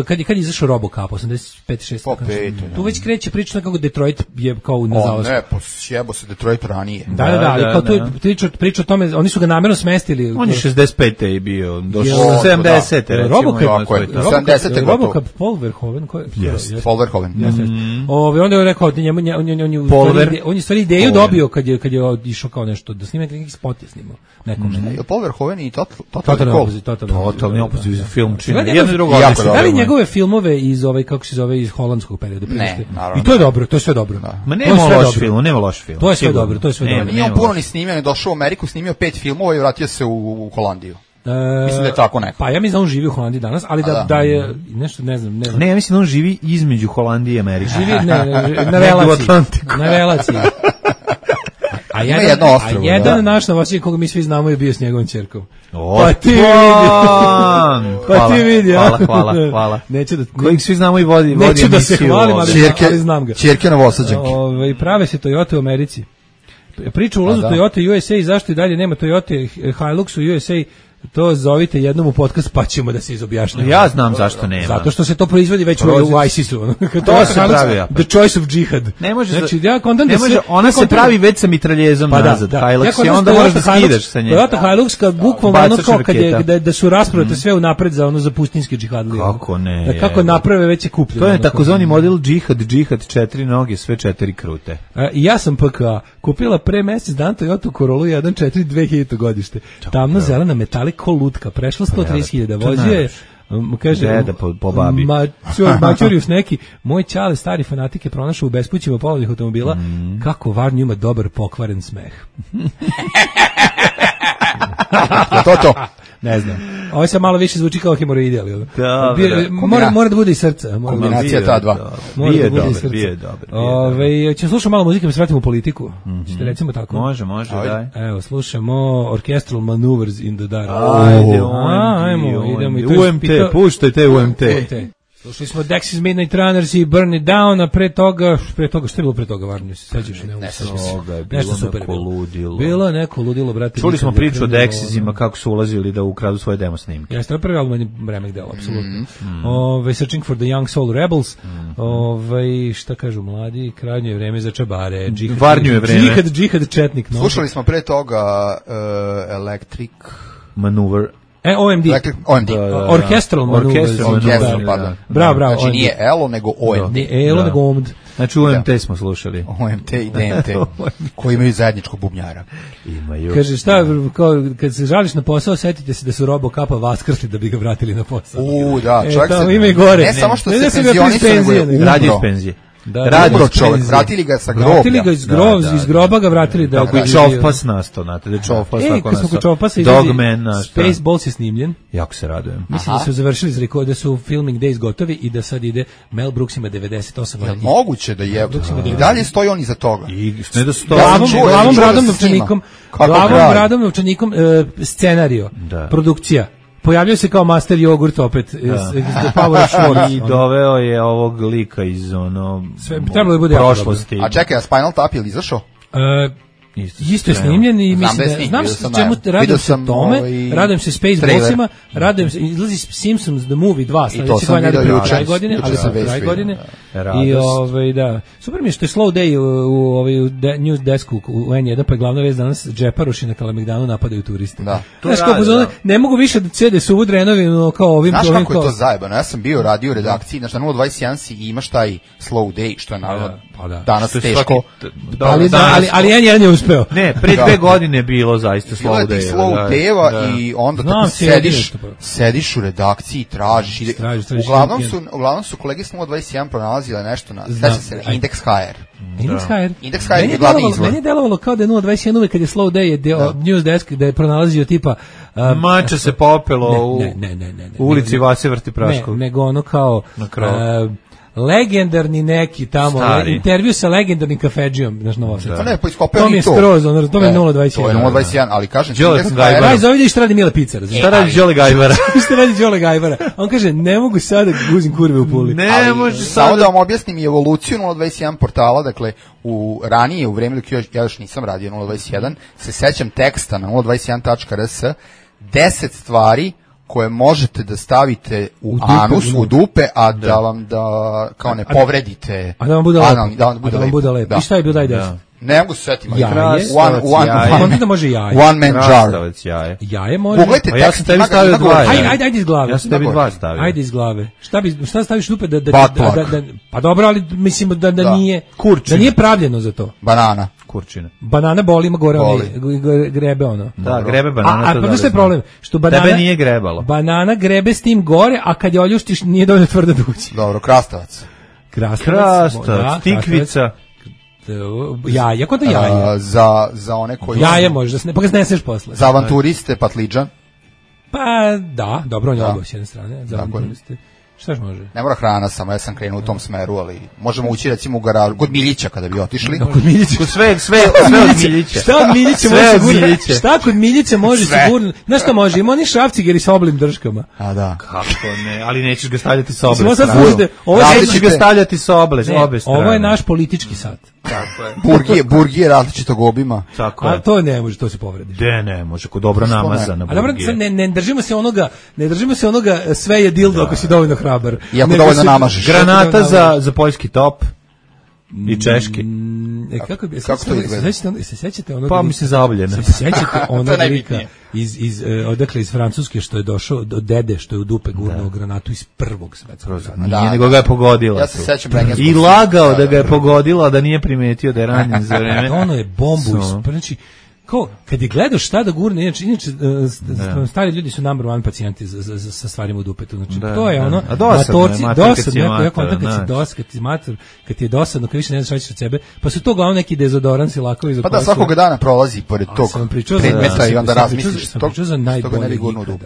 S7: kad je izašao RoboCop 85-6, tu već kreće priča kako Detroit je kao na zalasku.
S8: Ne, sjebo se Detroit ranije.
S7: Da, ali kao tu priča o tome, oni su ga namjerno smestili.
S6: On je 65. je bio, došao 70.
S7: RoboCop Paul Verhoeven,
S8: Paul Verhoeven.
S7: Onda je rekao, on je stvari ideju dobio kad je išao kao nešto, da snima neki spot je snimao.
S8: Paul Verhoeven i
S6: Totalni opozit film čini.
S7: Da li njegove filmove iz kako se zove, iz holandskog perioda?
S8: Ne, naravno.
S7: I to je dobro, to je sve dobro.
S6: Ma nema loš film.
S7: To je sve dobro, to je sve dobro.
S8: Nije on puno ni snimio, je došao u Ameriku, snimio 5 filmova i vratio se u Holandiju. Mislim da je tako neko.
S7: Pa ja mislim da on živi u Holandiji danas, ali da je nešto, ne znam.
S6: Ne, ja mislim da on živi između Holandije i Amerike.
S7: Živi na relaciji. A jedan naš novosadđanin koga mi svi znamo je bio s njegovom ćerkom. Pa ti vidi.
S6: Hvala.
S7: Neću da
S6: kojeg svi znamo i vodi
S7: neću da se hvalim, ali znam ga.
S8: Ćerke novosadđanke.
S7: Prave se Toyota u Americi. Priča o ulazu Toyota USA i zašto i dalje nema Toyota Hilux u USA, to zovite jednom u podcast pa ćemo da se izobjašnjamo.
S6: Ja znam zašto nema.
S7: Zato što se to proizvodi već u ISIS-u.
S6: To se pravi.
S7: The choice of jihad.
S6: Ne može,
S7: znači,
S6: ona se pravi već sa mitraljezom nazad. Hilux i onda možeš da skidaš sa nje.
S7: Toyota Hilux kad bukvalno ono kao da su raspravate sve unapred za pustinski džihadlije.
S6: Kako ne?
S7: Kako naprave već je kupljeno.
S6: To je takozvani model džihad 4 noge, sve 4 krute.
S7: Ja sam PKA kupila pre mesec dan Toyota Corolla 1.4 2000 godište. Tamno zelena metalik ko lutka, prešla 130.000, vozio je, kaže,
S6: deda po babi.
S7: Mačurius neki, moj čale stari fanatik je pronašao u bespućima polovnih automobila, kako Varnju ima dobar pokvaren smeh.
S8: To.
S7: Ne znam. Ovo se malo više zvuči kao hemoroide, ali mora da bude i srca.
S8: Kombinacija ta dva.
S6: Bije dobro.
S7: Ćemo slušati malo muzike, pa se vratimo u politiku. Ćete recimo tako?
S6: Može, daj.
S7: Evo, slušamo Orchestral Maneuvers in the Dark.
S6: Idemo. UMT, puštajte UMT.
S7: Slušali smo Dexys Midnight Runners i Burn It Down, a pre toga, što je bilo pre toga, Varnju, se sećaš?
S6: Nešto super bilo. Ludilo.
S7: Bilo je neko ludilo, brate.
S6: Čuli smo priču o Dexysima, kako su ulazili da ukradu svoje demo snimke.
S7: Jeste, prvi album je remek delo, apsolutno. Searching for the Young Soul Rebels, šta kažu mladi, krajnje je vreme za čabare.
S6: Varnju je vreme.
S7: Džihad četnik.
S8: Slušali smo pre toga Electric
S6: Maneuver.
S7: OMD.
S8: OMD.
S7: Orchestral Maneuvers. Bravo.
S8: Znači nije ELO, nego OMD.
S7: Nije ELO, nego OMD.
S6: Znači UMT smo slušali.
S8: OMT i DMT, koji imaju zajedničkog bubnjara.
S6: Imaju.
S7: Kaže, šta, kad se žališ na posao, setite se da su Robocapa vaskrsli da bi ga vratili na posao.
S8: Da, čovjek se...
S7: Ima i gore.
S8: Ne samo što se penzionisao,
S6: radi iz penzije.
S8: Umro čovjek, vratili ga sa groblja.
S7: Vratili ga iz groba, ga vratili da
S6: je Čovpas nastao, znate, da je Čovpas tako nastao. Dogman nastao.
S7: Spaceballs je snimljen.
S6: Jako se radujem.
S7: Mislim da su završili, da su filming days gotovi i da sad ide, Mel Brooks ima 98 godina.
S8: Je moguće da je, i dalje stoji on iza toga.
S6: Ne da stoji.
S7: Glavom bradom novčanikom, scenario, produkcija. Pojavio se kao master jogurt opet iz The Power of Schwartz.
S6: I doveo je ovog lika iz
S7: trebalo je bude
S6: prošlosti.
S8: A čekaj, a Spinal Tap je li izašao?
S7: Isto je snimljen i mislim da znam se čemu radim se tome, radim se Spaceballsima, radim se izlazi Simpsons the Movie 2 sledeće godine, ali sam kraj godine. I da. Super mi je što je Slow Day u News Desku u N1, pa je glavna vest danas džeparoši na Kalemegdanu napadaju turiste. Znaš kako ne mogu više da cede suvu drenovinu kao ovim.
S8: Znaš kako je to zajebano? Ja sam bio radio u redakciji, znači na 021 si imaš taj Slow Day, što je naravno danas teško.
S7: Ali N1 je uspeo.
S6: Ne, pre 2 godine je bilo zaista Slow Day.
S8: Bilo je Slow Day-eva i onda tako sediš u redakciji i tražiš. Uglavnom su kolege s 021 pronalazile nešto na Index HR. Index HR je glavni izvor.
S7: Meni je delovalo kao da je 021 uvek kad je Slow Day News Desk da je pronalazio tipa
S6: mače se popelo u ulici Vase Vrtipraškog.
S7: Nego ono kao legendarni neki tamo, intervju sa legendarnim kafedžijom, znaš Novosadski.
S8: Pa ne, pa iskopeo
S7: to mi je skroz, to mi je 021.
S8: To je 021, ali kažem ti...
S7: Daj, zovedi šta radi Mile Picar.
S6: Šta radi Đole Gajbara?
S7: Šta radi Đole Gajbara? On kaže, ne mogu sada guzim kurve u Puli.
S6: Ne može sada...
S8: Samo da vam objasnim i evoluciju 021 portala, dakle, ranije, u vreme dok ja još nisam radio 021, se sećam teksta na 021.rs 10 stvari koje možete da stavite u anus, u dupe, a da vam kao ne povredite.
S7: A da vam bude lepo. I šta je bilo daj 10?
S8: Ne mogu se setiti.
S7: Onda da može jaje.
S8: One man jar.
S7: Jaje može.
S8: Pogledajte
S6: tekst. Ja sam tebi stavio 2.
S7: Ajde iz glave.
S6: Ja sam tebi 2 stavio.
S7: Ajde iz glave. Šta staviš dupe da pa dobro, ali mislim da nije da nije pravljeno za to.
S8: Banana.
S6: Kurčina.
S7: Banana boli, ima gore grebe ono.
S6: Da, grebe banana.
S7: A pa što je problem? Što banana
S6: tebe nije grebalo.
S7: Banana grebe s tim gore, a kad je oljuštiš nije dovoljno tvrda da ući.
S8: Dobro, krastavac,
S6: tikvica.
S7: Jaja, kod jaja.
S8: Za one koji...
S7: Jaje možeš, pa ga zneseš posle.
S8: Za avanturiste, patliđan.
S7: Pa da, dobro, on je obo s jedne strane. Za avanturiste. Šta još može?
S8: Ne mora hrana samo, ja sam krenuo u tom smeru, ali možemo ući recimo u garažu, kod Miljića kada bi otišli.
S6: Kod Miljića. Sve od Miljića.
S7: Šta od Miljića može sigurno? Šta kod Miljića može sigurno? Znaš šta može? Ima oni šrafcigeri sa oblim drškama.
S8: A da.
S6: Kako ne? Ali nećeš ga stavljati sa obe strane.
S7: Nećeš
S6: ga stavljati sa obe strane.
S7: Ovo je naš politički sat.
S6: Tako je.
S8: Burgije različitog obima.
S7: Tako je. A to ne može, to se povredi.
S6: Ne može, kod dobro namazana burgije.
S7: A dobro, ne držimo se onoga sve je dildo ako si dovoljno hrabar.
S8: I ako dovoljno namažeš.
S6: Granata za poljski top i češki.
S7: Kako to izgleda? Se sećate onoga?
S6: Pa mislim zaobljena.
S7: Se sećate onoga lika odakle iz Francuske što je došao do dede što je u dupe gurnuo granatu iz Prvog svetskog rata.
S6: Nije, nego ga je pogodila.
S8: Ja se sećam
S6: i lagao da ga je pogodila, da nije primetio da je ranjen za vreme.
S7: Ono je bombu, znači kad je gledaš šta da gurne, inače stari ljudi su number one pacijenti sa stvarima u dupetu, znači to je ono, kad ti je dosadno, kad više ne znaš šta ćeš od sebe, pa su to glavno neki dezodorans i lakovi za
S8: pa da svakog dana prolazi pored tog predmeta i onda razmisliš što ga ne bi gurnuo u dupe.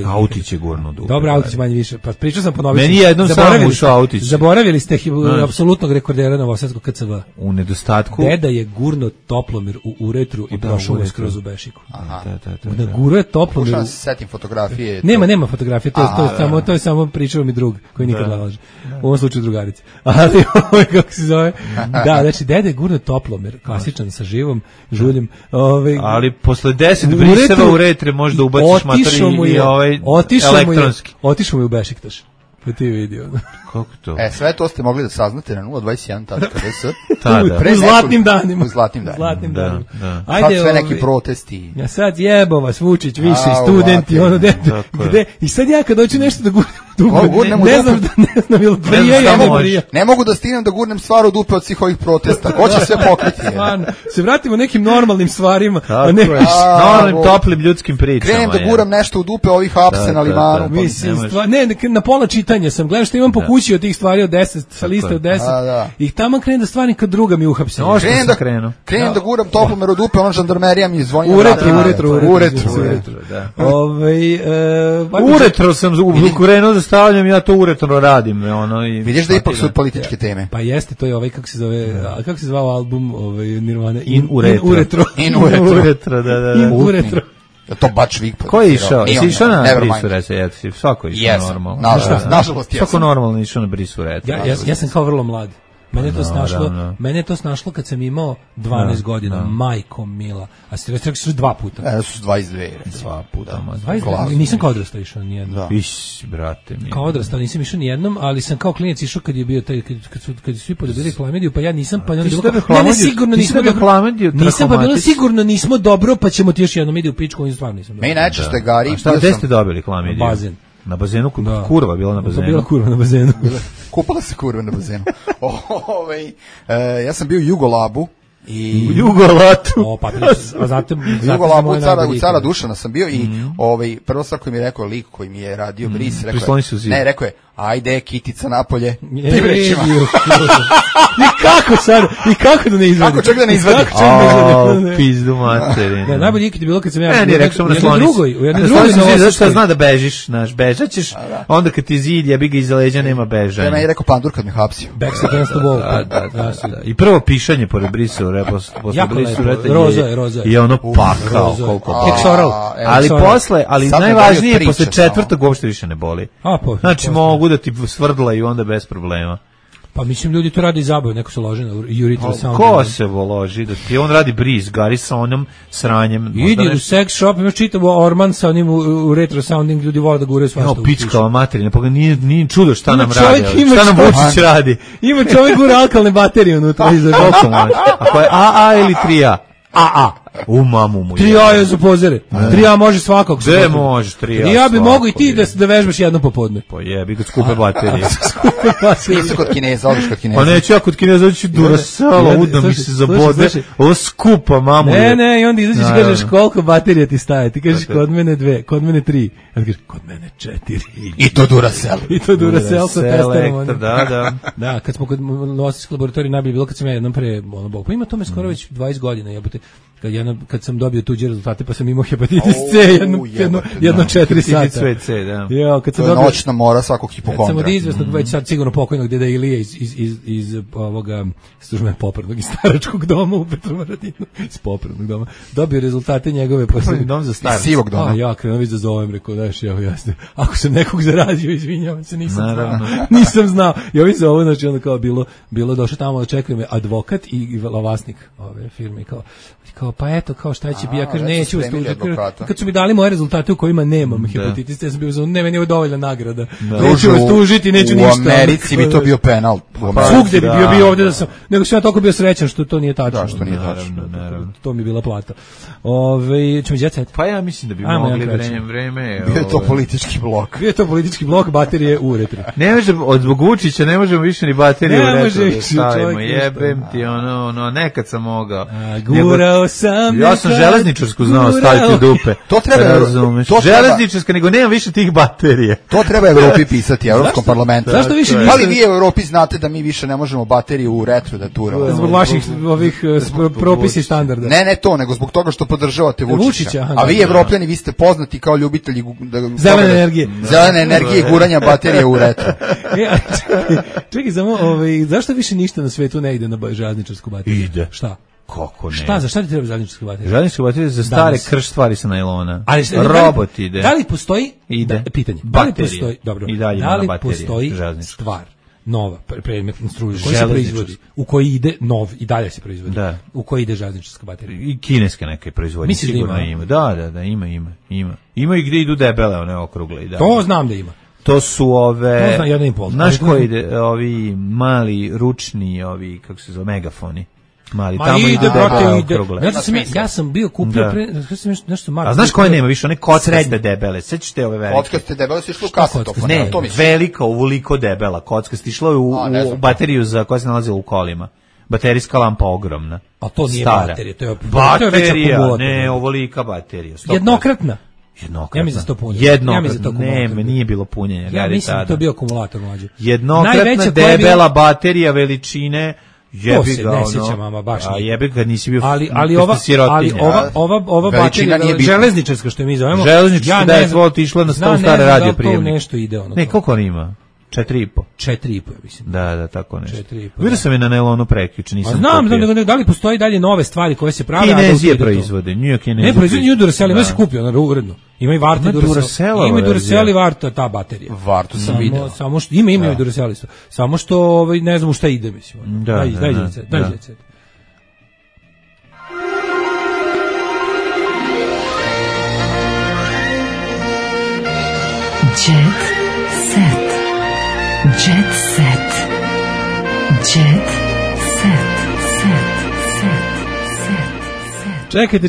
S6: Autić je gurno dupe.
S7: Dobro, Autić manje više. Pa pričao sam ponoviti.
S6: Meni jednom samo ušao Autić.
S7: Zaboravili ste apsolutnog rekordera Novosadskog KCV.
S6: U nedostatku.
S7: Deda je gurno toplomir u uretru i prošao mu skroz u bešiku.
S8: Aha.
S7: Da gurno je toplomir.
S8: Pokušam se setim fotografije.
S7: Nema fotografije, to je samo pričao mi drug koji nikad ne laže. U ovom slučaju drugarica. Ali kako se zove? Da, znači deda je gurno toplomir, klasičan sa živom žuljem.
S6: Ali posle 10 briseva u retre možda ubaciš materijal. Otišao mu je u Bešiktaš.
S7: Pa ti vidio.
S6: Kako to?
S8: Sve to ste mogli da saznate na 021.rs.
S7: U zlatnim danima.
S8: U zlatnim danima.
S6: Da.
S8: Ajde, sad sve neki protesti.
S7: Ja sad jebo vas Vučić, viši studenti, ono gde. I sad ja kad hoću nešto da gurnem ne znam ili prije ili ne prije.
S8: Ne mogu da stignem da gurnem stvar u dupe od svih ovih protesta. Ko će sve pokriti?
S7: Stvarno. Se vratimo nekim normalnim stvarima,
S6: a ne normalnim toplim ljudskim pričama.
S8: Krenem da guram nešto u dupe ovih apse na limanu.
S7: Ne, na pola čitanja sam. Gledam što imam po kući od tih stvari od 10, sa liste od 10. I tamo krenem da stvarim kad druga mi uhapse.
S8: Krenem da guram toplomer u dupe, ono žandarmerija mi zvoni.
S7: U retro.
S6: U retro sam krenuo da stavljam, ja to uretro radim.
S8: Vidiš da ipak su političke teme.
S7: Pa jeste, to je kako se zove, kako se zvao album Nirvana?
S6: In uretro.
S7: In uretro,
S6: da.
S7: In uretro.
S8: To bač vik.
S6: Ko je išao? Jesi išao na brisu rece? Svako je išao normalno.
S8: Nažalost,
S6: svako normalno išao na brisu rece.
S7: Ja sam kao vrlo mlad. Mene je to snašlo kad sam imao 12 godina, majko mila. A ste rekli su 2 puta.
S8: Su 22.
S6: 2 puta.
S7: Nisam kao odrastao išao nijednom.
S6: Iš, brate mi.
S7: Kao odrastao nisam išao nijednom, ali sam kao klinac išao kad je bio taj, kad su svi podobili Hlamediju, pa ja nisam, pa onda bilo sigurno nismo dobro. Nisam, pa bilo sigurno nismo dobro, pa ćemo ti još jednom ide u pičku, on stvarno nisam dobro.
S8: Meni najčešće Gari.
S6: Šta gde ste dobili Hlamediju?
S7: Bazen.
S6: Na bazenu, kurva bila na bazenu.
S7: Bila kurva na bazenu.
S8: Kupala se kurva na bazenu. Ja sam bio u Jugolabu.
S6: U Jugolatu.
S8: Jugolabu u Cara Dušana sam bio i prvo stvar koji mi je rekao lik koji mi je radio bris, rekao je ajde Kitica napolje.
S7: I kako da ne izvadi?
S8: Kako čak da ne izvadi?
S6: Pizdu materinu.
S7: Najbolji ikad je bilo kad sam ja
S6: u jednoj drugoj zašto zna da bežiš, bežaćeš, onda kad ti zid jebi ga iza leđa nema bežanja.
S8: Ja mi je rekao pandur kad me hapsio.
S7: Back against the wall.
S6: I prvo pišanje pored brisa posle brisu
S7: roza
S6: je ono pakao koliko. Ali najvažnije posle četvrtog uopšte više ne boli. Znači mogu da ti svrdla i onda bez problema.
S7: Pa mislim ljudi to radi iz zabave, neko se loži na urethral sound.
S6: Ko se loži da ti on radi briz, Gari sa onom sranjem.
S7: Idi u sex shop, imaš čitavo Orman sa onim urethral sounding, ljudi vole da gure svašta.
S6: No, pičkava materina, pa nije čudo šta nam radi. Šta nam Vučić radi?
S7: Ima čovjek gura alkalne baterije unutra.
S6: Ako je AA ili 3A? AA. U mamu mu.
S7: 3A je za pozere. 3A može svakog.
S6: Gde može 3A?
S7: 3A bi mogo i ti da vežbaš jedno popodne.
S6: Pa jebi ga skupe baterije.
S8: Nisi kod Kineza, odiš kod Kineza.
S6: Pa neću ja kod Kineza, oći Duracell, udno mi se zabode. Ovo skupa mamu.
S7: Ne, i onda izađeš i kažeš koliko baterija ti staje. Ti kažeš kod mene 2, kod mene 3. A ti kažeš kod mene 4.
S8: I to Duracell.
S7: I to Duracell sa testerom.
S6: Da.
S7: Da, kad smo kod Novosadskog laboratorija najbolje bilo kad sam ja jednom pre, pa ima tome skoro već 20 godina, jebote. Kad sam dobio tuđe rezultate, pa sam imao hepatitis C jedno 4 sata.
S6: Ja,
S7: kad sam dobio
S8: noćna mora svakog hipokondra.
S7: Sam od izvesnog već sad sigurno pokojnog deda Ilije iz ovoga službe popravnog iz staračkog doma u Petrovaradinu, iz popravnog doma. Dobio rezultate njegove
S6: popravni dom za starac.
S8: Sivog doma.
S7: A ja krenuo da zovem, rekao daš evo jasno. Ako sam nekog zarazio, izvinjavam se, nisam znao. I ovi se ovo znači onda kao bilo došao tamo da čekaju me advokat i vlasnik ove firme kao pa eto kao šta će bi ja kaže neću kad su mi dali moje rezultate u kojima nemam hepatitis ja sam bio ne meni je dovoljna nagrada neću vas tužiti neću ništa.
S8: U Americi bi to bio penal.
S7: Svugde bi bio ovdje da sam nego sam ja toliko bio srećan što to nije tačno.
S8: Da, što nije tačno.
S7: To mi je bila plata. Ćemo jet set.
S6: Pa ja mislim da bi mogli vreme.
S8: Bio je to politički blok.
S7: Bio je to politički blok, baterije u retro.
S6: Ne možemo od zbog Vučića ne možemo više ni baterije u retro. Jebem ti ono nekad sam mogao. Ja sam železničarsku znao staviti u dupe.
S8: To treba
S6: razumeš. Železničarska, nego nema više tih baterije.
S8: To treba Evropi pisati, Evropskom parlamentu.
S7: Zašto više
S8: niste? Ali vi u Evropi znate da mi više ne možemo bateriju u retro da turamo.
S7: Zbog vaših ovih propisa i standarda.
S8: Ne to, nego zbog toga što podržavate Vučića. A vi Evropljani, vi ste poznati kao ljubitelji
S7: zelene energije.
S8: Zelene energije i guranja baterije u retro.
S7: Čekaj, samo zašto više ništa na svetu ne ide na železničarsku bateriju?
S6: Ide.
S7: Šta?
S6: Kako ne?
S7: Za šta ti treba železničarska baterija?
S6: Železničarska baterija za stare krš stvari sa najlona. Robot ide.
S7: Da li postoji?
S6: Ide.
S7: Pitanje.
S6: Da li
S7: postoji? Dobro. Da li postoji stvar nova, predmetna struja koja se proizvodi, u koji ide nov i dalje se proizvodi.
S6: Da.
S7: U koji ide železničarska baterija?
S6: I kineske neke proizvodnje sigurno ima. Da, ima. Ima i gdje idu debele, one okrugle i da.
S7: To znam da ima.
S6: To su ove...
S7: To zna 1,5.
S6: Znaš koji, ovi mali, ručni, ovi, kako se zove, megafoni. Mali,
S7: ma
S6: tamo
S7: ide, brate,
S6: ide.
S7: Ja sam bio kupio pre, nešto malo.
S6: A znaš koje nema više, one kockaste debele, sećaš te ove velike?
S8: Kockaste debele su išle u kasetofon.
S6: Ne, velika, ovoliko debela kockaste, išla je u bateriju koja se nalazila u kolima. Baterijska lampa ogromna.
S7: A to nije
S6: stara.
S7: Baterija, to je
S6: baterija, ne, ovolika baterija. 100%.
S7: Jednokratna.
S6: Ja
S7: mislim da to punjenje.
S6: Ne, nije bilo punjenja.
S7: Ja mislim da to bio akumulator mlađe.
S6: Jednokratna debela baterija veličine.
S7: To se ne sjeća, mama, baš
S6: nije. A jebi ga, nisi bio
S7: ali ova baterija, železničarska što je mi zovemo.
S6: Železničarska, da je tvoj išla na stavu stare radio prijemnik.
S7: Ne, nešto ide ono.
S6: Ne, koliko on ima? 4,5.
S7: 4,5, mislim.
S6: Da, tako nešto. 4,5. Vidio sam je na nailonu prekjuče, nisam
S7: znam, da li postoji dalje nove stvari koje se prave?
S6: Kinezije proizvode, New York Kinezije.
S7: Ne, proizvode New Duracell, ima se kupio, uredno. Ima i Varta Duracell. Ima i Duracell i Varta, ta baterija.
S8: Vartu sam vidio.
S7: Samo što, ima i Duracell isto. Samo što, ne znam u šta ide, mislim. Daj djece.
S4: Jet set.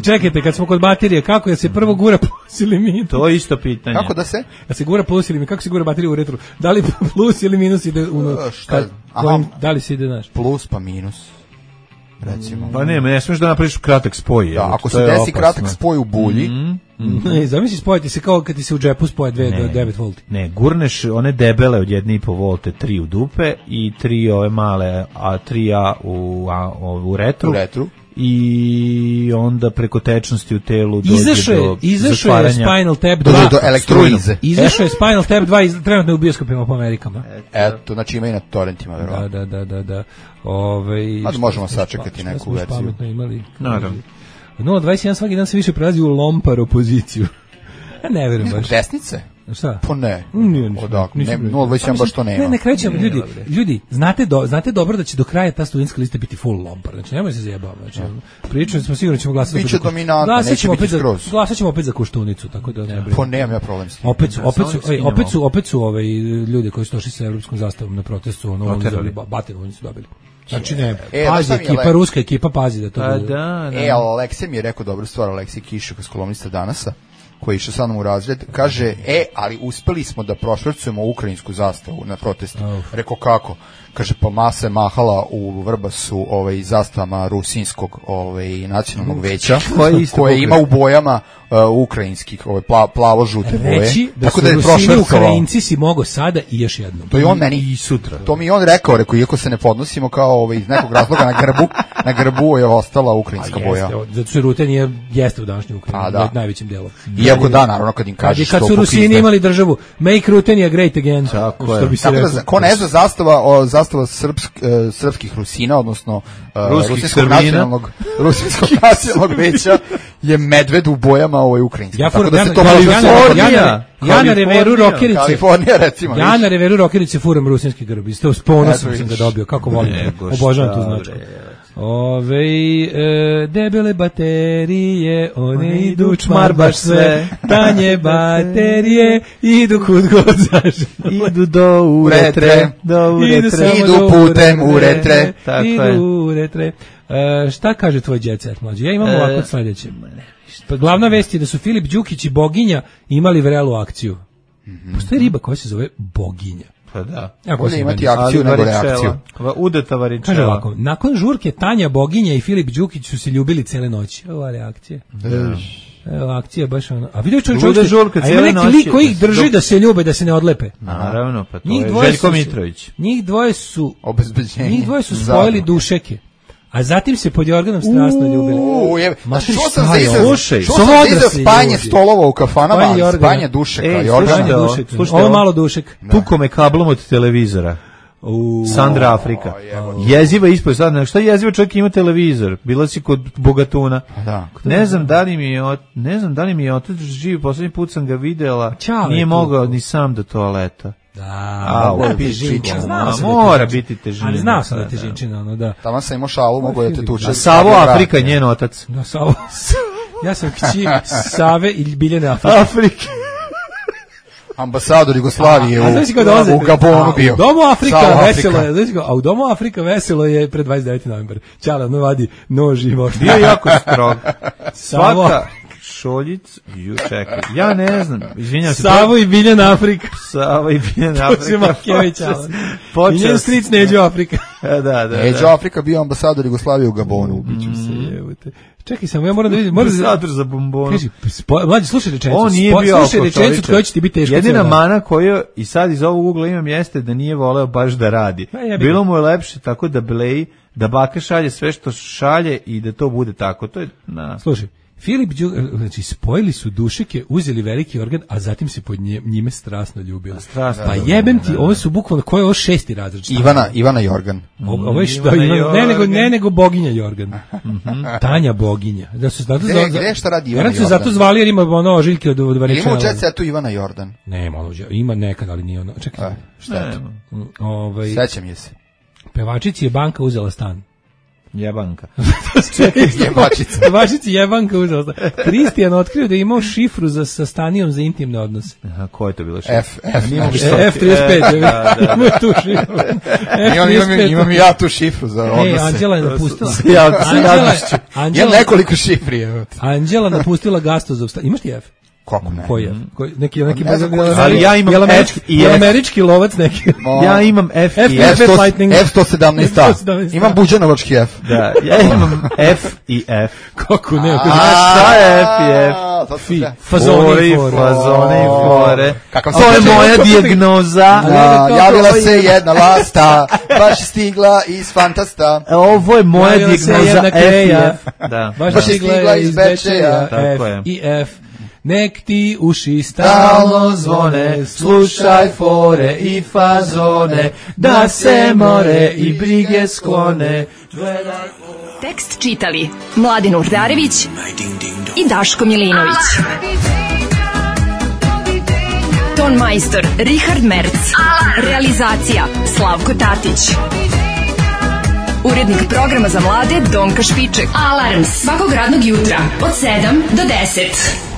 S7: Čekajte, kad smo kod baterije, kako je se prvo gura plus ili minus?
S6: To je isto pitanje.
S8: Kako da se?
S7: Da se gura plus ili minus, kako se gura baterija u retru? Da li plus ili minus ide u... Da li se ide, znaš?
S8: Plus pa minus. Recimo.
S6: Pa ne smiješ da napraviš kratak spoj.
S8: Da, ako se desi kratak spoj u bulji,
S7: zamisli spojiti se kao kad ti se u džepu spoje 2 do 9 volti.
S6: Ne, gurneš one debele od 1,5 volte 3 u dupe i 3 ove male, a 3A u retru. I onda preko tečnosti u telu
S7: izašao je Spinal Tap 2
S8: do elektrolize.
S7: Izašao je Spinal Tap 2 trenutno u bioskopima po Amerikama.
S8: Eto, znači ima i na torrentima, verovatno.
S7: Da.
S8: Možemo sačekati neku verziju.
S7: Pametno imali.
S6: Naravno.
S7: 0.21 svaki dan se više prelazi u lompar opoziciju. Ja ne verujem baš.
S8: Desnice?
S7: Šta?
S8: Pa ne. Odakle? 0.21 baš to nema.
S7: Ne krećemo, ljudi, znate dobro da će do kraja ta studentska lista biti full lompar. Znači, nemoj se zajebavati. Znači, pričali smo sigurno ćemo glasati.
S8: Biće dominantno, neće biti skroz.
S7: Glasat ćemo opet za Koštunicu, tako da ne brinemo.
S8: Pa nemam ja problem s tim.
S7: Opet su ljudi koji su došli sa evropskom zastavom na protestu, batinu oni su dobili. Znači ne, pazi ekipa, ruska ekipa, pazi da to bude.
S8: Ali Aleksej mi je rekao dobru stvar, Aleksej Kišuk iz kolumnista Danasa, koji je išao sa mnom u razred, kaže, ali uspeli smo da prošvercujemo ukrajinsku zastavu na protestu. Rekao kako? Kaže, pa masa je mahala u Vrbasu zastavama rusinskog nacionalnog veća, koje ima u bojama ukrajinskih, plavo-žute boje.
S7: Reći da su Rusini Ukrajinci si mogo sada i još jednom.
S8: To je on meni
S6: i sutra.
S8: To mi je on rekao, iako se ne podnosimo kao iz nekog razloga na grbu je ostala ukrajinska boja.
S7: Zato što Rute jeste u današnjoj Ukrajini, najvećim delom.
S8: Iako naravno kad im kažeš
S7: kad su Rusini imali državu, make Rutenija great again.
S8: Tako je. Ko ne zna zastava srpskih Rusina, odnosno rusinskog nacionalnog veća je medved u bojama ukrajinski.
S7: Tako da se to ja na reveru rokerice.
S8: Kalifornija, recimo.
S7: Ja na reveru rokerice furam rusinski grb. Isto s ponosom sam ga dobio. Kako volim. Obožavam tu značku. Debele baterije, one idu čmar baš sve, tanje baterije, idu kud god zažele.
S6: Idu do uretre,
S8: idu putem uretre.
S7: Idu uretre. Šta kaže tvoj jet set, mlađe? Ja imam ovako sledeće. Glavna vest je da su Filip Đukić i Boginja imali vrelu akciju. Postoji riba koja se zove Boginja.
S6: Pa da.
S8: Bolje imati akciju nego reakciju.
S6: Udeta varičela.
S7: Kaže ovako, nakon žurke Tanja Boginja i Filip Đukić su se ljubili cele noći. Ova reakcija. Evo, akcija baš ono. A vidio čovjek, a ima neki lik koji ih drži da se ljube, da se ne odlepe.
S6: Naravno, pa to je Željko Mitrović.
S7: Njih dvoje su
S8: obezbeđenje.
S7: Njih dvoje su spojili dušeke. A zatim se pod Jorganom strasno ljubili.
S8: Što sam za spanje stolova u kafanama, spanje dušeka.
S7: Ovo malo dušek.
S6: Tuko me kablom od televizora. Sandra Afrika. Jeziva ispod sad. Šta jeziva, čovjek ima televizor? Bila si kod Bogatuna. Ne znam da li mi je otac živi, poslednji put sam ga videla. Nije mogao ni sam do toaleta.
S7: Da,
S6: mora biti težina.
S7: Ali znao sam da je težinčina, da.
S8: Tamo sam imao šalu, mogo da te tuče.
S6: Savo Afrika, njen otac.
S7: Da, Savo. Ja sam kći Save i Biljane Afrike.
S8: Ambasador Jugoslavije u Gabonu bio.
S7: U Domu Afrika veselo je, a u Domu Afrika veselo je pred 29. novembar. Ćala vadi nož i mošta.
S6: Bio jako strog. Svaka Šoljic, čekaj, ja ne znam, izvinjam se.
S7: Savo i Biljan Afrika.
S6: Savo i Biljan Afrika.
S7: I njen stric Neđo Afrika.
S6: Da.
S8: Neđo Afrika bio ambasador Jugoslavije u Gabonu.
S7: Ubiću se, jevute. Čekaj samo, ja moram da vidim.
S6: Ambasador za bombonu.
S7: Kaži, mlađi, slušaj rečenicu.
S6: On nije bio
S7: rečenicu koja će ti biti teško.
S6: Jedina mana koju i sad iz ovog ugla imam jeste da nije voleo baš da radi. Bilo mu je lepše tako da bleji, da baka šalje sve što šalje i da to bude tako. To je
S7: Slušaj, Filip znači spojili su dušike, uzeli veliki organ, a zatim se pod njime strasno ljubili. Pa jebem ti, ovo su bukvalno, ko je ovo 6. razred?
S8: Ivana Jorgan.
S7: Ovo je što, ne nego boginja Jorgan. Tanja boginja. Da su zato
S8: gde šta radi Ivana
S7: Jorgan? Zato zvali jer ima ono ožiljke od Varečana.
S8: Ima u Jet Setu Ivana Jordan.
S7: Nema, ima nekad, ali nije ono. Čekaj.
S8: Šta je to? Sećam je se.
S7: Pevačici je banka uzela stan.
S6: Jebanka.
S7: Jebačici jebanka uzela stan. Kristijan otkrio da je imao šifru sa Stanijom za intimne odnose.
S6: Aha, ko je to bilo šifra?
S7: F35. Imao tu šifru.
S8: Imam i ja tu šifru za odnose.
S7: Anđela je napustila.
S8: Imam nekoliko šifri.
S7: Anđela napustila Gastozov stan. Imaš ti F?
S8: Kako ne?
S7: Koji je? Neki
S6: ali ja imam F i F.
S7: Američki lovac neki.
S6: Ja imam F i F.
S8: F117. Imam buđanovački F.
S6: Da, ja imam F i F.
S7: Kako ne?
S6: Šta je F i F? Fazone i fore. To je moja dijagnoza.
S8: Javila se jedna lasta, baš stigla iz Fantasta.
S6: Ovo je moja dijagnoza F i F.
S7: Baš stigla iz Bečeja. F i F. Nek ti uši stalno zvone, slušaj fore i fazone, da se more i brige sklone.
S4: Tekst čitali Mladin Urdarević i Daško Milinović. Ton majstor Richard Merc. Realizacija Slavko Tatić. Urednik programa za mlade Donka Špiček. Alarms svakog radnog jutra od 7 do 10.